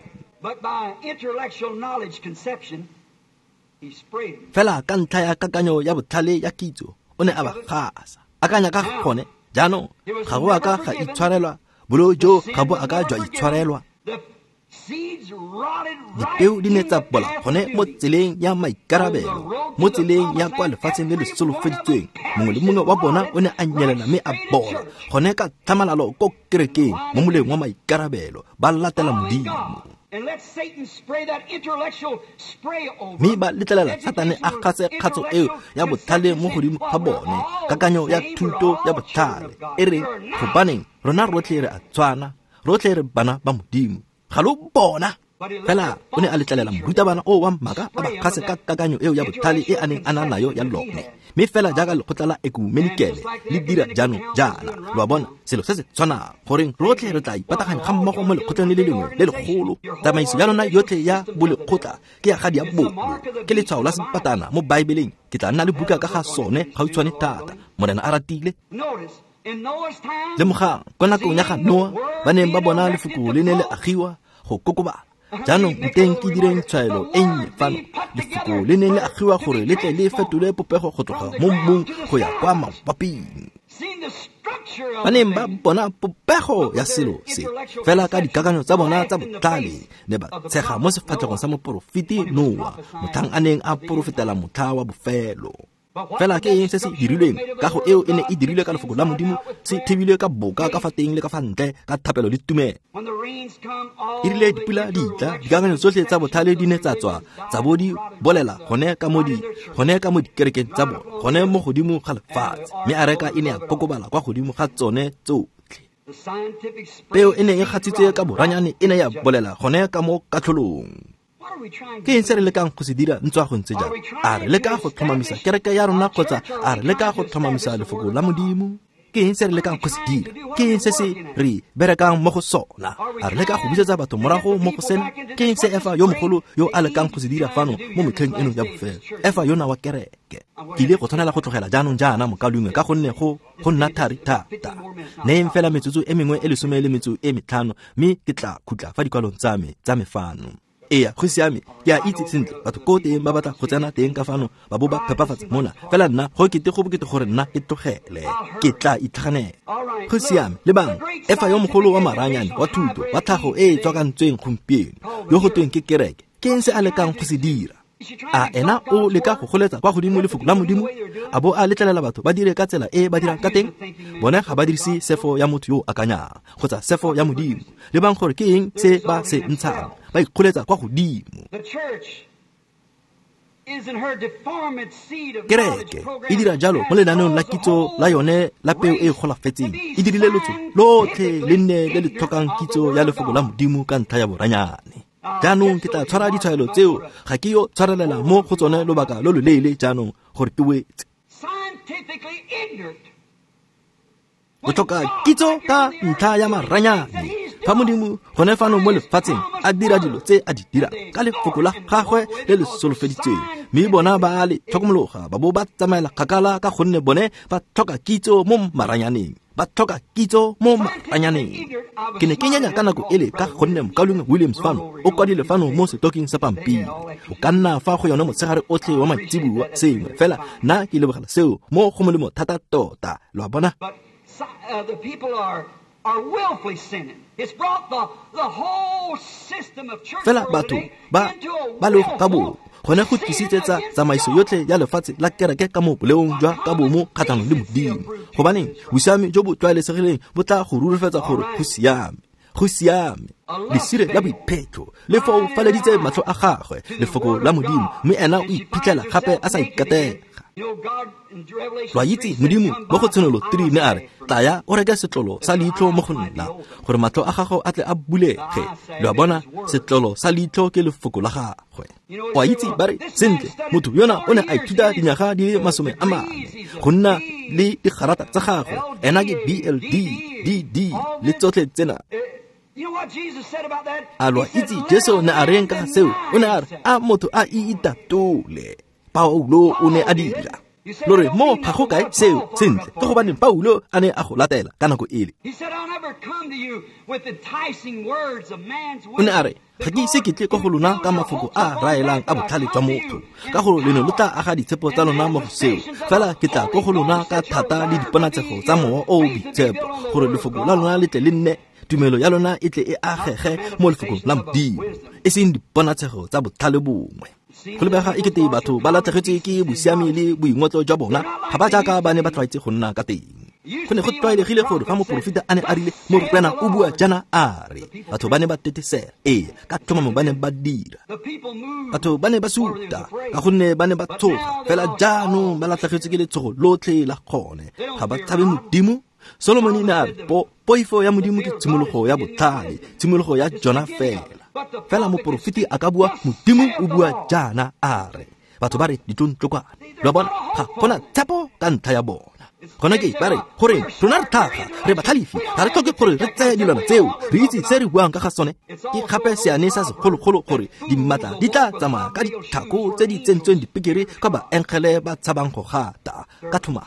Fela ka ntlha ya kakanyo ya botlhale ya kitso, o ne a ba gasa. Akanya ka gone, jaanong ga go a ka ga itshwarelwa, boleo jo ga bo a ka jwa itshwarelwa. Dipeo di ne tsa bola gone mo tseleng ya maikarabelo, mo tseleng ya kwa lefatsheng le le solofeditsweng. Mongwe le mongwe wa bona o ne a nyelela mme a bola gone ka tlhamalalo ko kerekeng mo moleng wa maikarabelo, ba latela Modimo. Mme ba letlelela Satane a gase kgatso eo ya botlhale mo godimo ga bone, kakanyo ya thuto ya botlhale e re gobaneng rona rotlhe re a tshwana, rotlhe re bana ba Modimo. Ga lo bona. Fela o ne a letlelela morutabana o wa maaka a ba gase ka kakanyo eo ya botlhale e a neng a na nayo ya lone. Mme fela jaaka lekgotla la ekumenikele le dira jaanong jaana, lo a bona, selo se se tshwanang, goreng rotlhe re tla ipataganya ga mmogo mo lekgotleng le le lengwe le legolo. Tsamaiso ya lona yotlhe ya bolekgotla ke ya ga diabolo, ke letshwao la sepatana mo Baebeleng. Ke tla nna le buka ka ga sone gautshwane thata, Morena a ratile. Lemogang, kwa nakong ya ga Noa, ba neng ba bona lefoko le ne le agiwa go kokobala. Jaanong nteng ke direng tshwaelo e nnye fano, lefoko le neng le agiwa gore le tle le fetole popego go tloga mo mmung go ya kwa mabaping. Ba neng ba bona popego ya selo se, fela ka dikakanyo tsa bona tsa botlhale, ne ba tshega mo sefatlhegong sa moporofeti Noa, motlhang a neng a porofetela motlha wa bofelo. Fela ke eng se se dirilweng? Kago eo e ne e dirilwe ka lefoko la Modimo, se thibilwe ka boka ka fa teng le ka fa ntle, ka thapelo le tumelo. E rile dipula di tla, dikakanyo tsotlhe tsa botlhale di ne tsa tswa, tsa bo di bolela gone ka mo di gone ka mo dikerekeng tsa bone, gone mo godimo ga lefatshe, mme areka e ne ya kokobala kwa godimo ga tsone tsotlhe. Peo e ne e gatsitswe ka boranyane e ne ya bolela gone ka mo katlholong. Ke eng se re lekang go se dira ntswa go ntse jang? A re leka go tlhomamisa kereke ya rona kgotsa a re leka go tlhomamisa lefoko la Modimo? Ke eng se re lekang go se dira? Ke eng se se re berekang mo go sona? A re leka go busetsa batho morago mo go sena? Ke eng se Efa yo mogolo yo a lekang go se dira fano mo metlheng eno ya bofelo? Efa yona wa kereke. Ke ile go tshwanela go tlogela jaanong jaana mokaulengwe, ka gonne go go nna thari thata. Neeng fela metsotso e mengwe e lesome le metso e metlhano, mme ke tla khutla fa dikwalong tsa me tsa me fano. Ee, go siame, ke a itse sentle batho ko teng ba batla go tsena teng ka fano ba bo ba phepafatsa mona, fela nna go kete go bokete gore nna ke tlogele, ke tla itlhaganela. Go siame, lebang, Efa yo mogolo wa maranyane wa thuto wa tlhago e e tswakantsweng gompieno, yo go tweng ke kereke, ke eng se a lekang go se dira? A ena o leka go goletsa kwa godimo lefoko la Modimo, a bo a letlelela batho ba dire ka tsela e ba dirang ka teng? Bone ga ba dirise sefo ya motho yo o akanyang kgotsa sefo ya Modimo. Lebang gore ke eng se ba se ntshang, ba ikgoletsa kwa godimo. Kereke e dira jalo mo lenaneong la kitso la yone la peo e e golafetseng, e dirile lotso lotlhe le nne le le tlhokang kitso ya lefoko la Modimo ka ntlha ya boranyane. Jaanong ke tla tshwara ditshwaelo tseo, ga ke yo tshwarelela mo go tsone lobaka lo loleele jaanong gore ke wetse. Go tlhoka kitso ka ntlha ya maranyane. Fa Modimo gone fano mo lefatsheng a dira dilo tse a di dirang ka lefoko la gagwe le le solofeditsweng, mme bona ba le tlhokomologa ba bo ba tsamaela kgakala ka gonne bone ba tlhoka kitso mo maranyaneng. Ba tlhoka kitso mo maranyaneng. Ke ne ke nyanya ka nako ele ka gonne mokaulengwe Williams fano o kwadile fano mo setoking sa pampiri. O ka nna fa go yone motshegare otlhe wa maitseboa sengwe, fela nna ke lebogela seo mo go molemo thata tota. Lo a bona? Fela batho ba ba leofa ka bomo, gone go tlisitsetsa tsamaiso yotlhe ya lefatshe la kereke ka mo boleong jwa ka bomo kgatlhanong le Modimo. Gobaneng bosiami jo bo tlwaelesegileng bo tla go rurifatsa gore go siame, go siame. Lesire la boiphetho le foufaleditse matlho a gagwe lefoko la Modimo, mme ena o iphitlhela gape a sa ikatega. Lo a itse Modimo mo go Tshenolo three ne a re, tlaya o reke setlolo sa leitlho mo go nna, gore matlho a gago a tle a bulege. Lo a bona, setlolo sa leitlho ke lefoko la gagwe. O a itse ba re, sentle, motho yona o ne a ithuta dinyaga di le masome a mane go nna le digarata tsa gagwe, ena ke B L D, D D le tsotlhe tsena. A lo a itse Jesu ne a reng ka seo? O ne a re, a motho a iitatole. Paulo o ne a dira. Lo re mo ga go kae seo? Sentle, ke gobaneng Paulo a ne a go latela ka nako ele. O ne a re, ga ke ise ke tle kwa go lona ka mafoko a raelang a botlhale jwa motho, ka gore le ne lo tla aga ditshepo tsa lona mo go seo. Fela ke tla kwa go lona ka thata le diponatshego tsa Mowa o o Boitshepo, gore lefoko la lona le tle le nne, tumelo ya lona e tle e agege mo lefokong la Modimo, e seng diponatshego tsa botlhale bongwe. Go lebega e kete batho ba latlhegetswe ke bosiami le boingotlo jwa bona, ga ba jaaka ba ne ba tlwaetse go nna ka teng. Go ne go tlwaelegile gore fa moporofeta a ne a rile Morena o bua jaana a re, batho ba ne ba tetesela. Ee, ka tlhomamo ba ne ba dira. Batho ba ne ba suta ka gonne ba ne ba tshoga, fela jaanong ba latlhegetswe ke letshogo lotlhe la gone. Ga ba tshabe Modimo. Solomon ne a re poifo ya Modimo ke tshimologo ya botlhale, tshimologo ya jona fela. Fela moporofeti a ka bua Modimo o bua jaana a re, batho ba re ditlontlokwane. Lo a bona, ga gona tshepo ka ntlha ya bona. Gona ke ba re gore rona re tlhaga, re batlhalefi, ga re tlhoke gore re tseye dilwana tseo, re itse se re buang ka ga sone. Ke gape seane sa segologolo gore dimatla di tla tsamaya ka ditlhako tse di tsentsweng dipekere kwa baengele ba tshabang go gata ka tlhomamo.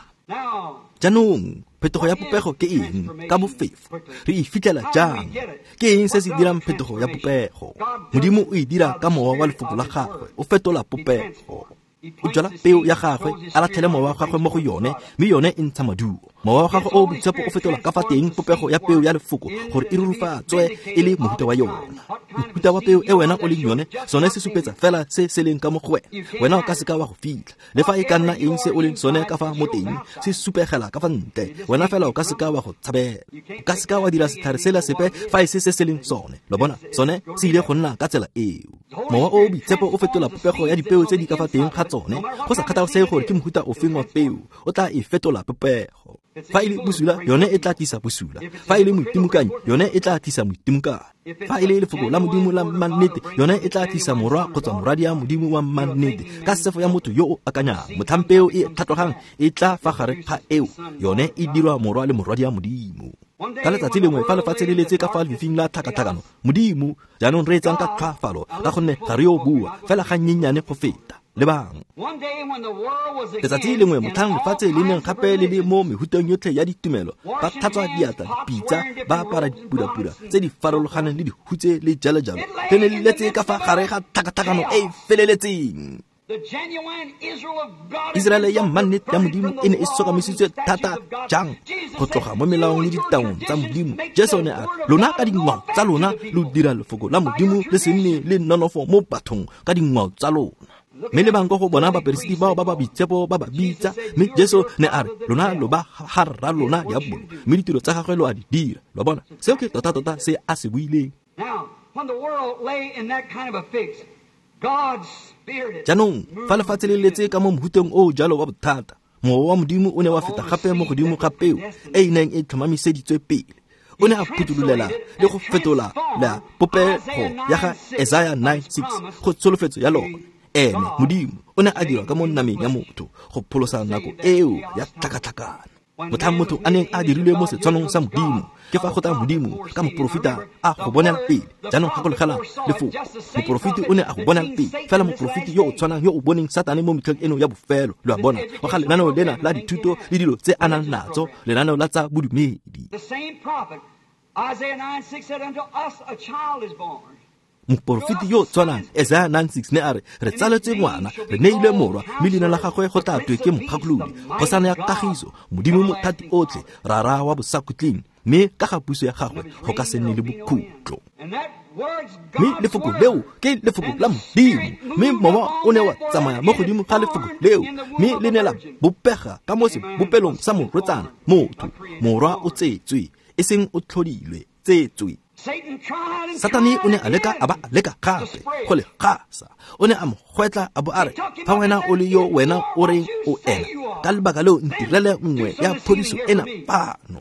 Jaanong phetogo ya popego ke eng ka bofefo? Re e fitlhela jang? Ke eng se se dirang phetogo ya popego? Modimo o e dira ka mowa wa lefoko la gagwe, o fetola popego. O jala peo ya gagwe, a latlhele mowa wa gagwe mo go yone, mme yone e ntsha maduo. Mowa wa gagwe o o boitshepo o fetola ka fa teng popego ya peo ya lefoko gore e rurufatswe e le mohuta wa yona. Mohuta wa peo e wena o leng yone, sone se supetsa fela se se leng ka mo go wena. Wena o ka seka wa go fitlha. Le fa e ka nna eng se o leng sone ka fa mo teng, se supegela ka fa ntle. Wena fela o ka seka wa go tshabela. O ka seka wa dira setlhare sela sepe fa e se se se leng sone. Lo bona, sone se ile go nna ka tsela eo. Mowa o o boitshepo o fetola popego ya dipeo tse di ka fa teng ga tsone, go sa kgathalesege gore ke mohuta ofeng wa peo, o tla e fetola popego. Fa e le bosula, yone e tla tlisa bosula. Fa e le moitimokanyi, yone e tla tlisa moitimokanyi. Fa e le lefoko la Modimo la mannete, yone e tla tlisa morwa kgotsa moradi ya Modimo wa mannete. Ka sefo ya motho yo o akanyang, motlhang peo e tlhatlogang e tla fa gare ga eo, yone e dirwa morwa le morwadi ya Modimo. Ka letsatsi lengwe fa lefatshe le letse ka fa lefifing la tlhakatlhakano, Modimo jaanong re etsang ka tlhwaafalo ka gonne ga re yo bua fela ga nnyenyane go feta. Lebang. Letsatsi lengwe motlhang lefatshe le neng gape le le mo mehuteng yotlhe ya ditumelo, ba tlhatswa diatla, dipitsa, ba apara dipurapura tse di farologaneng le dihutse le jalo jalo, le ne le letse ka fa gare ga tlhakatlhakano e e feleletseng. Iseraele ya mannete ya Modimo e ne e sokamisitswe thata jang go tloga mo melaong le ditaong tsa Modimo. Jesu ne a re, lona ka dingwao tsa lona lo dira lefoko la Modimo le se nne le nonofo mo bathong ka dingwao tsa lona. Mme le bang ko go bona baperesiti bao ba ba boitshepo ba ba bitsa, mme Jesu ne a re, lona lo ba ga rra lona diabolo, mme ditiro tsa gagwe lo a di dira. Lo bona, seo ke tota-tota se a se buileng. Jaanong fa lefatshe le letse ka mo mohuteng o jalo wa bothata, mowa wa Modimo o ne wa feta gape mo godimo ga peo e e neng e tlhomamiseditswe pele. O ne a phuthulolela le go fetola la popego ya ga Isaiah nine six go tsholofetso ya lone. Ene Modimo o ne a dirwa ka mo nameng ya motho go pholosa nako eo ya tlhakatlhakano. Motlhang motho a neng a dirilwe mo setshwanong sa Modimo, ke fa go tla Modimo ka moporofeta a go bonela pele. Jaanong gakologelang lefoko, moporofeti o ne a go bonela pele, fela moporofeti yo o tshwanang yo o boneng Satane mo metlheng eno ya bofelo. Lo a bona, wa ga lenaneo lena la dithuto le dilo tse a nang natso, lenaneo la tsa bodumedi. Moporofeti yo tshwanang Isaiah nine six ne a re, re tsaletswe ngwana, re neilwe morwa, mme leina la gagwe go tla twe ke Mogakolodi, kgosana ya kagiso, Modimo mothati otlhe, Rara wa bosakhutleng, mme ka ga puso ya gagwe go ka se nne le bokhutlo. Mme lefoko leo ke lefoko la Modimo, mme mowa o ne wa tsamaya mo godimo ga lefoko leo, mme le ne la bopega ka mo sebopelong sa morwetsana, motho, morwa o tsetswe, e seng o tlhodilwe, tsetswe. Satane o ne a leka a ba a leka gape go le gasa. O ne a mo gwetla a bo a re, fa wena o le yo wena o reng o ena, ka lebaka leo ntirele nngwe ya phodiso ena fano,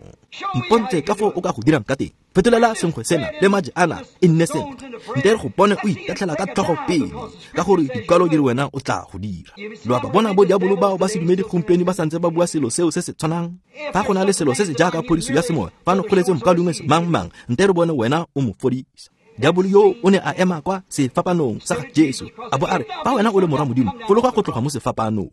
mpontshe ka foo o ka go dirang ka teng. Fetolela senkgwe sena le maje ana e nne sentle, nte re go bone o itatlhela ka tlhogo pele, ka gore dikwalo di re wena o tla go dira. Lo a ba bona bo diabolo bao ba sedumedi gompieno ba santse ba bua selo seo se se tshwanang. Fa go na le selo se se jaaka phodiso ya semoya, fano kgoletse mokaulengwe mang-mang, nte re bone wena o mo fodisa. Diabolo yo o ne a ema kwa sefapanong sa ga Jesu, a bo a re, fa wena o le morwa Modimo, fologa go tloga mo sefapanong.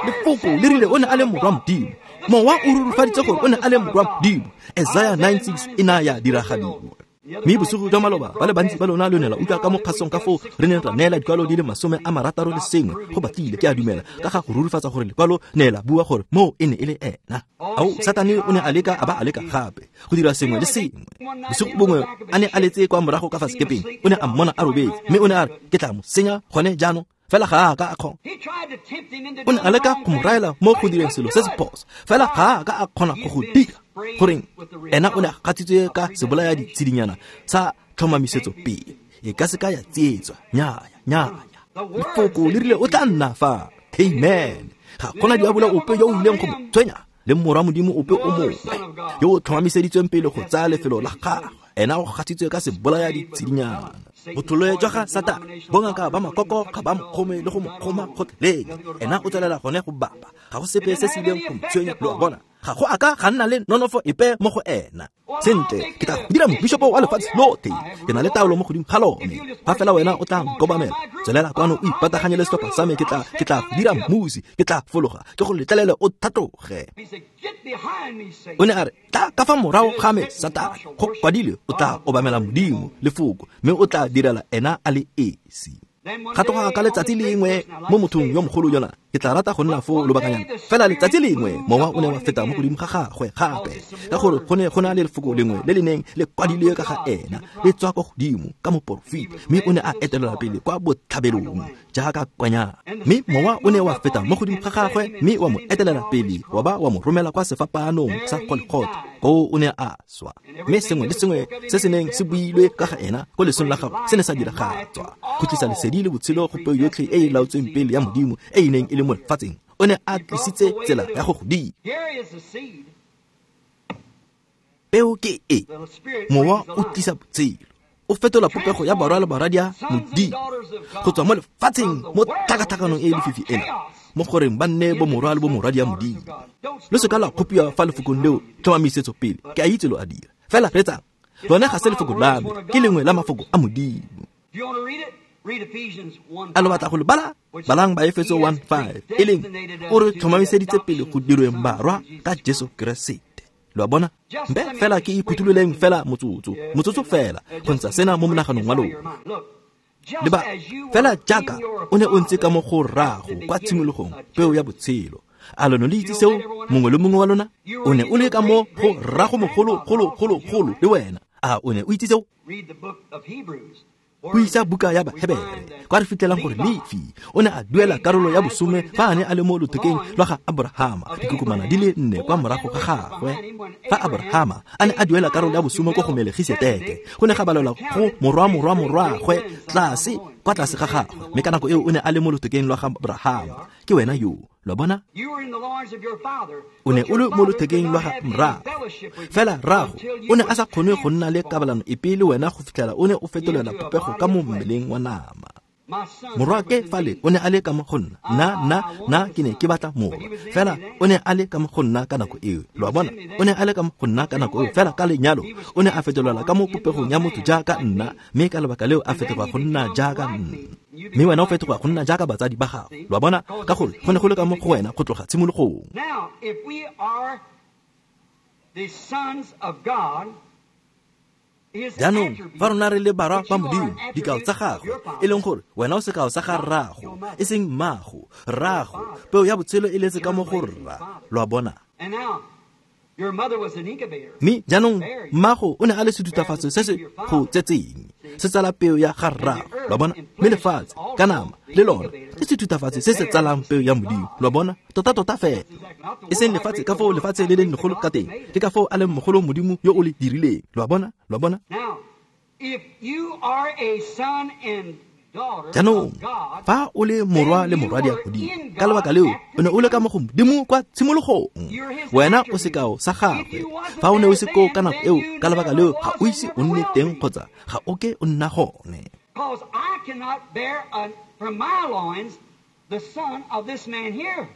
Lefoko le rile o ne a le morwa Modimo. Mowa o rurufaditse gore o ne a le morwa Modimo. Isaiah nine six e na ya diragadiwa. Mme bosigo jwa maloba ba le bantsi ba lona lo ne la utlwa ka mo kgasong ka foo re neng ra neela dikwalo di le masome a marataro le sengwe go batlile, ke a dumela, ka ga go rurifatsa gore lekwalo ne la bua gore moo e ne e le ena. Ao, Satane o ne a leka a ba a leka gape go dira sengwe le sengwe. Bosigo bongwe a ne a letse kwa morago ka fa sekepeng, o ne a mmona a robetse, mme o ne a re, ke tla mo senya gone jaanong. Fela ga a ka a kgona. O ne a leka go mo raela mo go direng selo se se phoso, fela ga a ka a kgona go go dira. Goreng? Ena o ne a gatsitswe ka sebolaya ditshedinyana sa tlhomamisetso pele. E ka se ka ya tsietswa. Nnyaya, nnyaya. Lefoko le rile o tla nna fa. Amen. Ga gona diabolo ope yo o ileng go mo tshwenya, le morwa Modimo ope o mongwe yo o tlhomamiseditsweng pele go tsaya lefelo la gagwe. Ena o gatsitswe ka sebolaya ditshedinyana. Botholwe jwa ga Satane, bongaka ba makoko ga ba mo kgome le go mo kgoma gotlhelele. Ena o tswelela gone go bapa. Ga go sepe se se ileng go mo tshwenya, lo a bona. Ga go a ka ga nna le nonofo epe mo go ena. Sentle, ke tla go dira mobishopo wa lefatshe lotlhe. Ke na le taolo mo godimo ga lone. Fa fela wena o tla nkobamela, tswelela kwano o ipataganye le setlhopha sa me, ke tla ke tla go dira mmusi, ke tla fologa, ke go letlelele o tlhatloge. O ne a re, tla ka fa morago ga me, Satane. Go kwadilwe, o tla obamela Modimo, lefoko, mme o tla direla ena a le esi. Ga tloga ka letsatsi lengwe mo mothong yo mogolo yona, ke tla rata go nna foo lobakanyana. Fela letsatsi lengwe mowa o ne wa feta mo godimo ga gagwe gape, ka gore go ne go na le lefoko lengwe le le neng le kwadilwe ka ga ena, le tswa kwa godimo ka moporofeta, mme o ne a etelela pele kwa botlhabelong jaaka kwanyana. Mme mowa o ne wa feta mo godimo ga gagwe, mme wa mo etelela pele, wa ba wa mo romela kwa sefapaanong sa Golgotha. Koo o ne a swa, mme sengwe le sengwe se se neng se builwe ka ga ena ko lesong la gagwe se ne sa diragatswa go tlisa lesedi le botshelo go peo yotlhe e e laotsweng pele ya Modimo e e neng e le mo lefatsheng. O ne a tlisitse tsela ya go godimo. Peo ke e, mowa o tlisa botshelo, o fetola popego ya barwa le barwadia Modimo go tswa mo lefatsheng mo tlhakatlhakanong e e lefifi ena, mo goreng ba nne bo morwa le bo morwadia Modimo. Lo se ka la kgopiwa fa lefokong leo tlhomamisetso pele, ke a itse lo a dira. Fela reetsang, lone ga se lefoko la me, ke lengwe la mafoko a Modimo. A lo batla go le bala? Balang Baefeso one five, e leng o re tlhomamiseditse pele go dirweng barwa ka Jesu Keresete. Lo a bona? Mpe fela ke iphuthuloleng fela motsotso, motsotso fela, go ntsha sena mo monaganong wa lona. Leba, fela jaaka o ne o ntse ka mo go rrago kwa tshimologong, peo ya botshelo. A lo ne le itse seo, mongwe le mongwe wa lona? O ne o le ka mo go rrago mogolo, golo, golo, golo le wena. A o ne o itse seo? Buisa buka ya Bahebere, kwa re fitlhelang gore Lefi o ne a duela karolo ya bosome fa a ne a le mo lothekeng lwa ga Aborahama, dikokomana di le nne kwa morago ga gagwe. Fa Aborahama a ne a duela karolo ya bosome ko go Melegiseteke, go ne ga balelwa go morwa morwa morwagwe tlase kwa tlase ga gagwe, mme ka nako eo o ne a le mo lothekeng lwa ga Aborahama. Ke wena yo, lo bona? O ne o le mo lothekeng lwa ga mrago, fela rrago o ne a sa kgone go nna le kabalano epe le wena go fitlhela o ne o fetolela popego ka mo mmeleng wa nama. Morwake fale o ne a le ka mo go nna, nna nna nna ke ne ke batla morwa, fela o ne a le ka mo go nna ka nako eo. Lo a bona? O ne a le ka mo go nna ka nako eo, fela ka lenyalo o ne a fetolela ka mo popegong ya motho jaaka nna, mme ka lebaka leo a fetoga go nna jaaka nna. Mme wena o fetoga go nna jaaka batsadi ba gago. Lo a bona? Ka gore go ne go le ka mo go wena go tloga tshimologong. Now, if we are the sons of God, Jaanong fa rona re le barwa ba Modimo, dikao tsa gagwe, e leng gore wena o sekao sa ga rrago, e seng mmago, rrago, peo ya botshelo e letse ka mo go rra. Lo a bona? Mme jaanong mmago o ne a le sethutafatso se se go tsetseng, se tsala peo ya ga rrago. Lo a bona? Mme lefatshe ka nama le lona ke sethutafatso se se tsalang peo ya Modimo. Lo a bona? Tota tota fela. E seng lefatshe ka foo lefatshe le leng legolo ka teng, ke ka foo a leng mogolo Modimo yo o le dirileng. Lo a bona? Lo a bona? Jaanong fa o le morwa le morwadia Modimo, ka lebaka leo o ne o le ka mo go Modimo kwa tshimologong. Wena o sekao sa gagwe. Fa o ne o se koo ka nako eo, ka lebaka leo ga o ise o nne teng kgotsa ga o ke o nna gone. Because I cannot bear a, from my loins the son of this man here.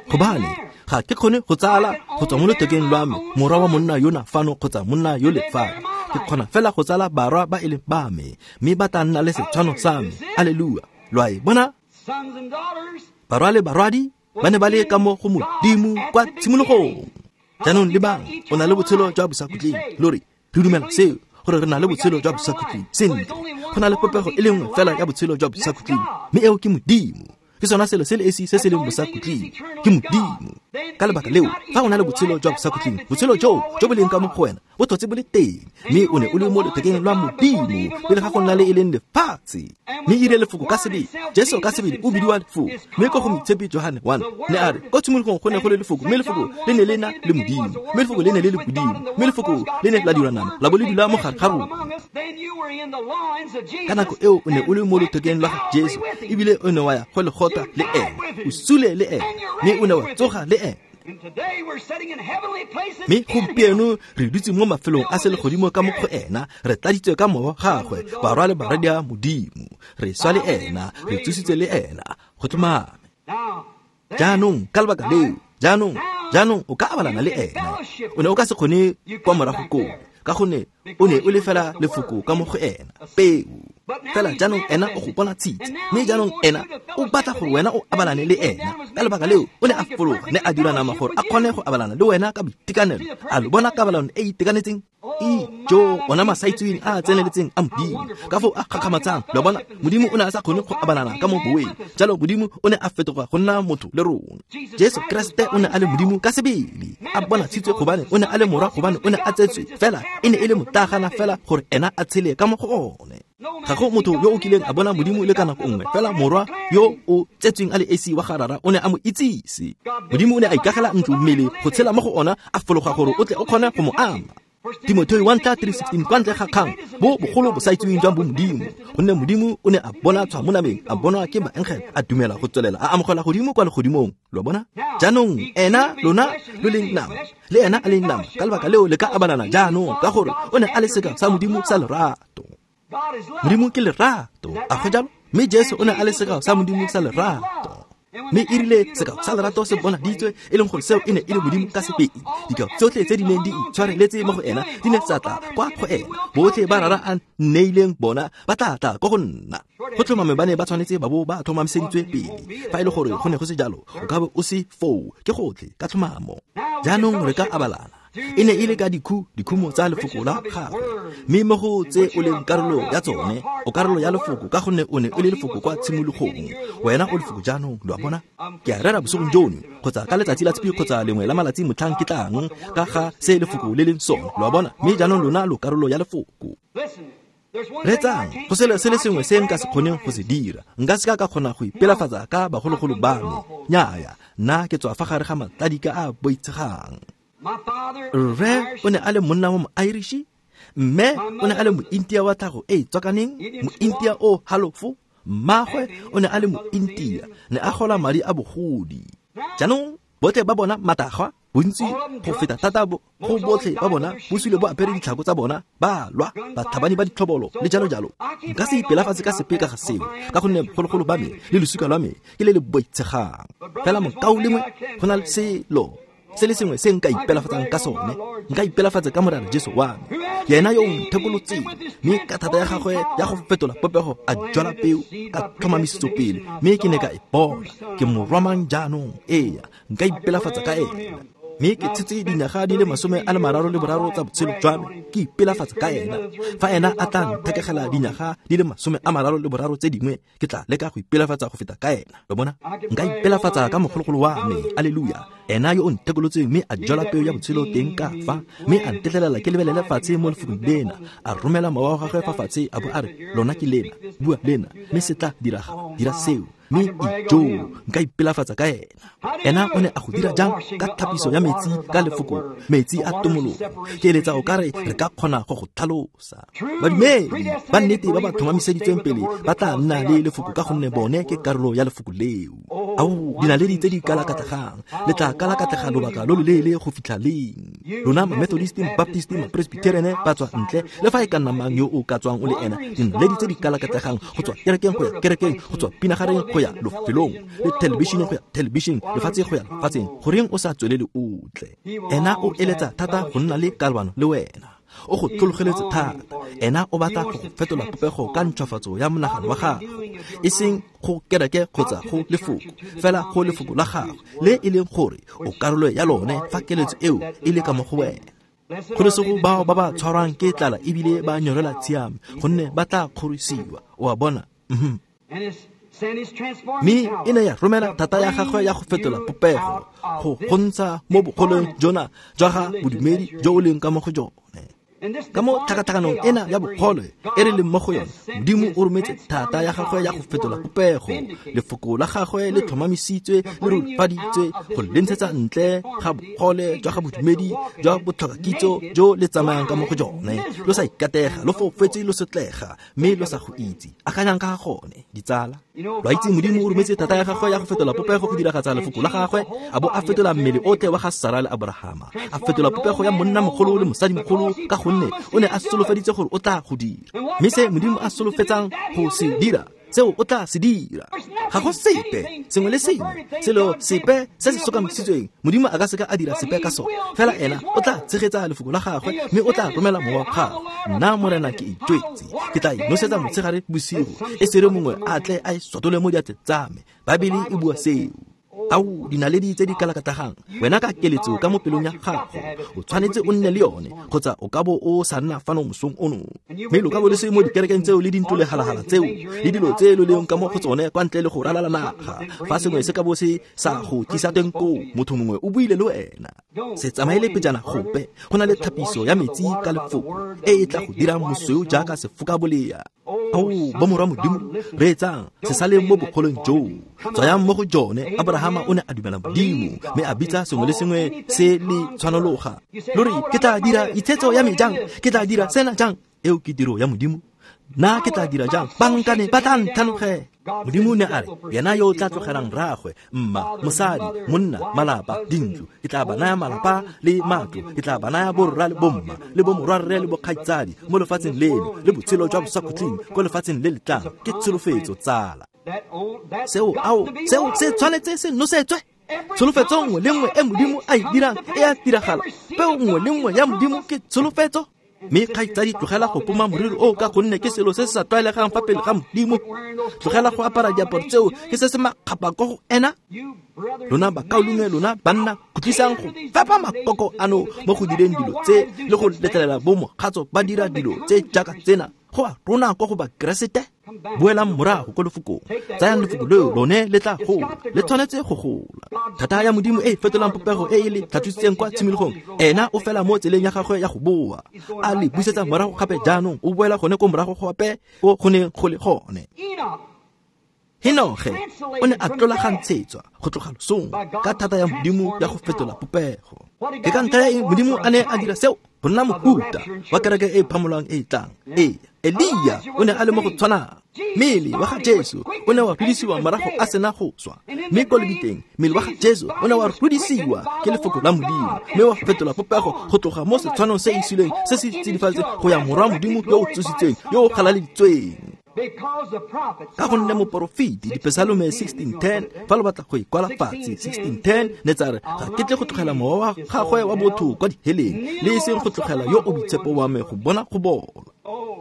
Gobane ga ke kgone go tsala go tswa mo lothekeng lwa me morwa wa monna yona fano kgotsa monna yo le fano. Ke kgona fela go tsala barwa ba e leng ba me, mme ba tla nna le setshwano sa me. Alleluia. Lo a e bona? Barwa le barwadi ba ne ba le ka mo go Modimo kwa tshimologong. Jaanong lebang, o na le botshelo jwa bosakhutleng. Lo re, re dumela seo, gore re na le botshelo jwa bosakhutleng. Sentle, go na le popego e le nngwe fela ya botshelo jwa bosakhutleng, mme eo ke Modimo. Ke sona selo se le esi se se leng bosakhutleng, ke Modimo. Ka lebaka leo, fa o na le botshelo jwa bosakhutleng, botshelo joo jo bo leng ka mo go wena bo tlhotse bo le teng, mme o ne o le mo lethekeng lwa Modimo pele ga go nna le e leng lefatshe. Mme e rile lefoko ka sebele, Jesu ka sebele o bidiwa lefoko. Mme ko go Moitshepi Johane one ne a re, ko tshimologong go ne go le lefoko, mme lefoko le ne le na le Modimo, mme lefoko le ne le le Modimo, mme lefoko le ne la dirwa nama, la bo le dula mo gare ga rona. Ka nako eo o ne o le mo lethekeng lwa ga Jesu, ebile o ne wa ya go legota le ene, o sule le ene, mme o ne wa tsoga le ene. Mme gompieno re dutse mo mafelong a selegodimo ka mo go ena, re tladitswe ka mowa gagwe, barwa le baradi a Modimo. Re swa le ena, re tsositswe le ena, go tlhomame. Jaanong ka lebaka leo, jaanong, jaanong o ka abalana le ena. O ne o ka se kgone kwa morago koo, ka gonne o ne o le fela lefoko ka mo go ena, peo. Fela jaanong ena o go bona tshitse, mme jaanong ena o batla gore wena o abalane le ena. Ka lebaka leo o ne a fologa, ne a dira nama gore a kgone go abalana le wena ka boitekanelo. A lo bona kabalano e itekanetseng? Ijo, ona masaitseweng a a tseneletseng a Modimo, ka foo a gakgamatsang. Lo bona, Modimo o ne a sa kgone go abalana ka mo boweng, jalo Modimo o ne a fetoga go nna motho le rona. Jesu Kriste o ne a le Modimo ka sebele, a bonatshitswe gobane o ne a le morwa, gobane o ne a tsetswe fela, e ne e le motagana fela gore ena a tshele ka mo go one. Ga go motho yo o kileng a bona Modimo le ka nako nngwe, fela morwa yo o tsetsweng a le esi wa ga Rara o ne a mo itsise. Modimo o ne a ikagela ntlo mmele go tshela mo go ona, a fologa gore o tle o kgone go mo ama. Timotheo one three sixteen, kwa ntle ga kgang bo bogolo bo sa itseweng jwa bo Modimo, gonne Modimo o ne a bona tshwa mo nameng, a bonwa ke baengele, a dumela go tswelela, a amogela godimo kwa legodimong. Lo bona? Jaanong ena lona lo leng nama, le ena a leng nama, ka lebaka leo le ka abalana jaanong, ka gore o ne a le sekao sa Modimo sa lerato. Modimo ke lerato, a go jalo? Mme Jesu o ne a le sekao sa Modimo sa lerato. Mme e rile sekao sa lerato se bonaditswe, e leng gore seo e ne e le Modimo ka sebele. Dikao tsotlhe tse di neng di itshwareletse mo go ena di ne tsa tla kwa go ena. Botlhe ba Rara a nneileng bona ba tla tla ko go nna. Go tlhomame ba ne ba tshwanetse ba bo ba tlhomamiseditswe pele. Fa e le gore go ne go se jalo, o ka bo o se foo, ke gotlhe ka tlhomamo. Jaanong re ka abalana. E ne e le ka dikhu dikhumo tsa lefoko la gagwe, mme mo go tse o leng karolo ya tsone, o karolo ya lefoko ka gonne o ne o le lefoko kwa tshimologong. Wena o lefoko jaanong, lo a bona? Ke a rera bosigong jono, kgotsa ka letsatsi la tshipi kgotsa lengwe la malatsi motlhang ke tlang, ka ga se lefoko le leng sone, lo a bona? Mme jaanong lona lo karolo ya lefoko. Reetsang, go selo se le sengwe se nka se kgoneng go se dira. Nka se ka ka kgona go ipelafatsa ka bagologolo ba me. Nnyaya, nna ke tswa fa gare ga matladika a boitshegang. Rre o ne a le monna wa mo-Irish, mme o ne a le mo-India wa tlhago e e tswakaneng, mo-India o halofo. Mmagwe o ne a le mo-India, ne a gola madi a bogodi. Jaanong botlhe ba bona matagwa, bontsi go feta thata go botlhe ba bona bo sule bo apere ditlhako tsa bona, ba lwa, batlhabani ba ditlhobolo le jalo jalo. Nka se ipelafatse ka sepe ka ga seo, ka gonne bogologolo ba me le losika lwa me ke le le boitshegang. Fela mokaulengwe, go na le selo se le sengwe se nka ipelafatsang ka sone. Nka ipelafatsa ka Morena Jesu wa me, yena yo o nthekolotseng, mme ka thata ya gagwe ya go fetola popego a jwala peo ka tlhomamisetso pele, mme ke ne ka e bona. Ke morwa mang jaanong? Ee, nka ipelafatsa ka ena. Mme ke tshetse dinyaga di le masome a le mararo le boraro tsa botshelo jwa me, ke ipelafatsa ka ena. Fa ena a tla nthekegela dinyaga di le masome a mararo le boraro tse dingwe, ke tla leka go ipelafatsa go feta ka ena. Lo bona? Nka ipelafatsa ka mogologolo wa me, aleluya, ena yo o nthekolotseng mme a jwala peo ya botshelo teng ka fa, mme a ntetlelela ke lebelele fatshe mo lefokong lena, a romela mowa wa gagwe fa fatshe, a bo a re, lona ke lena, bua lena, mme se tla diraga, dira seo. Mme ijo, nka ipelafatsa ka ena. Ena o ne a go dira jang? Ka thapiso ya metsi, ka lefoko, metsi a tomologo. Ke eletsa o ka re re ka kgona go go tlhalosa. Badumedi ba nnete ba ba tlhomamiseditsweng pele ba tla nna le lefoko ka gonne bone ke karolo ya lefoko leo. Ao, dinaledi tse di kalakatlegang, le tla kalakatlega lobaka lo loleele go fitlha leng? Lona ma-Methodist, ma-Baptist, ma-Presbyterian ba tswa ntle, le fa e ka nna mang yo o ka tswang o le ena, dinaledi tse di kalakatlegang go tswa kerekeng go ya kerekeng, go tswa pinagareng go ya lefelong, le thelebišeneng go ya thelebišeneng, lefatshe go ya lefatsheng. Goreng o sa tswelele o tle? Ena o eletsa thata go nna le kalwano le wena. O go tlhologeletse thata. Ena o batla go fetola popego ka ntšhwafatso ya monagano wa gago, e seng go kereke kgotsa go lefoko, fela go lefoko la gagwe, le e leng gore o karolo ya lone fa keletso eo e le ka mo go wena. Kgolesego bao ba ba tshwarwang ke tlala ebile ba nyorela tshiamo, gonne ba tla kgorisiwa. O a bona? Mhm. Mme e ne ya romela thata ya gagwe ya go fetola popego go go ntsha mo bogolong jona jwa ga bodumedi jo o leng ka mo go jone. Ka mo tlhakatlhakanong ena ya bogole e re leng mo go yone, Modimo o rometse thata ya gagwe ya go fetola popego. Lefoko la gagwe le tlhomamisitswe le rurifaditswe go le ntshetsa ntle ga bogole jwa ga bodumedi jwa botlhokakitso jo le tsamayang ka mo go jone. Lo sa ikatega, lo foufetse, lo sotlega, mme lo sa go itse. Akanyang ka ga gone, ditsala. Lo a itse Modimo o rometse thata ya gagwe ya go fetola popego go diragatsa lefoko la gagwe, a bo a fetola mmele otlhe wa ga Sara le Abrahama, a fetola popego ya monnamogolo le mosadimogolo ka gonne o ne a solofeditse gore o tla go dira. Mme se Modimo a solofetsang go se dira, seo o tla se dira. Ga go sepe, sengwe le sengwe, selo sepe se se sokamisitsweng, Modimo a ka seka a dira sepe ka sone. Fela ena o tla tshegetsa lefoko la gagwe, mme o tla romela mowa wa gagwe. Nna Morena ke itwetse, ke tla inosetsa motshegare bosigo, e sere mongwe a tle a e sotole mo diatleng tsa me. Baebele e bua seo. Ao, dinaledi tse di kalakatlagang, wena ka keletso ka mo pelong ya gago, o tshwanetse o nne le yone, kgotsa o ka bo o sa nna fano mosong ono. Mme lo ka bo le se mo dikerekeng tseo le dintlo le halagala tseo le dilo tse lo leng ka mo go tsone kwa ntle le go ralala naga. Fa sengwe se ka bo se sa go tlisa teng koo, motho mongwe o buile le wena. Se tsamaele pejana gope, go na le thapiso ya metsi ka lefoko e e tla go dirang mosweu jaaka sefokabolea. Ao, bomorwa Modimo, reetsang, se saleng mo bogolong joo, tswayang mo go jone. Abrahama o ne a dumela Modimo, mme a bitsa sengwe le sengwe se le tshwanologa. Lo re, ke tla dira itshetso ya me jang? Ke tla dira sena jang? Eo ke tiro ya Modimo. Nna ke tla dira jang? Bankane ba tla ntlhanogela. Modimo ne a re, yena yo o tla tlogelang rraagwe, mma, mosadi, monna, malapa, dintlo, ke tla ba naya malapa le matlo, ke tla ba naya borra le bomma, le bomorwarre le bokgaitsadi mo lefatsheng leno, le botshelo jwa bosakhutleng ko lefatsheng le le tlang. Ke tsholofetso, tsala. Seo, ao, seo se tshwanetse se nosetswe. Tsholofetso nngwe le nngwe e Modimo a e dirang e a diragala. Peo nngwe le nngwe ya Modimo ke tsholofetso. Mme kgaitsadi, tlogela go poma moriri o ka gonne ke selo se se sa tlwaelegang fa pele ga Modimo. Tlogela go apara diaparo tseo, ke se se makgapa ko go ena. Lona bakaulengwe, lona banna, khutlisang go fepa makoko ano mo go direng dilo tse le go letlelela bo mokgatso ba dira dilo tse jaaka tsena. Go a rona ko go Bakeresete. Boelang morago ko lefokong, tsayang lefoko leo, lone le tla gola, le tshwanetse go gola. Thata ya Modimo e e fetolang popego e e le tlhatswisitseng kwa tshimologong, ena o fela mo tseleng ya gagwe ya go boa, a le busetsa morago gape. Jaanong o boela gone ko morago gape ko go neng go le gone. Henoge o ne a tlolagantshetswa go tloga losong ka thata ya Modimo ya go fetola popego. Ke ka ntlha ya eng Modimo a ne a dira seo? Go nna mohuta wa kereke e e phamolwang e e tlang. Ee, Elia o ne a le mo go tshwanang. Mmele wa ga Jesu o ne wa rudisiwa morago a sena go swa, mme ko lebiteng mmele wa ga Jesu o ne wa rudisiwa ke lefoko la Modimo, mme wa fetola popego go tloga mo setshwanong se e sileng se se tsidifaditseng go ya morwa Modimo yo o tsositsweng, yo o galaleditsweng. Ka gonne moporofeti, Dipesalome sixteen ten, fa lo batla go e kwala fatshe, sixteen ten ne tsa re, ga ke tle go tlogela mowa wa gagwe wa botho kwa diheleng, le e seng go tlogela yo o boitshepo wa me go bona go bola.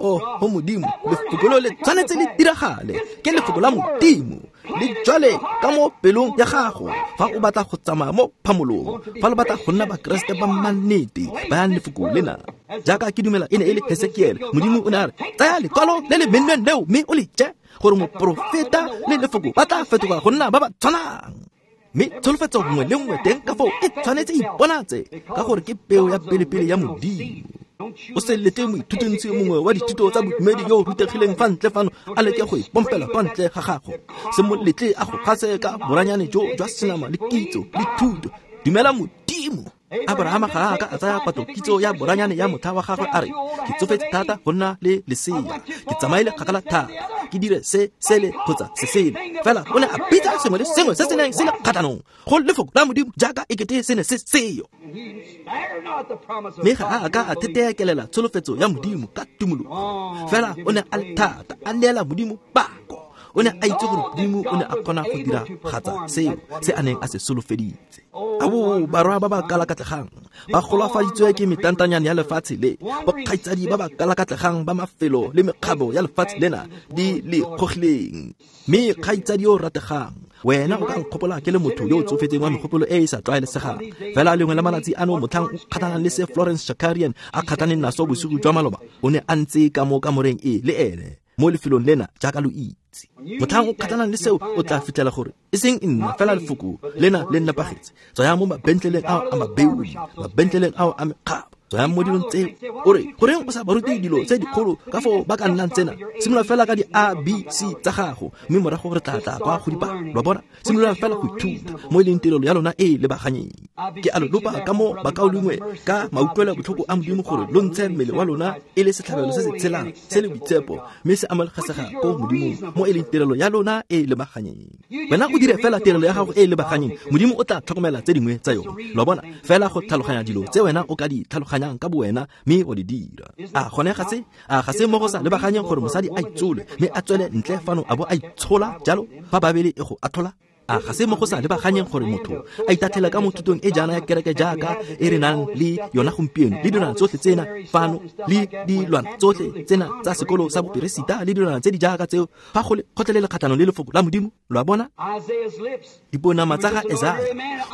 Oh, go Modimo, lefoko leo le tshwanetse le diragale. Ke lefoko la Modimo, le jwale ka mo pelong ya gago. Fa o batla go tsamaya mo phamolong, fa lo batla go nna Bakeresete ba mannete, bayang lefoko lena. Jaaka ke dumela e ne e le Hesekiele, Modimo o ne a re, tsaya lekwalo le le mennweng leo mme o le je, gore moporofeta le lefoko ba tla fetoga go nna ba ba tshwanang. Mme tsholofetso nngwe le nngwe teng ka foo e tshwanetse e iponatse, ka gore ke peo ya pelepele ya Modimo. O se lete moithutontsi mongwe wa dithuto tsa bodumedi yo o rutegileng fa ntle fano a leke go ipompela kwa ntle ga gago. Se mo letle a go gase ka boranyane jo jwa senama le kitso le thuto. Dumela Modimo. Abrahama ga a ka a tsaya patlo kitso ya boranyane ya motlha wa gagwe a re, ke tsofetse thata go nna le lesea, ke tsamaile kgakala thata, ke dire se sele kgotsa se sele. Fela o ne a bitsa sengwe le sengwe se se neng se le kgatlhanong go lefoko la Modimo jaaka ekete se ne se seyo. Mme ga a ka a theteekelela tsholofetso ya Modimo ka tumologo. Fela o ne a le thata, a neela Modimo pako. O ne a itse gore Modimo o ne a kgona go diragatsa seo se a neng a se solofeditse. Abo barwa ba ba kalakatlegang ba golafaditswe ke metantanyane ya lefatshe le, bokgaitsadi ba ba kalakatlegang ba mafelo le mekgabo ya lefatshe lena di le kgogileng. Mme kgaitsadi yo o rategang, wena o ka nkgopola ke le motho yo o tsofetseng wa megopolo e e sa tlwaelesegang. Fela lengwe la malatsi ano motlhang o kgathanang le se Florence Shakarian a kgathaneng naso bosigo jwa maloba, o ne a ntse ka mo kamoreng e le ene. mo lefelong lena jaaka lo itse. Motlhang o kgatlhanang le seo o tla fitlhela gore e seng nna fela lefoko lena le nnapagetse. Tswaya mo mabentleleng ao a mabeuli, mabentleleng ao a mekgabo, tswaya mo dilong tseo. O re goreng o sa ba rute dilo tse dikgolo ka foo ba ka nnang tsena? Simolola fela ka di A B C tsa gago, mme morago re tla tla kwa go dipalo. Lo a bona? Simololang fela go ithuta mo e leng tirelo ya lona e e lebaganyeng. Ke a lo lopa ka mo bakaulengwe ka mautlwelo botlhoko a Modimo gore lo ntshe mmele wa lona e le setlhabelo se se tshelang se le boitshepo, mme se amogelesega ko Modimong mo e leng tirelo ya lona e e lebaganyeng. Wena o dire fela tirelo ya gago e e lebaganyeng, Modimo o tla tlhokomela tse dingwe tsa yone. Lo a bona? Fela go tlhaloganya dilo tse wena o ka di tlhaloganyang ka bowena mme o di dira. A gone ga se a ga se mo go sa lebaganyeng gore mosadi a itsole mme a tswele ntle fano a bo a itshola jalo fa Babele e go atlhola? A ga se mo go sa lebaganyeng gore motho a itatlhela ka mo thutong e jaana ya kereke jaaka e re nang le yona gompieno, le dilwana tsotlhe tsena fano, le dilwana tsotlhe tsena tsa sekolo sa boperesita, le dilwana tse di jaaka tseo, fa go le kgotlelele kgatlhanong le lefoko la Modimo? Lo a bona? Diponama tsa ga Esaya,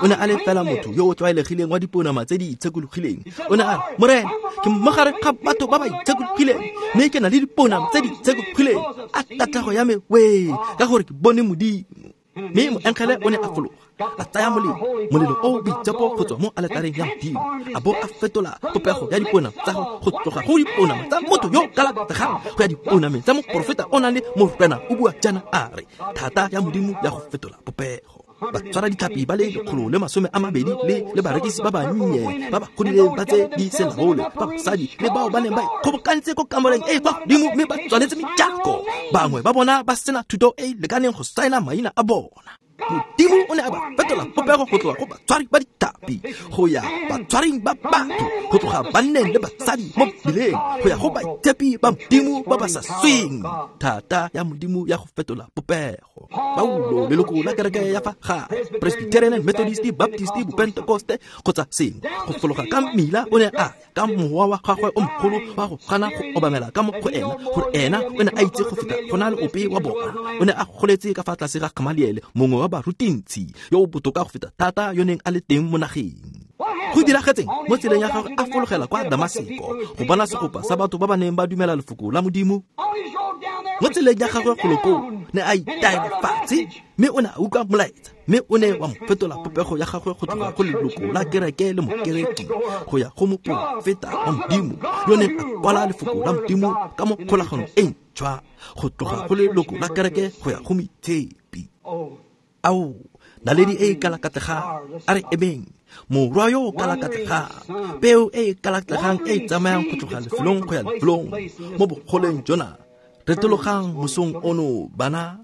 o ne a le fela motho yo o tlwaelegileng wa diponama tse di itshekologileng. O ne a re, Morena, ke mo gare ga batho ba ba itshekologileng, mme ke na le diponama tse di itshekologileng. A tatlhego ya me wee, ka gore ke bone Modimo. Mme moengele o ne a fologa, a tsaya molelo, molelo o boitshepo go tswa mo aletareng ya Modimo, a bo a fetola popego ya diponama tsa go tloga go diponama tsa motho yo kalakatlegang go ya diponameng tsa moporofeta o nang le Morena o bua jaana a re, thata ya Modimo ya go fetola popego. Ba tshwara ditlhapi ba le lekgolo le masome a mabedi le le barekisi ba bannye ba ba godileng ba tse di selaole, ba basadi le bao ba neng ba ikgobokantse ko kamoreng e e kwa godimo mme ba tswaletse mejako. Bangwe ba bona ba sena thuto e e lekaneng go saena maina a bona. Modimo o ne a ba fetola popego go tloga go batshwari ba ditlhapi go ya batshwaring ba batho, go tloga banneng le basadi mo mmileng go ya go baitshepi ba Modimo ba ba sa sweng. Thata ya Modimo ya go fetola popego. Paulo, leloko la kereke ya fa gae, Presbyterian, Methodist, Baptist, Bopentekoste kgotsa sengwe, go fologa ka mmila o ne a ya ka mowa wa gagwe o mogolo wa go gana go obamela ka mo go ena, gore ena o ne a itse go feta go na le ope wa bona. O ne a goletse ka fa tlase ga Gamaliele, mongwe wa barutintshi yo o botoka go feta thata yo neng a le teng mo nageng. Go diragetseng mo tseleng ya gagwe a fologela kwa Damaseko go bona segopa sa batho ba ba neng ba dumela lefoko la Modimo. Mo tseleng ya gagwe golo koo ne a itaela fatshe, mme o ne a utlwa molaetsa, mme o ne wa mo fetola popego ya gagwe go tloga go leloko la kereke le mokereki go ya go moporofeta wa Modimo yo neng a kwala lefoko la Modimo ka mo kgolaganong e ntšhwa, go tloga go leloko la kereke go ya go moitshepi. Ao, naledi e e kalakatlegang, a re emeng, morwa yo o kalakatlegang, peo e e kalakatlegang e e tsamayang go tloga lefelong go ya lefelong mo bogoleng jona. Retologang mosong ono, bana,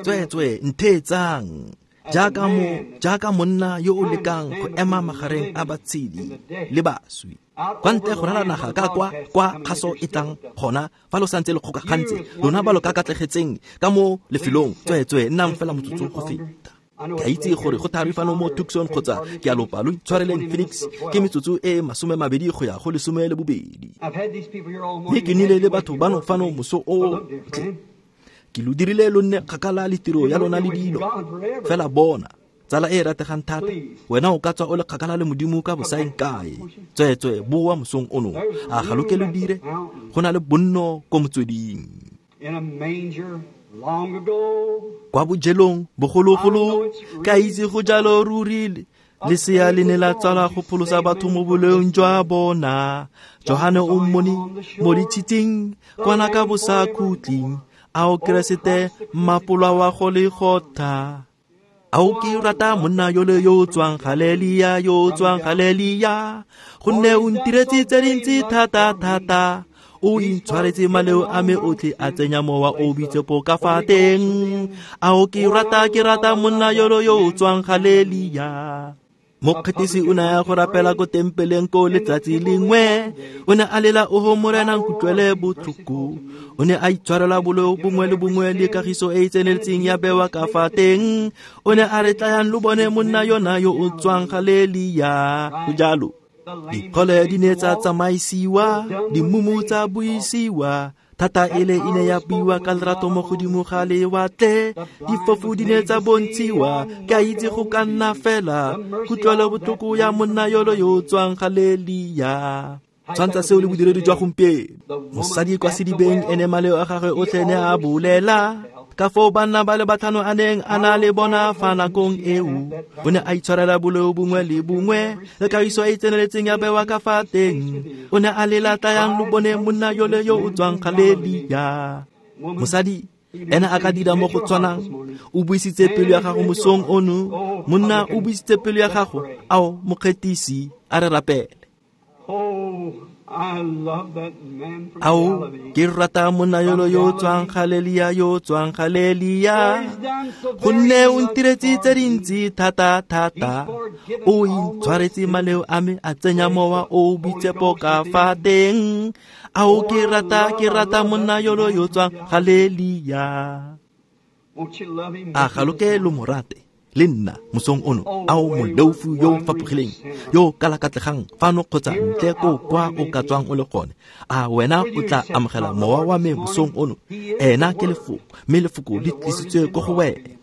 tsweetswe ntheetsang jaaka mo jaaka monna yo o lekang go ema magareng a batshedi le baswi. Kwa ntle go rala naga ka kwa kwa kgaso e tlang gona, fa lo santse le kgokagantse, lona ba lo kakatlegetseng ka mo lefelong, tsweetswe nnang fela motsotso go feta. Ke a itse gore go thari fano mo Tucson kgotsa ke a lopa lo itshwareleng Phoenix, ke metsotso e masome mabedi go ya go lesome le bobedi. Mme ke nnile le batho bano fano moso o ke lo dirile lo nne kgakala le tiro ya lona le dilo. Fela bona, tsala e e rategang thata, wena o ka tswa o le kgakala le Modimo ka bosaeng kae. Tsweetswe boa mosong ono, a ga lo ke lo dire? Go na le bonno ko motsweding. Kwa bojelong bogologolo, ka itse go jalo ruri, lesea le ne la tsalwa go pholosa batho mo boleong jwa bona. Johane o mmone mo ditshitsing kwana ka bosakhutleng, ao Keresete mmapolwa wa go Golgotha. Ao ke rata monna yole yo o tswang Galelia, yo o tswang Galelia, gonne o ntiretse tse dintsi thata thata. O intshwaretse maleo a me otlhe, a tsenya mowa o boitshepo ka fa teng. Ao ke rata, ke rata monna yolo yo o tswang Galelia. Mokgethisi o ne a ya go rapela ko tempeleng ko letsatsi lengwe, o ne a lela, oho Morena nkutlwele botlhoko. O ne a itshwarela boleo bongwe le bongwe le kagiso e e tseneletseng ya bewa ka fa teng. O ne a re, tlayang lo bone monna yona yo o tswang Galelia. Go jalo. Dikgole di ne tsa tsamaisiwa, dimumu tsa buisiwa, thata ele e ne ya buiwa ka lerato mo godimo ga lewatle, difofu di ne tsa bontshiwa, ke a itse go ka nna fela kutlwelo botlhoko ya monna yolo yo o tswang Galelia. Tshwantsha seo le bodiredi jwa gompieno. Mosadi kwa sedibeng ene maleo a gagwe otlhe ne a bolela ka foo banna ba le batlhano a neng a na le bona fa nakong eo. O ne a itshwarela boleo bongwe le bongwe le kagiso e e tseneletseng ya bewa ka fa teng. O ne a lela tlayang lo bone monna yole yo o tswang Galelia. Mosadi ene a ka dira mo go tshwanang. O buisitse pelo ya gago mosong ono. Monna o buisitse pelo ya gago. Ao mokgethisi, a re rapele. Ao ke rata monna yolo yo tswang Galelia, yo tswang Galelia, gonne o ntiretse tse dintsi thata thata. O intshwaretse maleo a me, a tsenya mowa o boitshepo ka fa teng. Ao ke rata, ke rata monna yolo yo tswang Galelia. A ga lo ke lo mo rate le nna mosong ono? Ao moleofu yo o fapogileng, yo kalakatlegang fano kgotsa ntle ko kwa o ka tswang o le gone, a wena o tla amogela mowa wa me mosong ono? Ena ke lefoko, mme lefoko le tlisitswe ko go wena.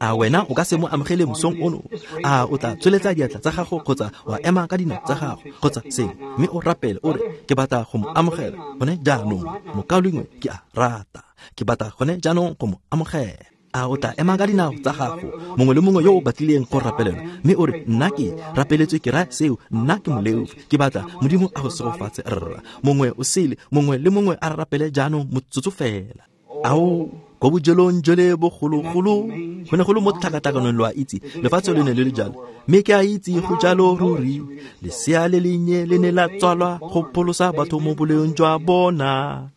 A wena o ka se mo amogele mosong ono? A o tla tsweletsa diatla tsa gago kgotsa wa ema ka dinao tsa gago kgotsa sengwe, mme o rapele o re, ke batla go mo amogela gone jaanong. Mokaulengwe, ke a rata, ke batla gone jaanong go mo amogela. A o tla ema ka dinao tsa gago, mongwe le mongwe yo o batlileng go rapelelwa, mme o re, nna ke rapeletswe, ke raya seo, nna ke moleofi, ke batla Modimo a go segofatse rra. Mongwe o sele, mongwe le mongwe a rapele jaanong motsotso fela. Ao ko bojelong jole bogologolo go ne go le mo tlhakatlakanong, lo a itse, lefatshe le ne le le jalo, mme ke a itse go jalo ruri. Lesea le lennye le ne la tswalwa go pholosa batho mo boleong jwa bona.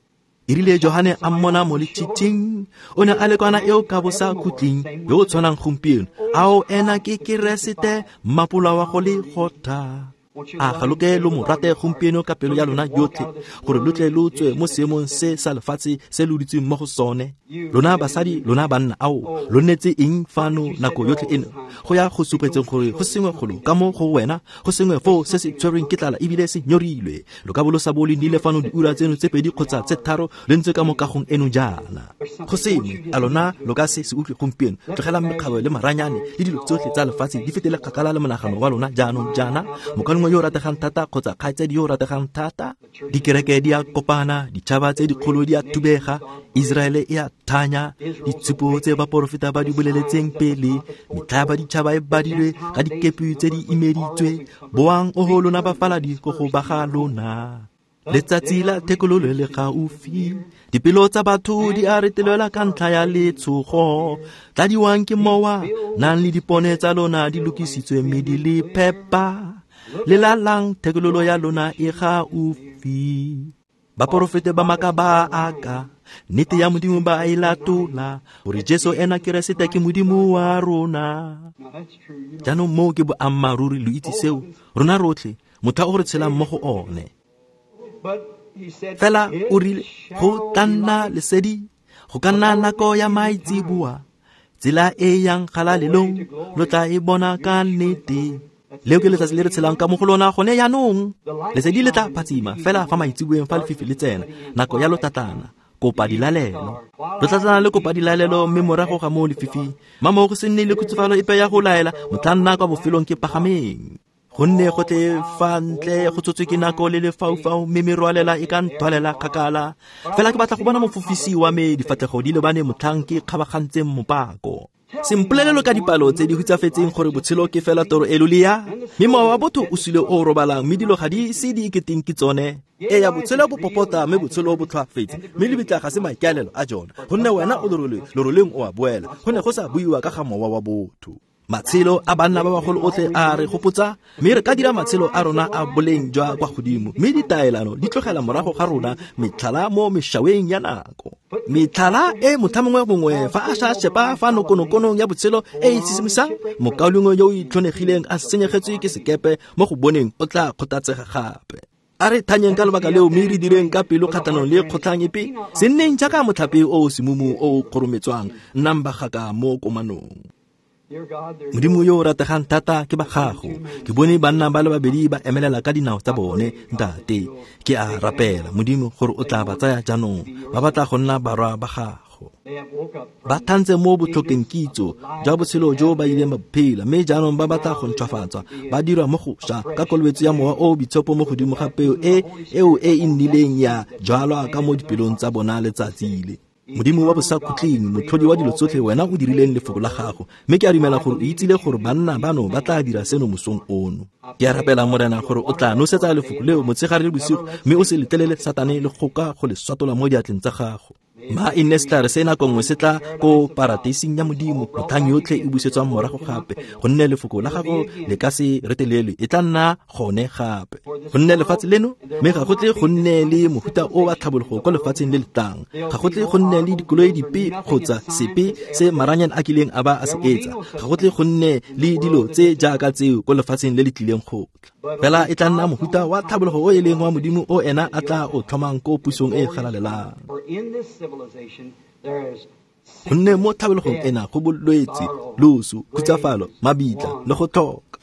E rile Johane a mmona mo letshitshing, o ne a le kwana eo ka bo sa khutleng, yo o tshwanang gompieno. Ao ena ke Keresete, mmapola wa go le gotha. A ga lo ke lo mo rate gompieno ka pelo ya lona yotlhe, gore lo tle lo tswe mo seemong se sa lefatshe se lo dutseng mo go sone. Lona basadi, lona banna, ao lo nnetse eng fano nako yotlhe eno? Go ya go supetseng gore go sengwe golo ka mo go wena, go sengwe foo se se tshwerweng ke tlala ebile se nyorilwe. Lo ka bo lo sa bo le nnile fano diura tseno tse pedi kgotsa tse tharo le ntse ka mo kagong eno jaana. Go sengwe, a lona lo ka se se utlwe gompieno? Tlogelang mekgabo le maranyane le dilo tsotlhe tsa lefatshe di fetele kgakala le monagano wa lona jaanong jaana. Mokaulengwe yo o rategang thata kgotsa kgaitsadi yo o rategang thata, dikereke di a kopana, ditšhaba tse dikgolo di a thubega, Israele e a thanya, ditshupo tse baporofeta ba di boleletseng pele, metlha ya baditšhaba e badilwe ka dikepe tse di imeditswe. Boang oho lona bafaladi ko go ba ga lona. Letsatsi la thekololo le gaufi, dipelo tsa batho di a retelelwa ka ntlha ya letshogo. Tladiwang ke mowa, nang le dipone tsa lona di lokisitswe mme di le phepa. Lelalang, thekololo ya lona e gaufi. Baporofete ba maaka ba aka, nnete ya Modimo ba e latola, gore Jesu ena Keresete ke Modimo wa rona. Jaanong moo ke boammaaruri, lo itse seo, rona rotlhe, motho o re tshelang mo go one. Fela o rile go tla nna lesedi, go ka nna nako ya maitseboa, tsela e yang galalelong lo tla e bona ka nnete. Leo ke letsatsi le re tshelang ka mo go lona gone jaanong. Lesedi le tla phatsima fela fa maitseboeng fa lefifi le tsena, nako ya lotlatlana, kopa dilalelo. Lotlatlana le kopa dilalelo, mme morago ga moo lefifi, mamo go se nne le khutsafalo epe ya go laela, motla nna kwa bofelong ke pagameng. Gonne go tle fa ntle go tsotswe ke nako le lefaufau, mme merwalela e ka nthwalela kgakala. Fela ke batla go bona mofofisi wa me difatlhego di lebane motlhang ke kgabagantseng mopako. Sempolelelo ka dipalo tse di hutsafetseng gore botshelo ke fela toro e lolea, mme mowa wa botho o sule o robalang, mme dilo ga di se di iketeng ke tsone. Eya, botshelo bo popota, mme botshelo bo tlhoafetse, mme lebitla ga se maikaelelo a jona, gonne wena o lerole, leroleng o a boela. Go ne go sa buiwa ka ga mowa wa botho. Matshelo a banna ba bagolo otlhe a re gopotsa, mme re ka dira matshelo a rona a boleng jwa kwa godimo, mme ditaelano di tlogela morago ga rona metlhala mo mešaweng ya nako. Metlhala e motlha mongwe mongwe fa a sa shepa fa nokonokonong ya botshelo e e sisimisang, mokaulengwe yo o itlhonegileng a senyegetswe ke sekepe mo go boneng o tla kgothatsega gape. A re thanyeng ka lebaka leo, mme re direng ka pelo kgatlhanong le kgotlhang epe. Se nneng jaaka motlhape o o semumu o o kgorometswang, nnang bagaka mo komanong. Modimo yo o rategang thata ke ba gago. Ke bone banna ba le babedi ba emelela ka dinao tsa bone, ntate. Ke a rapela, Modimo, gore o tla ba tsaya jaanong. Ba batla go nna barwa ba gago. gago. Ba thantse mo botlhokeng kitso jwa botshelo jo ba ileng ba phela, mme jaanong ba batla go ntšhwafatswa, ba dirwa mo gošwa ka kolobetso ya Mowa o o Boitshepo mo godimo ga peo e eo e e nnileng ya jalwa ka mo dipelong tsa bona letsatsi le. Modimo wa bosakhutleng, motlhodi wa dilo tsotlhe, wena o dirileng lefoko la gago, mme ke a dumela gore o itsile gore banna bano ba tla dira seno mosong ono. Ke a rapela, Morena, gore o tla nosetsa lefoko leo motshegare le bosigo, mme o se letlelele Satane le kgoka go le swatola mo diatleng tsa gago. Ma e nne setlhare se nako nngwe se tla ko parateising ya Modimo, motlhang yotlhe e busetswang morago gape, gonne lefoko la gago le ka se retelelwe, e tla nna gone gape. Gonne lefatshe leno, mme ga go tle go nne le mofuta o wa tlhabologo ko lefatsheng le le tlang, ga go tle go nne le dikoloi dipe kgotsa sepe se maranyane a kileng a ba a se etsa, ga go tle go nne le dilo tse jaaka tseo ko lefatsheng le le tlileng go tla. Fela e tla nna mofuta wa tlhabologo o e leng wa Modimo o ena a tla o tlhomang ko pusong e e galalelang. Gonne mo tlhabologong ena go bolwetse, loso, khutsafalo, mabitla le go tlhoka.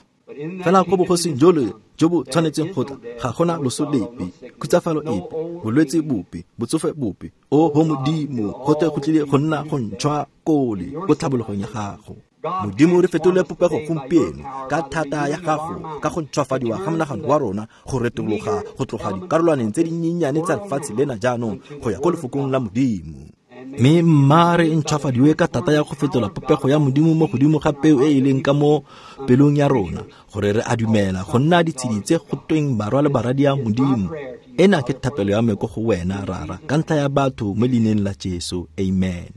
Fela ko bogosing jole jo bo tshwanetseng go tla, ga gona loso lepe, khutsafalo epe, bolwetse bope, botsofe bope. O ho Modimo, go tle go tlile go nna go ntšhwa kole ko tlhabologong ya gago. Modimo, re fetole popego gompieno ka thata ya gago, ka go ntšhwafadiwa ga monagano wa rona, go retologa go tloga dikarolwaneng tse dinyenyane tsa lefatshe lena jaanong go ya ko lefokong la Modimo. Mme mma re ntšhwafadiwe ka thata ya go fetola popego ya Modimo mo godimo ga peo e e leng ka mo pelong ya rona, gore re a dumela go nna ditshedi tse go tweng barwa le baradi ya Modimo. Ena ke thapelo ya me ko go wena, Rara, ka ntlha ya batho mo leineng la Jesu. Amen.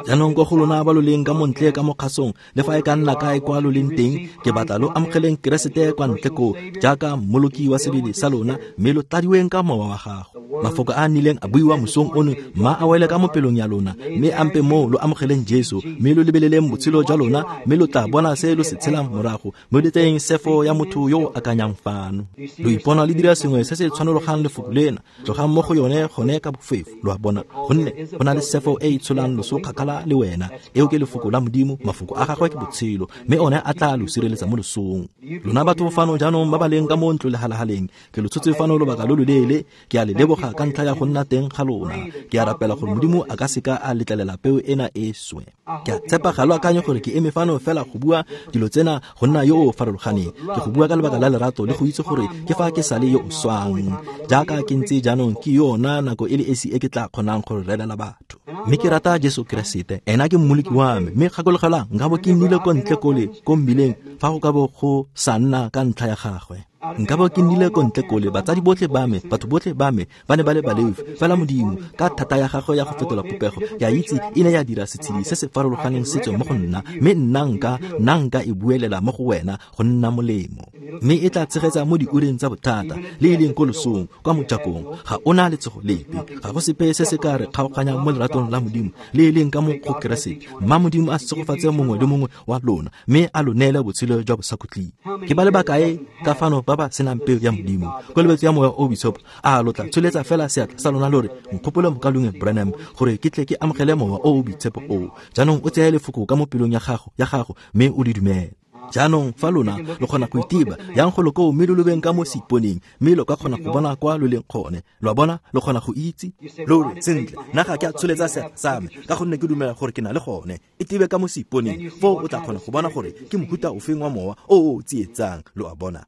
Jaanong ko go lona ba lo leng ka montle ka mo kgasong, le fa e ka nna kae kwa lo leng teng, ke batla lo amogeleng Keresete kwa ntle koo jaaka mmoloki wa sebele sa lona, mme lo tladiweng ka mowa wa gago. Mafoko a a nnileng a buiwa mosong ono, mma a wele ka mo pelong ya lona, mme ampe moo lo amogeleng Jesu, mme lo lebeleleng botshelo jwa lona, mme lo tla bona se lo se tshelang morago, mme lo tseyeng sefo ya motho yo o akanyang fano. Lo ipona le dira sengwe se se tshwanologang lefoko lena, tlogang mo go yone gone ka bofefo, lo a bona, gonne go na le sefo e e tsholang loso kgakala le wena. Eo ke lefoko la Modimo, mafoko a gagwe ke botshelo, mme one a tla lo sireletsa mo losong. Lona batho fano jaanong ba ba leng ka mo ntlo lehalahaleng, ke lo tshotse fano lobaka lo loleele, ke a le leboga ka ntlha ya go nna teng ga lona. Ke a rapela gore Modimo a ka seka a letlelela peo ena e swe. Ke a tshepa ga lo akanye gore ke eme fano fela go bua dilo tsena go nna yo o farologaneng. Ke go bua ka lebaka la lerato le go itse gore ke fa ke sale yo o swang. Jaaka ke ntse jaanong ke yona nako e le esi e ke tla kgonang go relela batho. Mme ke rata Jesu Keresete, ena ke mmoloki wa me. Mme gakologelwang, nka bo ke nnile ko ntle kole ko mmileng fa go ka bo go sa nna ka ntlha ya gagwe. Nka bo ke nnile ko ntle kole, batsadi botlhe ba me, batho botlhe ba me ba ne ba le baleofi. Fela Modimo ka thata ya gagwe ya go fetola popego, ke a itse e ne ya dira setshedi se se farologaneng se tswe mo go nna, mme nna nka nna nka e buelela mo go wena go nna molemo. Mme e tla tshegetsa mo diureng tsa bothata le e leng ko losong kwa mojakong. Ga o na letsogo lepe, ga go sepe se se ka re kgaoganyang mo leratong la Modimo le e leng ka mo go Keresete. Mma Modimo a segofatse mongwe le mongwe wa lona, mme a lo neele botshelo jwa bosakhutleng. Ke ba le bakae ka fano ba ba senang peo ya Modimo, kolobetso ya Mowa o Boitshepo? A lo tla tsholetsa fela seatla sa lona lo re, nkgopole mokaulengwe Branham gore ke tle ke amogele Mowa o o Boitshepo o. Jaanong o tseye lefoko ka mo pelong ya gago ya gago mme o le dumele. Jaanong fa lona lo kgona go itiba, yang go lo koo mme lo lobeng ka mo seiponeng, mme lo ka kgona go bona kwa lo leng gone. Lo a bona, lo kgona go itse. Lo re, sentle, nna ga ke a tsholetsa seatla sa me ka gonne ke dumela gore ke na le gone. E tibe ka mo seiponeng, foo o tla kgona go bona gore ke mohuta ofeng wa mowa o o tsietsang. Lo a bona.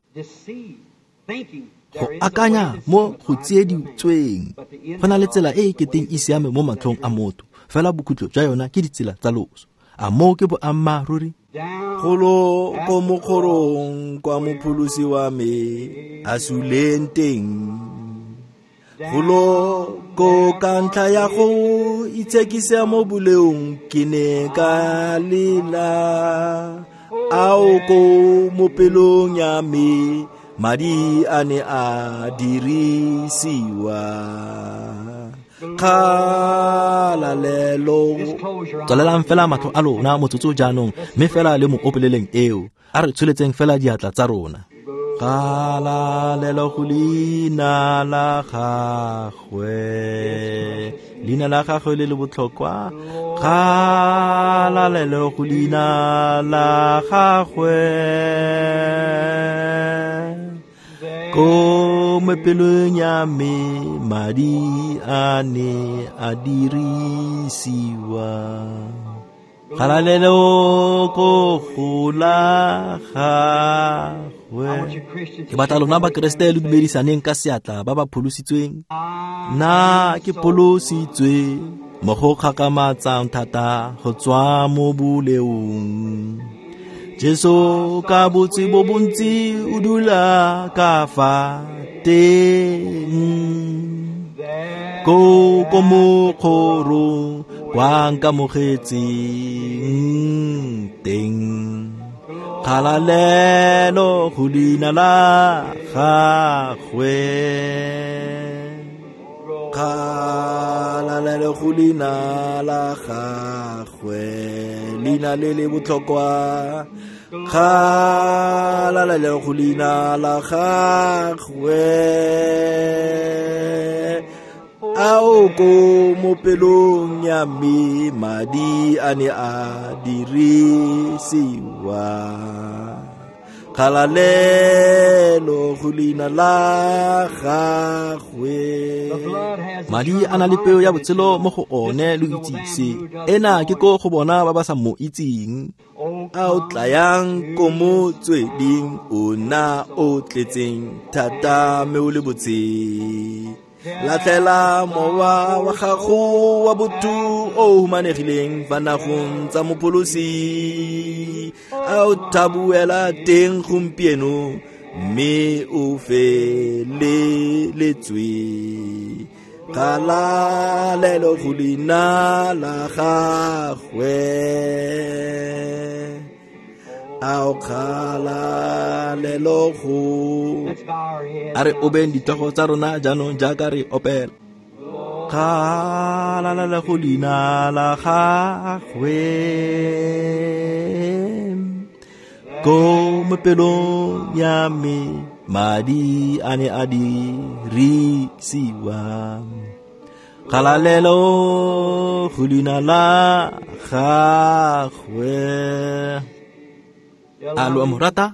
Go akanya mo go tsieditsweng, go na le tsela e e keteng e siame mo matlhong a motho, fela bokhutlo jwa yona ke ditsela tsa loso. A moo ke boammaaruri? Golo ko mokgorong kwa mopholosi wa me a suleng teng, golo ko ka ntlha ya go itshekisa mo boleong ke ne ka lela, ao ko mo pelong ya me madi a ne a dirisiwa. Kgalalelo. Tswalelang fela matlho a lona motsotso jaanong, mme fela le mo opeleleng eo. A re tsholetseng fela diatla tsa rona. Kgalalelo go leina la gagwe, leina la gagwe le le botlhokwa. Kgalalelo go leina la gagwe, ko mo pelong ya me madi a ne a dirisiwa. Kgalalelo ko go la gagwe. Ke batla lona Bakeresete lo dumedisaneng ka seatla ba ba pholositsweng. Nna ke pholositswe mo go kgakgamatsang thata go tswa mo boleong. Jesu ka botse bo bontsi o dula ka fa teng. Ko ko mokgorong kwa nkamogetseng teng. Kgalalelo go leina la gagwe. Kgalalelo go leina la gagwe. Leina le le botlhokwa. Kgalalelo go leina la gagwe. Ao ko mo pelong ya me madi a ne a dirisiwa. Kgalalelo go leina la gagwe. Madi a na le peo ya botshelo mo go one lo itse se. Ena ke ko go bona ba ba sa mo itseng. A o tlayang ko motsweding o na o tletseng thata mme o le botse. Latlhela mowa wa gago wa botho o humanegileng fa nagong tsa mopholosi. A o thabuela teng gompieno mme o feleletswe. Kgalalelo go leina la gagwe. A o kgalalelo go. A re obeng ditlhogo tsa rona jaanong jaaka re opela. Kgalalelo go leina la gagwe. Ko mo pelong ya me madi a ne a dirisiwa. Kgalalelo go leina la gagwe. A lo a mo rata?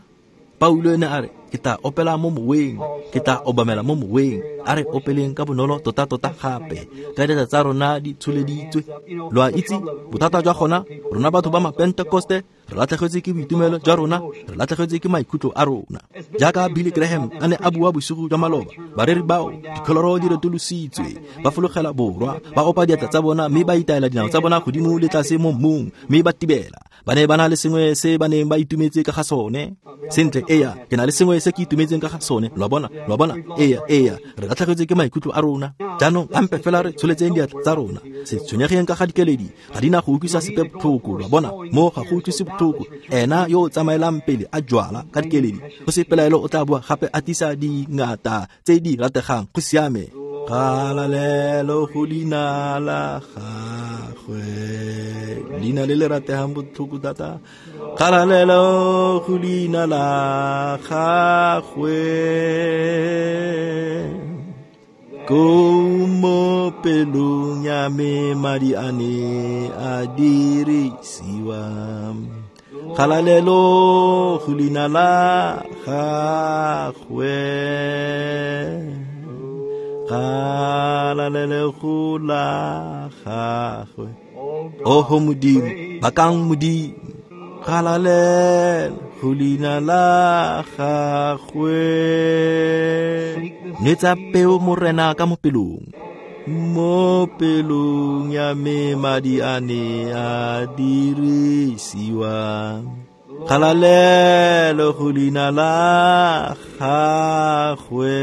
Paulo ene a re, ke tla opela mo moweng, ke tla obamela mo moweng. A re opeleng ka bonolo tota-tota gape, ka diatla tsa rona di tsholeditswe. Lo a itse, bothata jwa gona, rona batho ba Mapentekoste, re latlhegetswe ke boitumelo jwa rona, re latlhegetswe ke maikutlo a rona. Jaaka Billy Graham a ne a bua bosigo jwa maloba, bareri bao, dikholoro di retolositswe, ba fologela borwa, ba opa diatla tsa bona mme ba itaela dinao tsa bona godimo le tlase mo mmung, mme ba tibela. Ba ne ba na le sengwe se ba neng ba itumetse ka ga sone. Sentle, eya, ke na le sengwe se ke itumetseng ka ga sone. Lo a bona, lo a bona, eya, eya, re latlhegetswe ke maikutlo a rona. Jaanong ampe fela re tsholetseng diatla tsa rona. Se tshwenyegeng ka ga dikeledi, ga di na go utlwisa sepe botlhoko. Lo a bona, mo ga go utlwise botlhoko. Ena yo o tsamaelang pele a jwala ka dikeledi, go se pelaelo o tla boa gape a tlisa dingata tse di rategang. Go siame. Kgalalelo go leina la gagwe. Leina le le rategang botlhoko thata. Kgalalelo go leina la gagwe. Ko mo pelong ya me madi a ne a dirisiwa. Kgalalelo go leina la gagwe. Kgalalelo go la gagwe. Oho Modimo, bakang Modimo. Kgalalelo go leina la gagwe. Nwetsa peo Morena ka mo pelong. Mo pelong ya me madi a ne a dirisiwa. Kgalalelo go leina la gagwe.